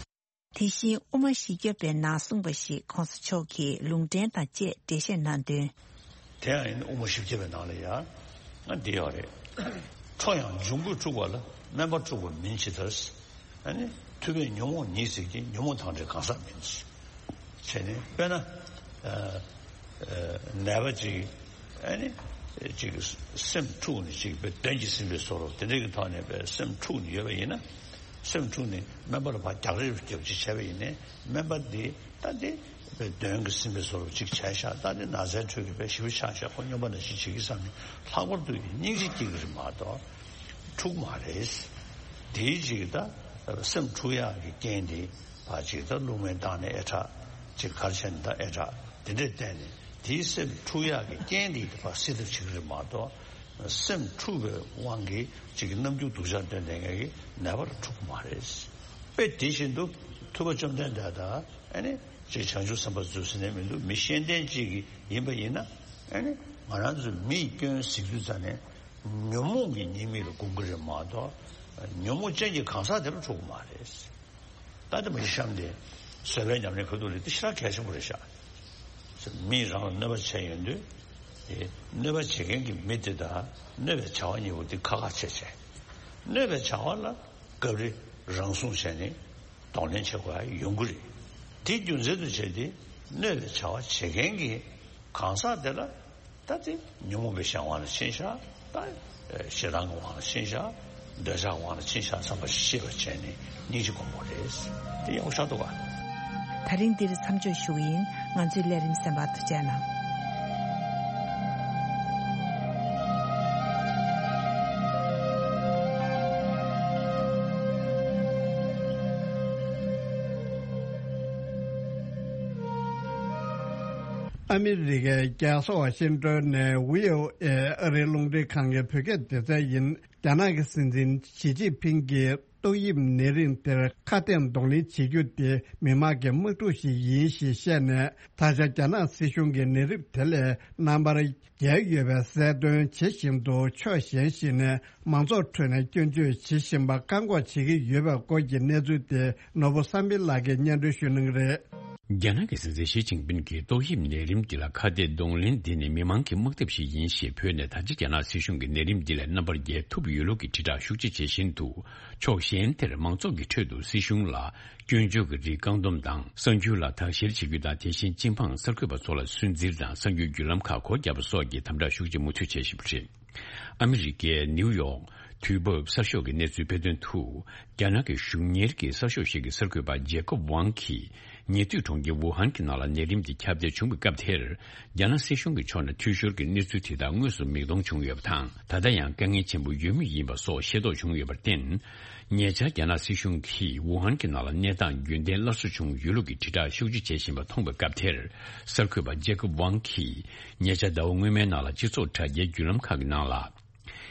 དེ་བཞིན་དབུ་མ་བཞི་བརྒྱ་པའི་ནང་གསུངས་པ་ཞིག་གོང་ས་མཆོག་གིས་ལུང་འདྲེན་དང་བཅས་འགྲེལ་བཤད་གནང་དོན། དེ་ཡང་ཡིན་དབུ་མ་བཞི་བརྒྱ་པའི་ནང་ལ་ཡང་ང་འདི་ཡོད་རེད། ཁྲོ་ཡང་འབྱུང་པོས་འཁྲུགས་པ་ལ་སྨན་པ་འཁྲུགས་པ་མིན་ཇི་ལྟར། ཨ་ནི་མཐུ་བས་ཉོན་མོངས་ཉིད་ཟད་ཀྱི། ཉོན་མོངས་དང་བྲལ་གང་ཟག་མིན། བྱས་ནས་དཔེར་ན། ཨ་ཨ་ནད་པ་ཅིག་ཨ་ནི་ཅིག་སེམས་འཁྲུགས་ནས་ཅིག་དཔེ་གདོན་གྱིས་ཟིན་པའི་བཟོ་འདྲ་དེ་འདྲ་གི་ཐོག་ནས་དཔེ་སེམས་འཁྲུགས་ནས་ཡོད་པ་ཡིན་ན། སེམས་འཁྲུགས་ནས་སྨན་པ་ལ་ཕར་རྒྱག་རེས་རྒྱབ་ཅིག་བྱས་པ་ཡིན་ནའི་སྨན་པ་འདི་ད་དེ་དཔེ་གདོན་གྱིས་ཟིན་པའི་བཟོ་འདྲ་ཅིག་བྱས་ཤག་ད་དེ་ན་ཚའི་ཁྲོད་ཀྱི་དཔེ་ཞེ་པོ་ཆགས་ཤག་ཁོ་སྨྱོན་པ་ནང་བཞིན་བྱེད་ཀྱི་བསམ་ནས་ལྷག་པར་དུ་སྙིང་རྗེ་སྐྱེ་གི་རེད་མ་གཏོགས་འཁྲུགས་མ་རེད། དེའི་ཅིག་ད་སེམས་འཁྲུགས་ཡག་གི་རྐྱེན་དེ་ཕར་ཅིག་ད་རླུང་མེ་བཏང་ནས་ཨེ་དྲག་ཅིག་གར་ཆེན་ད་ཨེ་དྲག་དེ་འདྲས་བསྟན་ནས་དེའི་སེམས་འཁྲུགས་ཡག་གི་རྐྱེན་དེ་ཕར་སེལ་ཐབས་བྱེད་ཀྱི་རེད་མ་གཏོགས། སེམས་འཁྲུགས་པའི་དབང་གིས་ཅིག་གི་རྣམ་འགྱུར་སྡུག་ཅག་སྟོན་བསྡད་མཁན་གྱི་ནད་པ་ལ་འཁྲུག་གི་མ་རེད། དཔེ་དེ་བཞིན་དུ་ཐུབ་པ་བཅོམ་ལྡན་འདས་དང་ཨ་ནི་ཅིག་བྱང་ཆུབ་སེམས་དཔའ་ཚོ་ཟེར་ནས་མི་འདུག་མི་ཤེས་ལྡན་ཅིག་གི་ཡིན་པ་ཡིན་ན་ཨ་ནི་ང་རང་ཚོ་མི་ཡི་སྐྱོན་གཟིགས་དུས་ཙ་ནས་ཉོན་མོངས་ཀྱི་ཉེས་དམིགས་ལ་སྒོམ་གྱི་རེད་མ་གཏོགས་ཉོན་མོངས་ཅན་གྱི་གང་ཟག་དེ་ལ་འཁྲུག་གི་མ་རེད། ད་ལྟ་མ་གཞི་གཤམ་དེ་བཟོད་པའི་ཉམས་ལེན་ཁ་ཐུག་ལས་དེ་ཞེ་དྲག་གལ་ཆེན་པོ་རེད་ཤག་མིས་རང་ལ་གནོད་པ་བྱས་ཡོང་དུས། དེ་གནོད་པ་བྱེད་མཁན་གྱི་མི་དེ་དང་གནོད་པའི་བྱ་བ་གཉིས་པོ་དེ་ཁ་ཁ་ཕྱེ་བྱས། གནོད་པའི་བྱ་བ་ལ་སྐབས་རེ་རང་སྲུང་བྱས་ནས་གདོང་ལེན་བྱེད་དགོས་ཡ་ཡོང་གི་རེད། དེ་རྒྱུ་མཚན་དུ་བྱས་ཏེ་གནོད་པའི་བྱ་བ་བྱེད་མཁན་གྱི་གང་ཟག་དེ་ལ། ད་དེ་ཉོན་མོངས་པའི་གཞན་དབང་ལ་ཕྱིན་ཤག་ད་ཞེ་སྡང་གི་དབང་ལ་ཕྱིན་ཤག་འདོད་ཆགས་དབང་ལ་ཕྱིན་ཤག་བསམ་པ་ཤེས་པ་བྱས་ནས་སྙིང་རྗེ་སྒོམ་དགོས་རེད། དེ་ཡག་པོ་ཤར་འདུག་ག་ད་རིང་འདིར་མཚམས་འཇོག་ཞུ་གི་ཡིན། ང་ཚོའི་ལས་རིམ་གསན་པར་ཐུགས་རྗེ་གནང་། ཨ་མི་རི་ཀའི་རྒྱལ་ས་ཝ་ཤིང་ཏོན་ནས་བྷི་ཨོ་ཨེ་ཨ་རིའི་རླུང་འཕྲིན་ཁང་གི་བོད་སྐད་སྡེ་ཚན་ཡིན། རྒྱ་ནག་གི་སྲིད་འཛིན་ཞི་ཅིན་ཕིང་གིས་ཏོག་དབྱིབས་ནད་རིམས་དེར་ཁ་གཏད་གདོང་ལེན་བྱེད་རྒྱུ་དེ་མི་མང་གི་དམག་འཁྲུག་ཞིག་ཡིན་ཞེས་བཤད་ནས། ད་ཆ་རྒྱ་ནག་སྲིད་གཞུང་གིས་ནད་རིམས་དེ་ལས་རྣམ་པར་རྒྱལ་ཡོད་པའི་གསལ་སྟོན་བྱེད་བཞིན་དུ། ཕྱོགས་གཞན་ཞིག་ནས་མང་ཚོགས་ཁྲོད་ནས་སྐྱོན་བརྗོད་བྱེད་བཞིན་པ་བཀག་འགོག་བྱེད་ཀྱི་ཡོད་པའི་སྐོར་གྱི་གནས་ཚུལ་དེ་ནོར་བུ་བསམ་འཕེལ་ལགས་ཀྱིས་སྙན་སྒྲོན་ཞུ་གནང་གི་རེད། རྒྱ་ནག་གི་སྲིད་འཛིན་ཞི་ཅིན་ཕིན་གྱིས་ཏོག་དབྱིབས་ནད་རིམས་འདི་ལ་ཁ་གཏད་གདོང་ལེན་འདི་ནི་མི་མང་གི་དམག་འཐབ་ཞིག་ཡིན་ཞེས་བོད་ནས་ད་ཆ་རྒྱ་ནག་སྲིད་གཞུང་གིས་ནད་རིམས་འདི་ལས་རྣམ་པར་རྒྱལ་ཐུབ་ཡོད་ལུགས་ཀྱི་དྲིལ་བསྒྲགས་ཤུགས་ཆེ་བྱེད་བཞིན་དུ། ཕྱོགས་གཞན་དེར་མང་ཚོགས་ཀྱི་ཁྲོད་དུ་སྲིད་གཞུང་ལ་སྐྱོན་བརྗོད་ཀྱི་རིགས་བཀག་སྡོམ་དང་། གསར་འགྱུར་ལ་དག་བཤེར་བྱེད་རྒྱུ་དང་། དེ་བཞིན་སྤྱི་འབངས་གསར་འགོད་པ་ཚོ་ལ་སུན་གཙེར་དང་། གསར་འགྱུར་བརྒྱུད་ལམ་ཁག་སྒོ་བརྒྱབ་པ་སོགས་ཀྱི་དམ་དྲག་ཤུགས་ཆེ་མུ་མཐུད་བྱེད་བཞིན་པ་རེད། ཨ་མི་རི་ཀའི་ནིའུ་ཡོག་དུས་བབ་གསར་ཤོག་གི་གནས་ཚུལ་སྤེལ་དོན་དུ། རྒྱ་ནག་གི་གཞུང་གཉེར་གྱི་གསར་ཤོག་ཞིག་གི་གསར་འགོད་པ་ཇེ་ཀོབ་ཝང་གིས། ཉེ་དུས་གྲོང་ཁྱེར་ཝུ་ཧན་གྱི་ནང་ལ་ནད་རིམས་དེ་ཁྱབ་གདལ་བྱུང་བའི་སྐབས་དེར། རྒྱ་ནག་སྲིད་གཞུང་གི་ཕྱོགས་ནས་འཐུས་ཤོར་གྱི་གནས་ཚུལ་དེ་དག་དངོས་སུ་མིག་མཐོང་བྱུང་ཡོད་པ་དང་། ད་ལྟ་ཡང་དཀའ་ངལ་ཆེན་པོ་ཡོད་མུས་ཡིན་པ་སོགས་ཤེས་རྟོགས་བྱུང་ཡོད་པར་བརྟེན། ཉེ་ཆར་རྒྱ་ནག་སྲིད་གཞུང་གིས་ཝུ་ཧན་གྱི་ནང་ལ་གནས་སྟངས་རྒྱུན་གཏན་སླར་གསོ་བྱུང་ཡོད་ལུགས་ཀྱི་དྲིལ་བསྒྲགས་ཤུགས་ཆེ་བྱེད་བཞིན་པ་མཐོང་བའི་སྐབས་དེར། གསར་འགོད་པ་ཇེ་ཀོབ་ཝང་གིས། ཉེ་ཆར་ཟླ་བ་སྔོན་མའི་ནང་ལ་སྤྱི་ཚོགས་དྲ་རྒྱའི་བརྒྱུད་ལམ་ཁག་གི་ནང་ལ།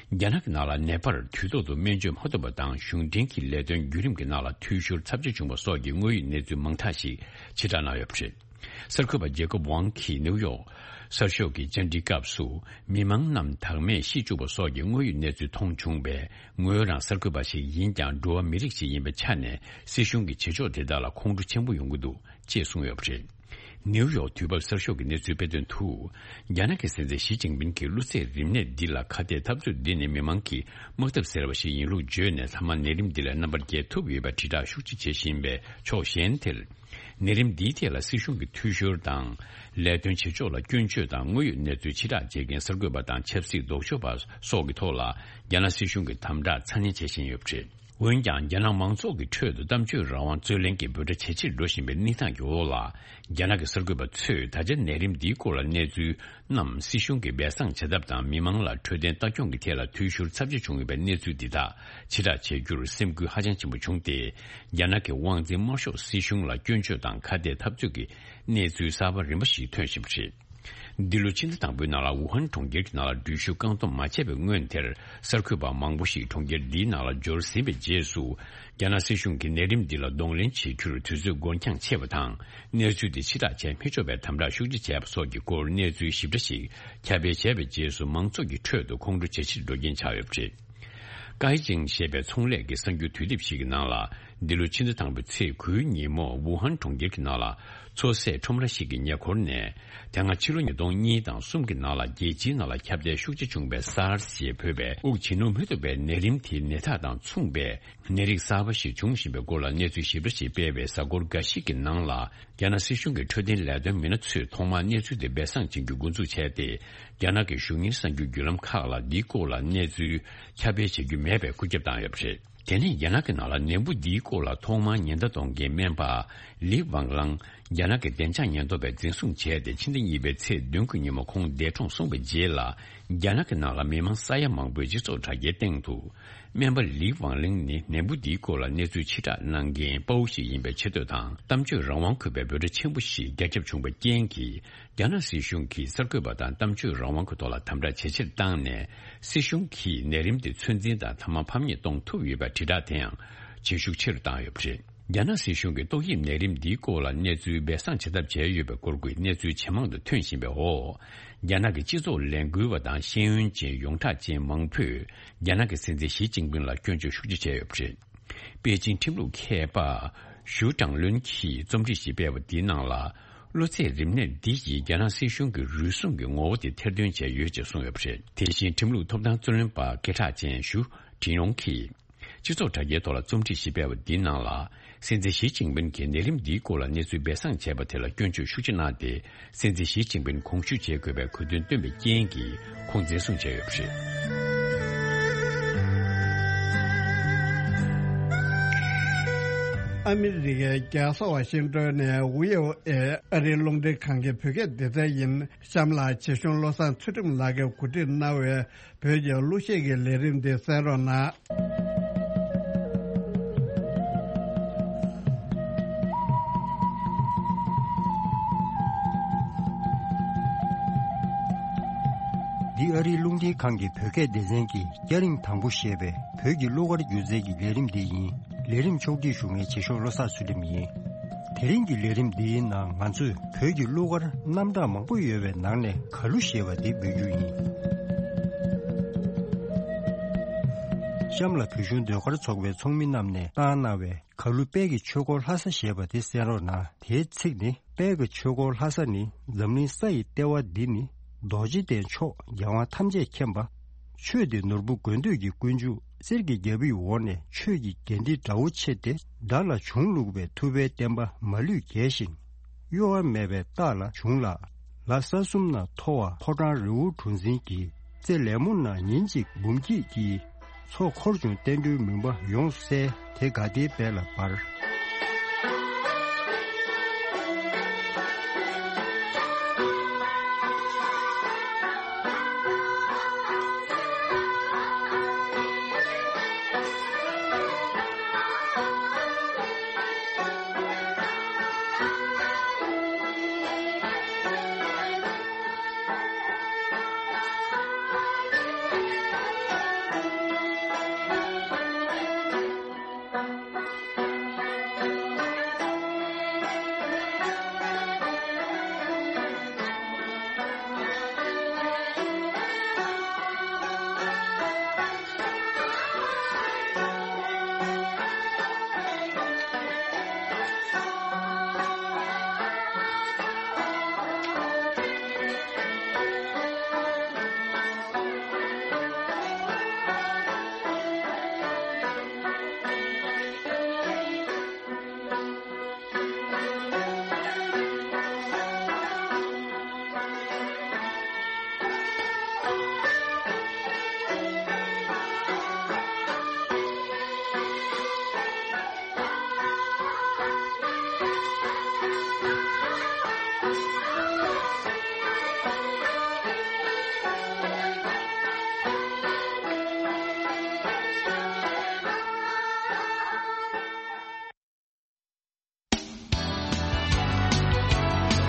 རྒྱ་ནག་གི་ནང་ལ་ནད་པར་དུས་ཐོག་ཏུ་སྨན་བཅོས་མ་ཐུབ་པ་དང་། གཞུང་འབྲེལ་གྱི་ལས་དོན་བརྒྱུད་རིམ་གྱི་ནང་ལ་འཐུས་ཤོར་ཚབས་ཆེ་བྱུང་བ་སོགས་ཀྱི་དངོས་ཡོད་གནས་ཚུལ་མང་དག་ཞིག་ཕྱིར་བསྒྲགས་གནང་ཡོད་པ་རེད། གསར་འགོད་པ་ཇེ་ཀོབ་ཝང་གིས་ནིའུ་ཡོག་གསར་ཤོག་གི་བཅར་འདྲིའི་སྐབས་སུ། མི་མང་རྣམས་བདག་མེད་ཤི་བཅུག་པ་སོགས་ཀྱི་དངོས་ཡོད་གནས་ཚུལ་མཐོང་བྱུང་བས། ངོས་རང་གསར་འགོད་པ་ཞིག་ཡིན་ཀྱང་། འགྲོ་བ་མི་རིགས་ཤིག་ཡིན་པའི་ཆ་ནས། སྲིད་གཞུང་གི་བྱེད་ཕྱོགས་དེ་དག་ལ་ཁོང་ཁྲོ་ཆེན་པོ་ཡོང་གི་འདུག་ཅེས་གསུངས་ཡོད་པ་རེད། ནིའུ་ཡོག་དུས་བབ་གསར་ཤོག་གིས་གནས་ཚུལ་སྤེལ་དོན་དུ། རྒྱ་ནག་གི་སྲིད་འཛིན་ཞི་ཅིན་ཕིན་གྱིས་གློ་ཚད་རིམས་ནད་འདི་ལ་ཁ་གཏད་འཐབ་རྩོད་འདི་ནི་མི་མང་གི་དམག་འཐབ་ཟེར་བ་ཞིག་ཡིན་ལུགས་བརྗོད་ནས། མཐའ་མ་ནད་རིམས་འདི་ལ་རྣམ་པར་རྒྱལ་ཐུབ་ཡོད་པའི་དྲིལ་བསྒྲགས་ཤུགས་ཆེ་བྱེད་བཞིན་པའི་ཕྱོགས་གཞན་དེར། ནད་རིམས་འདིའི་ཐད་ལ་སྲིད་གཞུང་གི་འཐུས་ཤོར་དང་། ལས་དོན་བྱེད་ཕྱོགས་ལ་སྐྱོན་བརྗོད་དང་དངོས་ཡོད་གནས་ཚུལ་ཕྱིར་བསྒྲགས་བྱེད་མཁན་གསར་འགོད་པ་དང་ཆབ་སྲིད་ལྡོག་ཕྱོགས་པ་སོགས་ཀྱི་ཐོག་ལ། རྒྱ་ནག་སྲིད་གཞུང་གི་དམ་དྲག་ཚ་ནན་བྱེད་བཞིན་ཡོད་པ་རེད། འོན་ཀྱང་། རྒྱ་ནག་མང་ཚོགས་ཀྱི་ཁྲོད་དུ་གཏམ་བརྗོད་རང་དབང་རྩོད་ལེན་གྱི་འབོད་སྒྲ་ཇེ་ཆེར་འགྲོ་བཞིན་པའི་གནས་སྟངས་ཀྱི་འོག་ལ། རྒྱ་ནག་གི་གསར་འགོད་པ་ཚོས་ད་ཆ་ནད་རིམས་འདིའི་སྐོར་ལ་གནས་ཚུལ་རྣམས་སྲིད་གཞུང་གིས་སྦས་གསང་བྱེད་ཐབས་དང་། མི་མང་ལ་འཕྲོད་བསྟེན་ལྟ་སྐྱོང་གི་ཐད་ལ་འཐུས་ཤོར་ཚབས་ཆེ་བྱུང་ཡོད་པའི་གནས་ཚུལ་འདི་དག་ཕྱིར་བསྒྲགས་བྱེད་རྒྱུར་སེམས་འགུལ་ཧ་ཅང་ཆེན་པོ་བྱུང་སྟེ། རྒྱ་ནག་གི་དབང་འཛིན་དམར་ཤོག་སྲིད་གཞུང་ལ་སྐྱོན་བརྗོད་དང་ཁ་གཏད་འཐབ་རྩོད་ཀྱི་གནས་ཚུལ་གསར་པ་རིམ་པ་ཞིག་ཐོན་བཞིན་པ་རེད། འདི་ལོ་ཕྱི་ཟླ་དང་པོའི་ནང་ལ་ཝུ་ཧན་གྲོང་ཁྱེར་གྱི་ནང་ལ་འགྲུལ་བཞུད་བཀག་སྡོམ་མ་བྱས་པའི་སྔོན་དེར། གསར་འགོད་པ་མང་པོ་ཞིག་གྲོང་ཁྱེར་འདིའི་ནང་ལ་འབྱོར་ཟིན་པའི་རྗེས་སུ། རྒྱ་ནག་སྲིད་གཞུང་གིས་ནད་རིམས་འདི་ལ་གདོང་ལེན་བྱེད་རྒྱུར་དུས་ཚོད་འགོར་འགྱངས་ཆེ་བ་དང་། གནས་ཚུལ་དེ་ཕྱིར་བསྒྲགས་བྱས་མི་ཆོག་པའི་དམ་དྲག་ཤུགས་ཆེ་བྱས་པ་སོགས་ཀྱི་སྐོར་གནས་ཚུལ་ཞིབ་ཕྲ་ཞིག་ཁྱབ་སྤེལ་བྱས་པའི་རྗེས་སུ། མང་ཚོགས་ཀྱི་ཁྲོད་དུ་ཁོང་ཁྲོ་ཇེ་ཆེར་འགྲོ་རྐྱེན་ཆགས་ཡོད་པ་རེད། ཀའི་ཅིང་ཞེས་པའི་ཚོང་ལས་ཀྱི་གསར་འགྱུར་དུས་དེབ་ཞིག་གི་ནང་ལ། འདི་ལོ་ཕྱི་ཟླ་དང་པོའི་ཚེས་དགུའི་ཉིན་མོ། ཝུ་ཧན་གྲོང་ཁྱེར་གྱི་ནང་ལ་མཚོ་ཟས་ཁྲོམ་ར་ཞིག་གི་ཉེ་འཁོར་ནས། དེ་སྔ་ཕྱི་ལོ་ཉིས་སྟོང་གཉིས་དང་གསུམ་གྱི་ནང་ལ་རྒྱལ་སྤྱིའི་ནང་ལ་ཁྱབ་གདལ་ཤུགས་ཆེ་བྱུང་བའི་སཱར་སི་ཞེས་འབོད་པའི་དབུགས་ཇེ་རྣོར་མི་ཐུབ་པའི་ནད་རིམས་དེའི་ནད་རྟགས་དང་མཚུངས་པའི་ནད་རིགས་གསར་པ་ཞིག་བྱུང་བཞིན་པའི་སྐོར་ལ་གནས་ཚུལ་ཞིབ་ཕྲ་ཞིག་སྤེལ་བའི་གཟའ་འཁོར་འགའ་ཞིག་གི་ནང་ལ། རྒྱ་ནག་སྲིད་གཞུང་གི་འཕྲོད་བསྟེན་ལས་དོན་མི་སྣ་ཚོས་ཐོག་མར་གནས་ཚུལ་དེ་སྦས་གསང་བྱེད་རྒྱུ་འགོ་འཛུགས་བྱས་ཏེ། རྒྱ་ནག་གི་གཞུང་གཉེར་གསར་འགྱུར་བརྒྱུད་ལམ་ཁག་ལ་འདིའི་སྐོར་ལ་གནས་ཚུལ་ཁྱབ་སྤེལ་བྱེད་རྒྱུ་མེད་པའི་བཀོད་ཁྱབ་བཏང་ཡོད་པ་རེད། དེ་ནས་རྒྱ་ནག་གི་ནང་ལ་ནད་འབུ་འདིའི་སྐོར་ལ་ཐོག་མར་ཉེན་བརྡ་གཏོང་མཁན་སྨན་པ་ལི་ཝང་ལང་། རྒྱ་ནག་གི་བདེ་འཇགས་ཉེན་རྟོག་པས་འཛིན་བཟུང་བྱས་ཏེ། ཕྱི་ཟླ་གཉིས་པའི་ཚེས་བདུན་གྱི་ཉིན་མོ་ཁོང་འདས་གྲོངས་སོང་བའི་རྗེས་ལ། རྒྱ་ནག་གི་ནང་ལ་མི་མང་ས་ཡ་མང་པོས་སྤྱི་ཚོགས་དྲ་རྒྱའི་སྟེང་དུ། སྨན་པ་ལི་ཝང་ལིང་ནི་ནད་འབུ་འདིའི་སྐོར་ལ་གནས་ཚུལ་ཕྱིར་བསྒྲགས་གནང་མཁན་དཔའ་བོ་ཞིག་ཡིན་པའི་ཆེ་བསྟོད་དང་། གཏམ་བརྗོད་རང་དབང་དགོས་པའི་འབོད་སྒྲ་ཆེན་པོ་ཞིག་རྒྱ་ཁྱབ་བྱུང་བའི་རྐྱེན་གྱིས། རྒྱ་ནག་སྲིད་གཞུང་གིས་གསར་འགོད་པ་དང་གཏམ་བརྗོད་རང་དབང་གི་ཐོག་ལ་དམ་དྲག་ཇེ་ཆེར་བཏང་ནས། སྲིད་གཞུང་གིས་ནད་རིམས་དེ་ཚོད་འཛིན་དང་མཐའ་མ་ཕམ་ཉེས་གཏོང་ཐུབ་ཡོད་པའི་དྲིལ་བསྒྲགས་དེ་ཡང་ཇེ་ཤུགས་ཆེ་རུ་བཏང་ཡོད་པ་རེད། རྒྱ་ནག་སྲིད་གཞུང་གིས་ཏོག་དབྱིབས་ནད་རིམས་འདིའི་སྐོར་ལ་གནས་ཚུལ་སྦས་གསང་བྱེད་ཐབས་བྱས་ཡོད་པའི་སྐོར་གྱི་གནས་ཚུལ་ཇེ་མང་དུ་ཐོན་བཞིན་པའི་འོག་རྒྱ་ནག་གི་སྤྱི་ཚོགས་ལས་འགུལ་བ་དང་ཤེས་ཡོན་ཅན་ཡོངས་གྲགས་ཅན་མང་པོས་རྒྱ་ནག་གི་སྲིད་འཛིན་ཞི་ཅིན་ཕིན་ལ་སྐྱོན་བརྗོད་ཤུགས་ཆེ་བྱས་ཡོད་པ་རེད། པེ་ཅིང་ཁྲིམས་ལུགས་མཁས་པ་ཞུ་ཀྲང་ལུན་གྱིས་རྩོམ་སྒྲིག་ཞིག་སྤེལ་བ་དེའི་ནང་ལ། གློ་ཚད་རིམས་ནད་འདི་ཡིས་རྒྱ་ནག་སྲིད་གཞུང་གི་རུལ་སུངས་ཀྱི་ངོ་བོ་དེ་ཐེར་འདོན་བྱས་ཡོད་ཅེས་གསུངས་ཡོད་པ་རེད། དེ་བཞིན་ཁྲིམས་ལུགས་ཐོབ་ཐང་རྩོད་ལེན་པ་སྐད་གྲགས་ཅན་ཞུ་ཀྲིན་ཡོང་གིས། སྤྱི་ཚོགས་དྲ་རྒྱའི་ཐོག་ལ་རྩོམ་སྒྲིག་ཞིག་སྤེལ་བ་འདིའི་ནང་ལ། སྲིད་འཛིན་ཞི་ཅིན་ཕིན་གྱིས་ནད་རིམས་འདིའི་སྐོར་ལ་གནས་ཚུལ་སྦས་གསང་བྱས་པ་དེ་ལ་སྐྱོན་བརྗོད་ཤུགས་ཆེ་གནང་སྟེ། སྲིད་འཛིན་ཞི་ཅིན་ཕིན་དགོངས་ཞུ་བྱེད་དགོས་པའི་གོ་དོན་བཏོན་པའི་རྐྱེན་གྱིས་ཁོང་འཛིན་བཟུང་བྱས་ཡོད་པ་རེད། ཨ་མི་རི་ཀའི་རྒྱལ་ས་ཝ་ཤིང་ཏོན་ནས་ཝི་ཨོ་ཨེ་ཨ་རིའི་རླུང་འཕྲིན་ཁང་གི་བོད་སྐད་སྡེ་ཚན་ཡིན། གཤམ་ལ་བྱེད་གཞུང་བློ་བཟང་ཚུལ་ཁྲིམས་ལགས་ཀྱིས་གོ་སྒྲིག་གནང་བའི་བོད་ཀྱི་གླུ་གཞས་ཀྱི་ལས་རིམ་འདི་གསན་རོགས་གནང་། འདི་ཨ་རིའི་རླུང་འཕྲིན་ཁང་གི་བོད་སྐད་སྡེ་ཚན་གྱི་སྐྱ་རེངས་དང་པོ་ཞེས་པའི་བོད་ཀྱི་གླུ་གར་སྒྱུ་རྩལ་གྱི་ལས་རིམ་འདི་ཡིན། ལས་རིམ་ཕྱོགས་སྒྲིག་ཞུ་མཁན་བྱེད་གཞུང་བློ་བཟང་ཚུལ་ཁྲིམས་ཡིན། དེ་རིང་གི་ལས་རིམ་འདིའི་ནང་ང་ཚོས་བོད་ཀྱི་གླུ་གར་རྣམ་གྲངས་མང་པོ་ཡོད་པའི་ནང་ནས་གར་གླུ་ཞེས་པ་འདི་འབུལ་རྒྱུ་ཡིན། གཤམ་ལ་བོད་གཞུང་ཟློས་གར་ཚོགས་པའི་ཚོགས་མི་རྣམས་ནས་བཏང་གནང་བའི་གར་གླུ་དཔལ་གྱི་ཆོས་འཁོར་ལྷ་ས་ཞེས་པ་དེ་གསན་རོགས་གནང་། དེའི་ཚིག་ནི། དཔལ་གྱི་ཆོས་འཁོར་ལྷ་ས་ནི། འཛམ་གླིང་ས་ཡི་ལྟེ་བ་འདི་ནི། རྡོ་རྗེ་གདན་མཆོག་རྒྱལ་དབང་ཐམས་ཅད་མཁྱེན་པ། ཆོས་འདི་ནོར་བུ་དགོས་འདོད་ཀྱི་ཀུན་འབྱུང་གསེར་གྱི་རྒྱལ་པོའི་འོག་ནས་ཆོས་ཀྱི་རྒྱན་འདི་དགྲ་བོ་ཆེ་སྟེ་དགྲ་ལ་བྱུང་བླུགས་པའི་ཐུབ་པའི་བསྟན་པ་མ་ལུས་རྒྱས་ཤིང་། གཡོ་བ་མེད་པའི་རྟགས་ལ་བྱུང་ལ། ལ་ས་གསུམ་ན་མཐོ་བ་ཕོ་བྲང་རི་བོ་གྲུ་འཛིན་གྱི། རྩེ་ལེབ་མོ་ན་ཉིན་གཅིག་འབུམ་སྐྱིད་ཀྱི། ཚོགས་འཁོར་བྱུང་བསྟན་འགྲོའི་མུན་པ་ཡོངས་བསལ། དེ་དགའ་བདེའི་དཔལ་ལ་འབར།